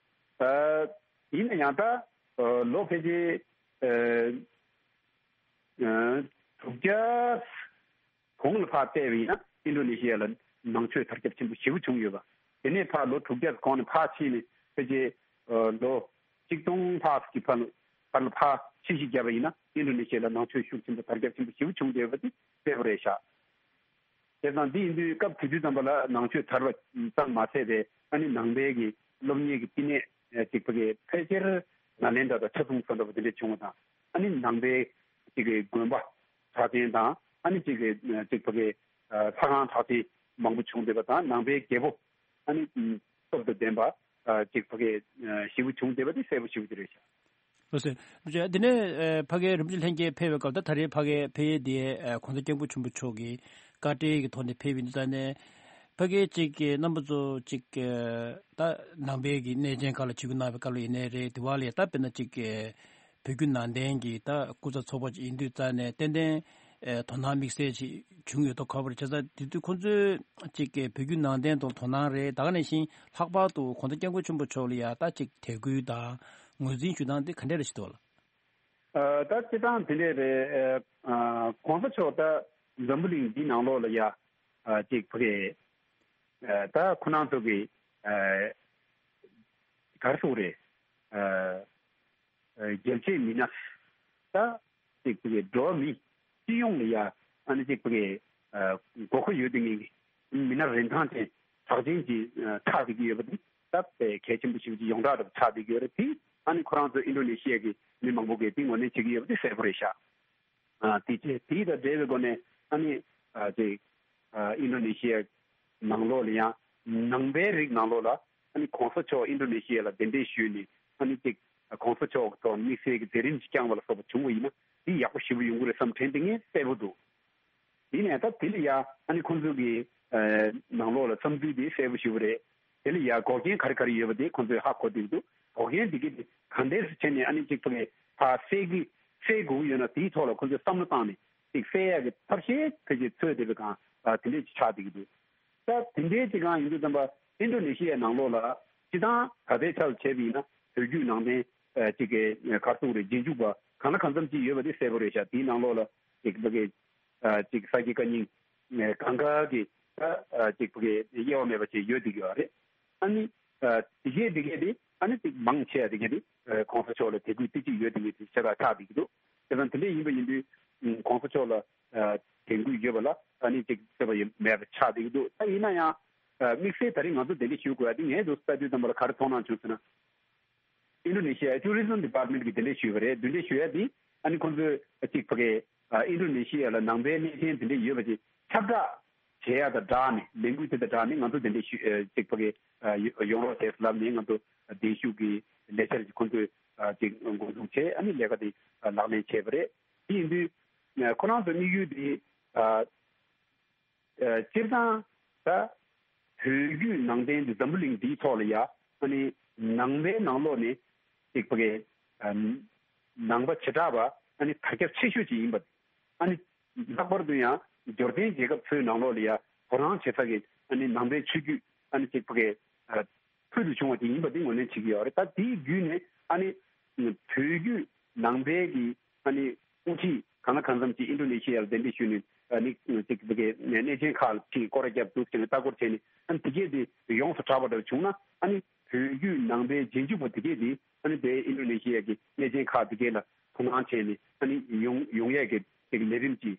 ཨ་ཡིན་ན་ཡང་ད་ཨ་ལོ་ཕལ་ཆེར་ཨ་ཨ་དྲུག་བརྒྱ་གོང་ལ་ཕར་བལྟས་པ་ཡིན་ན་ཨིན་ཌོ་ནེ་ཤི་ཡ་ལ་ནང་ཆོས་དར་ཁྱབ་ཆེན་པོ་ཞེ་པོ་བྱུང་ཡོད་པ། དེ་ནས་ཕར་ལོ་དྲུག་བརྒྱ་གོང་ནས་ཕར་ཕྱིན་ནས་ཕལ་ཆེར་ཨ་ལོ་གཅིག་སྟོང་ལྷག་ཙམ་གྱི་བར་ལ་བར་ལ་ཕར་ཕྱིན་ཞིབ་བརྒྱབ་པ་ཡིན་ན་ཨིན་ཌོ་ནེ་ཤི་ཡ་ལ་ནང་ཆོས་ཤུགས་ཆེན་པོ་དར་ཁྱབ་ཆེན་པོ་ཞེ་པོ་བྱུང་བསྡད་ཡོད་པ་དེ་གསལ་པོ་རེད་ཤག་བྱས་ཙང་འདི་ཡིན་དུས་སྐབས་དེ་དུས་ཙམ་པ་ལ་ནང་ཆོས་དར་བ་ཙམ་མ་ཟད་པའི་ཨ་ནི་ནང་པའི་གི་སློབ་གཉེར་གྱི་བསྟི་གནས་ཨ་ཅིག་ཕ་གི་ཕལ་ཆེར་ནཱ་ལེནྡྲ་དང་ཆ་མཚུངས་ས་འདྲ་པོ་དེ་འདྲ་བྱུང་བ་དང་། ཨ་ནི་ནང་པའི་ཅིག་གི་དགོན་པ་གྲགས་ཅན་དང་། ཨ་ནི་ཅིག་གི་ཅིག་ཕ་གི་ལྷ་ཁང་གྲགས་ཅན་མང་པོ་བྱུང་བསྡད་པ་དང་། ནང་པའི་རྒྱལ་པོ་ཨ་ནི་སྟོབས་དང་ལྡན་པ་ཅིག་ཕ་གི་ཞེ་པོ་བྱུང་བསྡད་པ་དེ་གསལ་པོ་ཞེ་པོ་ཅིག་རེད་ཤག་ལགས་སོ། འདི་ནས་ཕ་གི་རིན་པོ་ཆེ་ལྷན་རྒྱས་ཕེབས་པའི་སྐབས་ད་ད་རེས་ཕ་གི་ཕ་གི་དེ་གོང་ས་སྐྱབས་མགོན་ཆེན་པོ་མཆོག་གིས་ བཀའ་འབྲེལ་གྱི་ཐོག་ནས་ཕེབས་ཡིན་དུས་ཙང་ནས་ཕ་གིའི་ཅིག་གི་རྣམ་པ་ཚོ་ཅིག་གི་ད་ནང་པའི་གི་གནས་ཆེན་ཁག་ལ་ཆིབས་བསྒྱུར་གནང་བའི་སྐབས་ལ་ཡིན་ནའི་རེད། དེ་བ་ལ་ཡ་ད་དཔེར་ན་ཅིག་གི་བོད་བརྒྱུད་ནང་བསྟན་གྱི་ད་སྐུ་ཚབ་ཚོགས་པ་ཅིག་ཡིན་དུས་ཙང་ནས་ཏན་ཏན་ཨེ་དོ་སྣང་དམིགས་བསལ་ཅིག་བྱུང་ཡོད་དོ་ཁ་པར་བྱས་ཙང་དེ་དུས་ཁོང་ཚོས་ཅིག་གི་བོད་བརྒྱུད་ནང་བསྟན་དང་དོ་སྣང་རེད། ད་ག་ནང་བཞིན་ལྷག་པར་དུ་གོང་ས་སྐྱབས་མགོན་ཆེན་པོ་མཆོག་ལ་ཡ་ད་ཅིག་དད་གུས་དང་ངོས་འཛིན་ཞུ་སྟངས་དེ་ག་འདྲ་རེ་ཞིག་འདུག་ལ། ཨ། ད་སྤྱིར་བཏང་དེ་འདྲས་རེད། ཨ། གོང་ས་མཆོག་ད་འཛམ་བུ་གླིང་འདིའི་ནང་ལོགས་ལ་ཡ། ཨ། ཅིག་ཕ་གི། ཨ། ད་ཁོ་རང་ཚོ་གི། ཨ། ག་རེ་ཟེར་དགོས་རེད། ཨ། ཨ། རྒྱལ་གཅེས་མི་སྣ། ད་ཅིག་ཕ་གི་འགྲོ་བ་མི་སྤྱི་ཡོངས་ལ་ཡ། ཨ་ནི་ཅིག་ཕ་གི། ཨ། དགོས་མཁོ་ཡོད་དེ་ངེས་ཀྱི་མི་སྣ་རིན་ཐང་ཅན་གྲགས་ཅན་གྱི། ཨ། ཆགས་བསྡད་ཀྱི་ཡོད་པ་དེ་ད་དཔེ་གལ་ཆེན་པོ་ཞིག་གི་ཡོངས་གྲགས་འདྲ་པོ་ཆགས་བསྡད་ཀྱི་ཡོད་རེད། དེ་ཨ་ནི་ཁོ་རང་ཚོ་ཨིན་ཌོ་ནེ་ཤི་ཡ་གི་མི་མང་པོ་གིས་དེ་ངོས་ལེན་བྱེད་ཀྱི་ཡོད་པ་དེ་གསལ་པོ་རེད་ཤག་ཨ། དེ་བྱས་དེ་དང་འབྲེལ་བའི་སྒོ་ནས་ཨ་ནི། ཨ། ཅིག་ཨ། ཨིན་ཌོ་ནེ་ཤི་ཡ་ནང་ལོགས་ལ་ཡང་ནང་པའི་རིགས་ནང་ལོགས་ལ་ཨ་ནི་གོང་ས་མཆོག་ཨིན་ཌོ་ནེ་ཤི་ཡ་ལ་གདན་འདྲེན་ཞུས་ནས་ཨ་ནི་ཅིག་གོང་ས་མཆོག་ཐོག་དམིགས་བསལ་གྱི་མཛད་རིམ་ཞིག་བསྐྱངས་པ་ལ་སོགས་པ་བྱུང་བ་ཡིན་ན་དེ་ཡག་པོ་ཞེ་པོ་ཡོང་གི་རེད་བསམ་དྲན་དེ་ངས་གསལ་པོ་འདུག་ཡིན་ནའི་ད་དེ་ལ་ཡ་ཨ་ནི་ཁོང་ཚོ་གི། ཨ། ནང་ལོགས་ལ་བསམ་ཚུལ་དེ་གསལ་པོ་ཞེ་པོ་རེད། དེ་ལ་ཡ་འགོག་རྐྱེན་ག་རེ་ག་རེ་ཡོད་པ་དེ་ཁོང་ཚོས་ཧ་གོ་བསྡད་ཀྱི་འདུག་འགོག་རྐྱེན་དེ་གི་དེ་ག་འདྲས་སུ་བྱས་ནས་ཨ་ནི་ཅིག་ཕ་གི་ཕར་སེལ་གི་སེལ་དགོས་ཀྱི་ཡོད་ན་དེའི་ཐོག་ལ་ཁོང་ཚོས་བསམ་བློ་བཏང་ནས་ཅིག་སེལ་ཡག་གི་ཐབས་ཤེས་ཕལ་ཆེར་འཚོལ་བསྡད་པའི་སྒང་། ཨ། དེ་འདྲས་ཅིག་ཆགས་བསྡད་ཀྱི་འདུག་ད་དེ་འདྲའི་ཅིག་སྒང་ཡིན་དུས་ཙམ་པ་ཨིན་ཌོ་ནེ་ཤི་ཡའི་ནང་ལོགས་ལ་སྤྱིར་བཏང་ད་ལྟའི་ཆར་ལ་བྱས་པ་ཡིན་ན་བོད་བརྒྱུད་ནང་བསྟན། ཨ། ཅིག་གི་གར་སོང་རེད། རྗེས་འཇུག་པ་གང་ལ་གང་འཚམ་ཅིག་ཡོད་པ་དེ་གསལ་པོ་རེད་ཤག་དེའི་ནང་ལོགས་ལ་ཅིག་ཕ་གི། ཨ། ཅིག་ས་དགེ་བཀའ་རྙིང་གང་ག་གི། ཨ། ཅིག་ཕ་གི་དབྱེ་བ་མེད་པ་ཅིག་ཡོད་བསྡད་ཀྱི་ཡོད་རེད། ཨ་ནི། ཨ། དེ་གས་དེ་གས་དེ་ཨ་ནི་ཅིག་མང་ཆེ་བ་དེ་གས་དེ། ཨ། གོང་ས་མཆོག་ལ་དད་གུས་ཏིག་ཅིག་ཡོད་དེ་གས་དེ་ཆ་ཚང་ཆགས་བསྡད་ཀྱི་འདུག་དེ་ཙང་དེ་འདྲ་ཡིན་པ་ཡིན་དུས། ཨ། གོང་ས་མཆོག་ལ། ཨ། དད་གུས་ཡོད་པ་ལ་ཨ་ནི་ཅིག་སྲེད་པ་ཡོད་མེད་པ་ཆགས་བསྡད་ཀྱི་འདུག་ད་ཡིན་ན་ཡང་། ཨ། དམིགས་བསལ་ད་རིང་ང་ཚོ་གདན་འདྲེན་ཞུ་དགོས་ཡ་དེ་ངས་འདུག་ལྟ་དུས་ཙམ་པ་ལ་ག་རེ་མཐོང་སྣང་བྱུང་ཟེར་ན། ཨིན་ཌོ་ནེ་ཤི་ཡའི་ཊུ་རི་ཛམ་ཌི་པཱར་ཊི་མེན་ཊི་གིས་གདན་འདྲེན་ཞུས་པ་རེད། གདན་འདྲེན་ཞུ་ཡ་དེ་ཨ་ནི་ཁོང་ཚོས་གཅིག་ཕ་གི། ཨ། ཨིན་ཌོ་ནེ་ཤི་ཡ་ལ་ནང་པའི་གནས་ཆེན་དེ་འདྲ་ཡོད་པ་ཅིག་ཁྱབ་བསྒྲགས་བྱེད་ཡ་དང་སྦྲགས་ནས་ལས་འགུལ་དེ་དང་སྦྲགས་ནས་ང་ཚོ་གདན་འདྲེན་ཞུ། ཨ། གཅིག་ཕ་གི། ཨ། ཡོང་རོགས་བྱས་ལབ་ནས་ང་ཚོ་གདན་ཞུ་གི་ལས་འཆར་ཅིག་ཁོང་ཚོས། ཨ། གཅིག་འགོ་འཛུགས་བྱས་ཨ་ནི་ལས་ཀ་དེ་ལག་ལེན་བྱས་པ་རེད། དེ་ཡིན་དུས་ཁོ་རང་ཚོ་དམིགས་ཡུལ་དེ། ཨ། ཨ། སྤྱིར་བཏང་ད་བོད་བརྒྱུད་ནང་བསྟན་འདི་འཛམ་བུ་གླིང་འདིའི་ཐོག་ལ་ཡ་ཨ་ནི་ནང་པའི་ནང་ལོགས་ནས་ཅིག་ཕ་གི། ཨ། ནང་པ་བྱེ་བྲག་པ་ཨ་ནི་དར་ཁྱབ་ཆེ་ཤོས་ཅིག་ཡིན་པ། ཨ་ནི་ལྷག་པར་དུ་ཡང་འབྱོར་ལྡན་རྒྱལ་ཁབ་ཚོའི་ནང་ལོགས་ལ་ཡ་དོ་སྣང་བྱེད་ས་གི་ཨ་ནི་ནང་པའི་ཆོས་བརྒྱུད་ཨ་ནི་ཅིག་ཕ་གི། ཨ། ཕུལ་དུ་བྱུང་བ་དེ་ཡིན་པ་དེ་ངོས་ལེན་བྱེད་ཀྱི་ཡོད་རེད། ད་དེའི་བརྒྱུད་ནས་ཨ་ནི་བོད་བརྒྱུད་ནང་པའི་གི་ཨ་ནི་དབུ་ཁྲིད་གང་ལ་གང་འཚམ་ཅིག་ཨིན་ཌོ་ནེ་ཤི་ཡར་གདན་འདྲེན་ཞུས་ནས་ཨ་ནི་ཅིག་གནས་ཆེན་ཁག་ལ་ཕྱིན་སྐོར་ར་བརྒྱབ་འདུག་ཅེས་ལྟ་སྐོར་བྱས་ནས་ཨ་ནི་དེ་གས་དེ་ཡོངས་སུ་གྲགས་པ་འདྲ་བྱུང་ན་ཨ་ནི་བོད་བརྒྱུད་ནང་པའི་རྗེས་འཇུག་པ་དེ་གས་དེ་ཨ་ནི་དེ་ཨིན་ཌོ་ནེ་ཤི་ཡ་གི་གནས་ཆེན་ཁག་དེ་གས་ལ་དོ་སྣང་བྱས་ནས་ཨ་ནི་ཡོང་ཡོང་ཡས་ཀྱི་ཅིག་ལས་རིམ་ཅིག་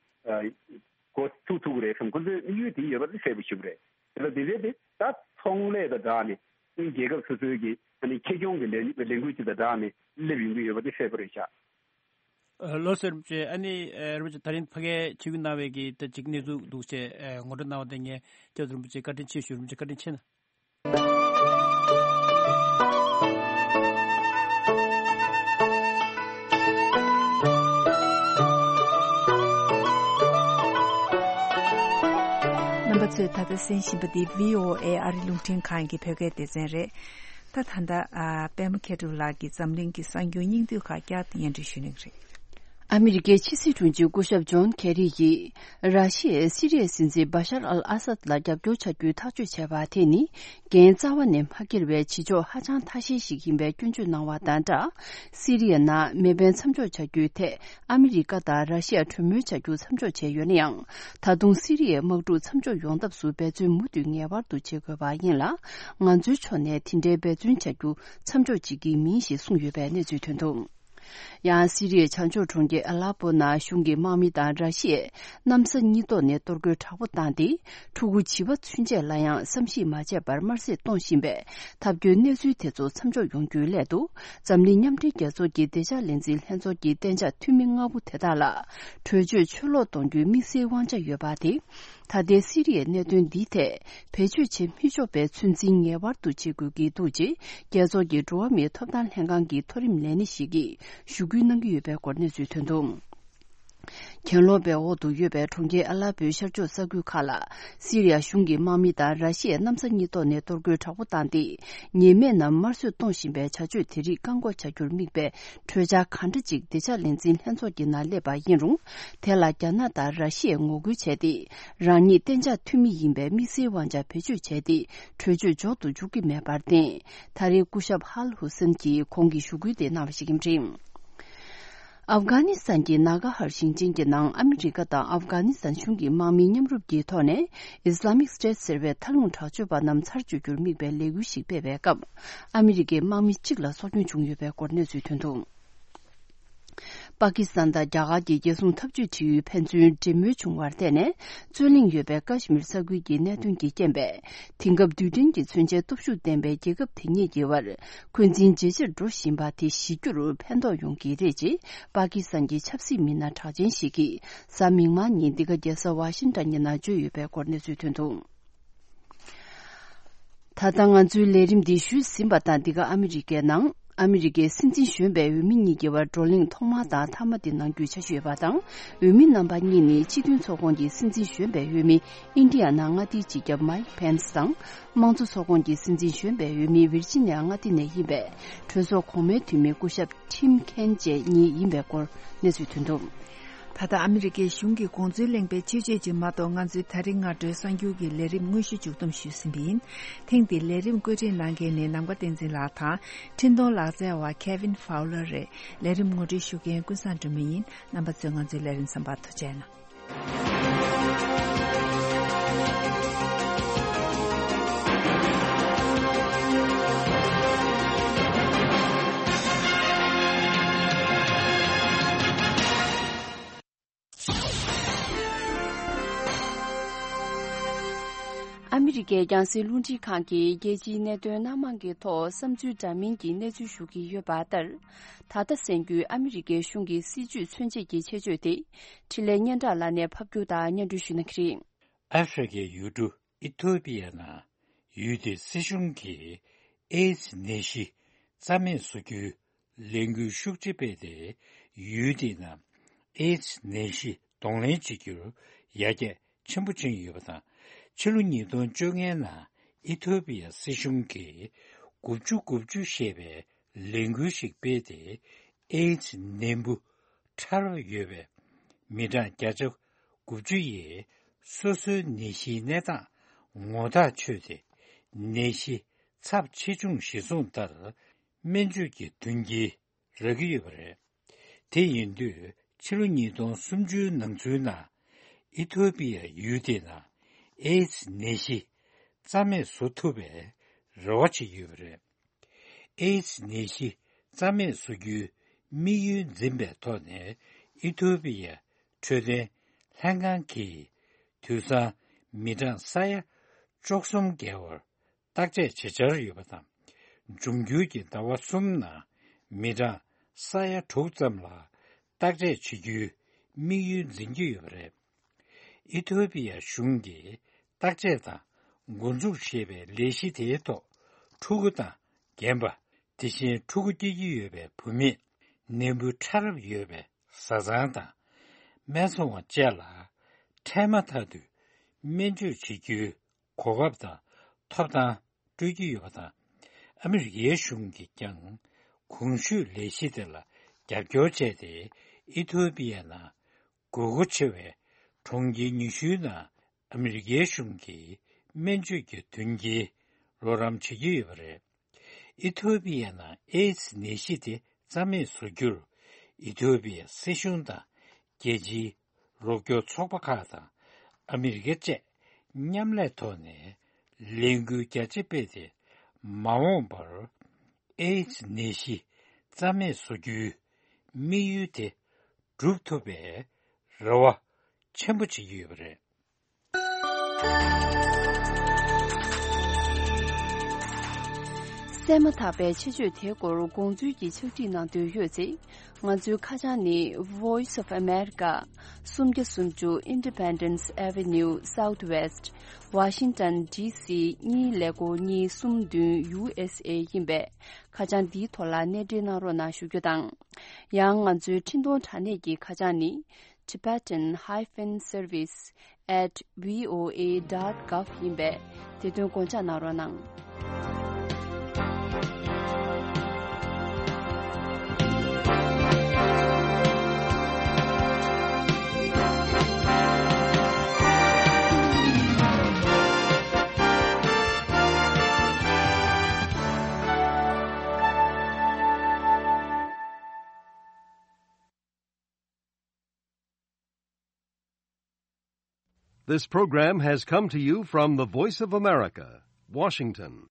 འགོ་ཚུགས་ཐུབ་ཀྱི་རེད་བསམ། ཁོ་ཚོའི་དམིགས་ཡུལ་དེ་ཡོད་པ་དེ་གསལ་པོ་ཞུ་གི་རེད། དེ་ལ་དེ་རེད་དེ་ད་ཚོང་ལས་དང་སྦྲགས་ནས་རྒྱལ་ཁབ་སོ་སོའི་གི་ཨ་ནི་ཁེ་གྱོང་གི་ལས་ལས་འགུལ་ཅིག་དང་སྦྲགས་ནས་སླེབས་ཡོང་གི་ཡོད་པ་དེ་གསལ་པོ་རེད་ཤག་ལགས་སོ། རིན་པོ་ཆེ་ཨ་ནི་རིན་པོ་ཆེ་ད་རིང་ཕ་གིར་ཆིབས་བསྒྱུར་གནང་བའི་གི་ད་ཅིག་གནས་ཚུལ་འདུག་ཅེས་ངོ་སྤྲོད་གནང་བ་དེ་ངས་སྐྱབས་མགོན་རིན་པོ་ཆེ་བཀའ་དྲིན་ཆེ་ཞུ། རིན་པོ་ཆེ་བཀའ་དྲིན་ཆེ་གནང་། རྣམ་པ་ཚོས་ད་ལྟ་གསན་བཞིན་པ་འདི་བྷི་ཨོ་ཨེ་ཨ་རི་རླུང་འཕྲིན་ཁང་གི་བོད་སྐད་སྡེ་ཚན་རེད། ད་ད་ལྟ་ཨ་པད་མ་མཁས་གྲུབ་ལགས་ཀྱིས་འཛམ་གླིང་གི་གསར་འགྱུར་སྙིང་བསྡུས་ཁག་བསྐྱར་དུ་སྙན་སྒྲོན་ཞུ་གནང་གི་རེད། ཨ་མི་རི་ཀའི་ཕྱི་སྲིད་དྲུང་ཆེ་སྐུ་ཞབས་ཇོན་ཁེ་རི་ཡིས་ར་ཤི་ཡས་སི་རི་ཡའི་སྲིད་འཛིན་བ་ཤར་ཨལ་ཨ་སད་ལ་རྒྱབ་སྐྱོར་བྱ་རྒྱུའི་ཐག་གཅོད་བྱས་པ་དེ་ནི་འགན་རྩ་བ་ནས་མ་འཁྱེར་བའི་བྱེད་ཕྱོགས་ཧ་ཅང་ཐ་ཤལ་ཞིག་ཡིན་པའི་སྐྱོན་བརྗོད་གནང་བ་དང་སྦྲགས། སི་རི་ཡའི་ནང་མེ་འཕེན་མཚམས་འཇོག་བྱ་རྒྱུའི་ཐད་ཨ་མི་རི་ཀ་དང་ར་ཤི་ཡ་གྲོས་མོལ་བྱ་རྒྱུ་མཚམས་འཇོག་བྱས་ཡོད་ན་ཡང་། ད་དུང་སི་རི་ཡའི་དམག་འཁྲུག་མཚམས་འཇོག་ཡོང་ཐབས་སུ་འབད་བརྩོན་མུ་མཐུད་ངེས་པར་དུ་བྱེད་དགོས་པ་ཡིན་ལ། ང་ཚོའི་ཕྱོགས་ནས་དེ་འདྲའི་འབད་བརྩོན་བྱ་རྒྱུ་མཚམས་འཇོག་བྱེད་ཀྱི་མིན་ཞེས་གསུངས་ཡོད་པའི་གནས་ཚུལ་ཐོན་འདུག་ཡང་སི་རི་ཡའི་བྱང་ཕྱོགས་གྲོང་ཁྱེར་ཨ་ལ་པོ་ནང་གཞུང་གི་དམག་མི་དང་ར་ཤི་ཡས་གནམ་ས་གཉིས་ཐོག་ནས་གཏོར་རྒོལ་དྲག་པོ་བཏང་སྟེ། ཕྲུ་གུ་བྱིས་པ་ཚུན་ཆད་ལ་ཡང་བསམ་གཞིག་མ་བྱས་པར་དམར་གསོད་གཏོང་བཞིན་པའི་ཐབས་སྐྱོའི་གནས་ཚུལ་དེ་ཚོ་མཚམས་འཇོག་ཡོང་རྒྱུའི་སླད་དུ། འཛམ་གླིང་མཉམ་འབྲེལ་རྒྱལ་ཚོགས་ཀྱི་བདེ་འཇགས་ལས་འཛིན་ལྷན་ཚོགས་ཀྱི་གཏན་འཇགས་འཐུས་མི་ལྔ་པོ་དེ་དག་ལ་གྲོས་ཆོད་ཕྱིར་སློག་གཏོང་རྒྱུའི་དམིགས་བསལ་དབང་ཆ་ཡོད་པ་དེ། ད་ལྟའི་སི་རི་ཡའི་གནད་དོན་འདིའི་ཐད་བེད་སྤྱོད་བྱེད་མི་ཆོག་པའི་ཚོད་འཛིན་ངེས་པར་དུ་བྱེད་དགོས་ཀྱི་འདུག་ཅེས་རྒྱལ་ཚོགས་ཀྱི་འགྲོ་བ་མིའི་ཐོབ་ཐང་ལྷན་ཁང་གི་མཐོ་རིམ་ལས་སྣེ་ཞིག་གིས་ཞུ་སྐུལ་གནང་གི་ཡོད་པའི་སྐོར་གནས་ཚུལ་ཐོན་འདུག་གྱེན་ལོག་པའི་འོག་ཏུ་ཡོད་པའི་གྲོང་ཁྱེར་ཨ་ལ་པོའི་ཤར་ཕྱོགས་ས་ཁུལ་ཁག་ལ། སི་རི་ཡ་གཞུང་གི་དམག་མི་དང་ར་ཤི་ཡའི་གནམ་ས་གཉིས་ཐོག་ནས་གཏོར་རྒོལ་དྲག་པོ་བཏང་སྟེ། ཉེས་མེད་རྣམས་དམར་གསོད་གཏོང་བཞིན་པའི་བྱ་སྤྱོད་དེ་རིགས་བཀག་འགོག་བྱ་རྒྱུར་དམིགས་པའི་གྲོས་འཆར་ག་འདྲ་ཅིག་བདེ་འཇགས་ལས་འཛིན་ལྷན་ཚོགས་ཀྱི་ནང་སླེབས་པ་ཡིན་རུང་། དེ་ལ་རྒྱ་ནག་དང་ར་ཤི་ཡས་ངོ་རྒོལ་བྱས་ཏེ། རང་ཉིད་གཏན་འཇགས་འཐུས་མི་ཡིན་པའི་དམིགས་བསལ་དབང་ཆ་བེད་སྤྱོད་བྱས་ཏེ། གྲོས་ཆོད་འཇོག་ཏུ་འཇུག་གི་མེད་པར་བརྟེན། ད་རེས་སྐུ་ཞབས་ཧལ་ཧུ་སན་གྱིས་ཁོང་གི་ཞུ་སྐུལ་དེ་གནང་བ་ཞིག་ཡིན་པ་རེད། ཨབ་གྷ་ནི་སི་ཐན་གྱི་ན་གྷ་ཧར་ཞིང་ཆེན་གྱི་ནང་ཨ་མི་རི་ཀ་དང་ཨབ་གྷ་ནི་སི་ཐན་གཞུང་གི་དམག་མིའི་མཉམ་རུབ་ཀྱི་ཐོག་ནས་ཨི་སི་ལ་མིག་སི་ཊེ་ཊི་ཟེར་བའི་མཐའ་ལྷུང་དྲག་སྤྱོད་པ་རྣམས་ཚར་གཅོད་རྒྱུར་དམིགས་པའི་ལས་འགུལ་ཞིག་སྤེལ་བའི་སྐབས། ཨ་མི་རི་ཀའི་དམག་མི་གཅིག་ལ་སྲོག་སྐྱོན་བྱུང་ཡོད་པའི་སྐོར་གནས་ཚུལ་ཐོན་འདུག་པ་ཀི་སི་ཐན་དང་རྒྱ་གར་གྱི་རྒྱལ་སྲུང་འཐབ་ཇུས་ཁྲིད་ཡུལ་ཕན་ཚུན་འབྲེལ་མོལ་བྱུང་བར་བརྟེན་ནས། རྩོད་གླེང་ཡོད་པའི་ཀ་ཤི་མིར་ས་ཁུལ་གྱི་གནད་དོན་གྱི་རྐྱེན་པས། དེང་སྐབས་རྡུལ་ཕྲན་གྱི་མཚོན་ཆའི་སྟོབས་ཤུགས་ལྡན་པའི་རྒྱལ་ཁབ་དེ་གཉིས་ཀྱི་བར་འཁོན་འཛིན་ཇེ་ཆེར་འགྲོ་བཞིན་པ་དེ་ཞི་རྒྱུར་ཕན་ཐོགས་ཡོང་གི་རེད་ཅེས་པ་ཀི་སི་ཐན་གྱི་ཆབ་སྲིད་མི་སྣ་གྲགས་ཅན་ཞིག་གིས་གཟའ་མིག་དམར་ཉིན་འདི་ག་རྒྱལ་ས་ཝ་ཤིང་ཊོན་ཡིན་ན་བརྗོད་ཡོད་པའི་སྐོར་གནས་ཚུལ་ཐོན་འདུག་ད་ལྟ་ང་ཚོའི་ལས་རིམ་འདི་ཞུས་ཟིན་པ་དང་། འདི་ག་ཨ་མི་རི་ཀའི་ནང་ཨ་མི་རི་ཀའི་སྲིད་འཛིན་གཞོན་པའི་འོས་མི་གཉིས་ཀྱི་བར་བགྲོ་གླེང་ཐོག་མ་དང་མཐའ་མ་དེ་གནང་རྒྱུའི་འཆར་གཞི་ཡོད་པ་དང་། འོས་མི་རྣམ་པ་གཉིས་ནི་སྤྱི་མཐུན་ཚོགས་ཁོངས་ཀྱི་སྲིད་འཛིན་གཞོན་པའི་འོས་མི་ཨིན་ཌི་ཡ་ནང་མངའ་སྡེའི་སྤྱི་ཁྱབ་མའིག་པེན་སི་དང་། དམངས་གཙོ་ཚོགས་ཁོངས་ཀྱི་སྲིད་འཛིན་གཞོན་པའི་འོས་མི་ཝིར་ཇི་ནི་ཡ་མངའ་སྡེ་ནས་ཡིན་པའི་གྲོས་ཚོགས་གོང་མའི་འཐུས་མི་སྐུ་ཞབས་ཊིམ་ཁེན་བཅས་གཉིས་ཡིན་པའི་སྐོར་གནས་ཚུལ་ཐོན་འདུག་ད་ལྟ་ཨ་མི་རི་ཀའི་གཞུང་གི་དགོངས་ཚུལ་གླེང་པའི་ཆེད་བརྗོད་ཅིག་མ་གཏོགས། ང་ཚོའི་ད་རིང་སྔ་དྲོའི་གསར་འགྱུར་གྱི་ལས་རིམ་དངོས་གཞི་མཇུག་བསྡོམས་ཞུས་ཟིན་པ་ཡིན། ཐེངས་འདིའི་ལས་རིམ་བཀོད་སྒྲིག་གནང་མཁན་ནི་ནམ་མཁའ་བསྟན་འཛིན་ལགས་དང་། འཕྲིན་གཏོང་ལག་རྩལ་བ་ཁེ་ཝིན་ཧྥའུ་ལར་རེད། ལས་རིམ་ངོ་སྤྲོད་ཞུ་མཁན་ཀུན་བཟང་སྒྲོལ་མ་ཡིན། རྣམ་པ་ཚོས་ང་ཚོའི་ལས་རིམ་གསན་པར་ཐུགས་རྗེ་གནང་། ཨ་མི་རི་ཀའི་རྒྱང་སྲིང་རླུང་འཕྲིན་ཁང་གིས་རྒྱལ་སྤྱིའི་གནད་དོན་སྣ་མང་གི་ཐོག་བསམ་ཚུལ་འདྲ་མིན་གྱི་གནས་ཚུལ་ཞུ་གི་ཡོད་པ་ལྟར། ད་ལྟ་གསན་རྒྱུའི་ཨ་མི་རི་ཀའི་གཞུང་གི་སྲིད་ཇུས་མཚོན་བྱེད་ཀྱི་ཆེད་བརྗོད་དེ། འཕྲིན་ལས་སྙན་གྲགས་ལགས་ནས་ཕབ་སྒྱུར་དང་སྙན་སྒྲོན་ཞུ་གནང་གི་རེད། ཨ་ཧྥེ་རི་ཁའི་ཡུལ་གྲུ་ཨི་ཐོ་པི་ཡ་ནང་ཡུལ་དེའི་སྲིད་གཞུང་གིས་ཨེ་ཙི་ནད་གཞི་རྩ་མེད་བཟོ་རྒྱུའི་ལས་འགུལ་ཤུགས་ཆེ་སྤེལ་ཏེ། ཡུལ་དེའི་ནང་ཨེ་ཙི་ནད་གཞི་གདོང་ལེན་བྱེད་རྒྱུར་ཡར་རྒྱས་ཆེན་པོ་ཕྱིན་ཡོད་པ་དང་། ཕྱི་ལོ་ཉིས་སྟོང་བཅོ་ལྔའི་ནང་ཨི་ཐོ་པི་ཡ་སྲིད་གཞུང་གིས་དགུ་བཅུ་དགུ་བཅུ་ཞེས་པའི་ལས་འགུལ་ཞིག་སྤེལ་ཏེ། ཨེ་ཙི་ནད་འབུ་ཕྲ་རབ་ཡོད་པའི་མི་གྲངས་བརྒྱ་ཆ་དགུ་བཅུ་ཡིས་སོ་སོའི་ནད་གཞིའི་གནས་སྟངས་ངོ་ཐག་ཆོད་དེ། ནད་གཞི་ཚབས་ཆེ་ཆུང་གཞིར་བཟུང་ལྟར་སྨན་བཅོས་ཀྱི་མདུན་སྐྱེལ་རག་གི་ཡོད་པ་རེད། དེ་ཡིན་དུས་ཕྱི་ལོ་ཉིས་སྟོང་སུམ་ཅུའི་ནང་ཚུན་ནང་ཨི་ཐོ་པི་ཡ་ཡུལ་དེའི་ནང་ཨེ་ཙི་ནད་གཞི་རྩ་མེད་བཟོ་ཐུབ་པའི་རེ་བ་བྱེད་ཀྱི་ཡོད་པ་རེད། ཨེ་ཙི་ནད་གཞི་རྩ་མེད་བཟོ་རྒྱུའི་དམིགས་ཡུལ་འཛིན་པའི་ཐོག་ནས་ཨི་ཐོ་པི་ཡའི་འཕྲོད་བསྟེན་ལྷན་ཁང་གིས་དུས་སང་མི་གྲངས་ས་ཡ་བཅུ་གསུམ་བརྒལ་བར་བརྟག་དཔྱད་བྱེད་འཆར་ཡོད་པ་དང་། འབྱུང་འགྱུར་གྱི་ཟླ་བ་གསུམ་ནང་མི་གྲངས་ས་ཡ་དྲུག་ཙམ་ལ་བརྟག་དཔྱད་བྱེད་རྒྱུའི་དམིགས་ཡུལ་འཛིན་གྱི་ཡོད་པ་རེད། ཨི་ཐོ་པི་ཡ་གཞུང་གིས་བརྟག་དཔྱད་དང་འགོ་འཛུགས་ཞེས་པའི་ལས་གཞི་དེའི་ཐོག་ཕྲུ་གུ་དང་རྒན་པ། དེ་བཞིན་ཕྲུ་གུ་སྐྱེ་རྒྱུ་ཡོད་པའི་བུད་མེད། ནད་འབུ་ཕྲ་རབ་ཡོད་པའི་བཟའ་ཚང་དང་། སྨན་ཚོང་བ་བཅས་ལ་འཕྲལ་མ་ཐག་ཏུ་སྨན་བཅོས་བྱེད་རྒྱུའི་གོ་སྐབས་དང་ཐོབ་ཐང་སྤྲོད་ཀྱི་ཡོད་པ་དང་། ཨ་མི་རི་ཀའི་གཞུང་གིས་ཀྱང་གོང་ཞུས་ལས་གཞི་དེ་ལ་རྒྱབ་སྐྱོར་བྱས་ཏེ། ཨི་ཐོ་པི་ཡ་ནང་དགོས་མཁོ་ཆེ་བའི་གྲོང་ཁྱེར་ཉི་ཤུའི་ནང་ཨ་མི་རི་ཀའི་གཞུང་གིས་སྨན་བཅོས་ཀྱི་མདུན་སྐྱེལ་རོགས་རམ་བྱེད་ཀྱི་ཡོད་པ་རེད། ཨི་ཐོ་པི་ཡ་ནང་ཨེ་ཙི་ནད་གཞི་དེ་རྩ་མེད་བཟོ་རྒྱུར། ཨི་ཐོ་པི་ཡ་སྲིད་གཞུང་དང་རྒྱལ་སྤྱིའི་རོགས་སྐྱོར་ཚོགས་པ་ཁག་དང་ཨ་མི་རི་ཀ་བཅས་མཉམ་ལས་ཐོག་ནས་ལས་འགུལ་རྒྱ་ཆེ་སྤེལ་ཏེ། མ་འོངས་པར་ཨེ་ཙི་ནད་གཞི་རྩ་མེད་བཟོ་རྒྱུའི་དམིགས་ཡུལ་དེ་འགྲུབ་ཐུབ་པའི་རེ་བ་ཆེན་པོ་བྱེད་ཀྱི་ཡོད་པ་རེད། གསན་མ་ཐག་པའི་ཆེད་བརྗོད་དེའི་སྐོར་དགོངས་ཚུལ་གྱི་ཕྱག་བྲིས་གནང་འདོད་ཡོད་ཚེ། ང་ཚོའི་ཁ་བྱང་ནི་Voice of America། སུམ་བརྒྱ་སུམ་ཅུ་Independence Avenue Southwest Washington D C གཉིས་ཀླད་ཀོར་གཉིས་གསུམ་བདུན་U S A ཡིན་པས། ཁ་བྱང་འདིའི་ཐོག་ལ་གནས་འབྲེལ་གནང་རོགས་གནང་ཞུ་རྒྱུ་དང་། ཡང་ང་ཚོའི་འཕྲིན་གཏོང་དྲ་གནས་ཀྱི་ཁ་བྱང་ནི། Tibetan hyphen service at V O A dot gov ཡིན་པས། དེ་དོན་དགོངས་འཇགས་གནང་རོགས་གནང་། This program has come to you from the Voice of America, Washington.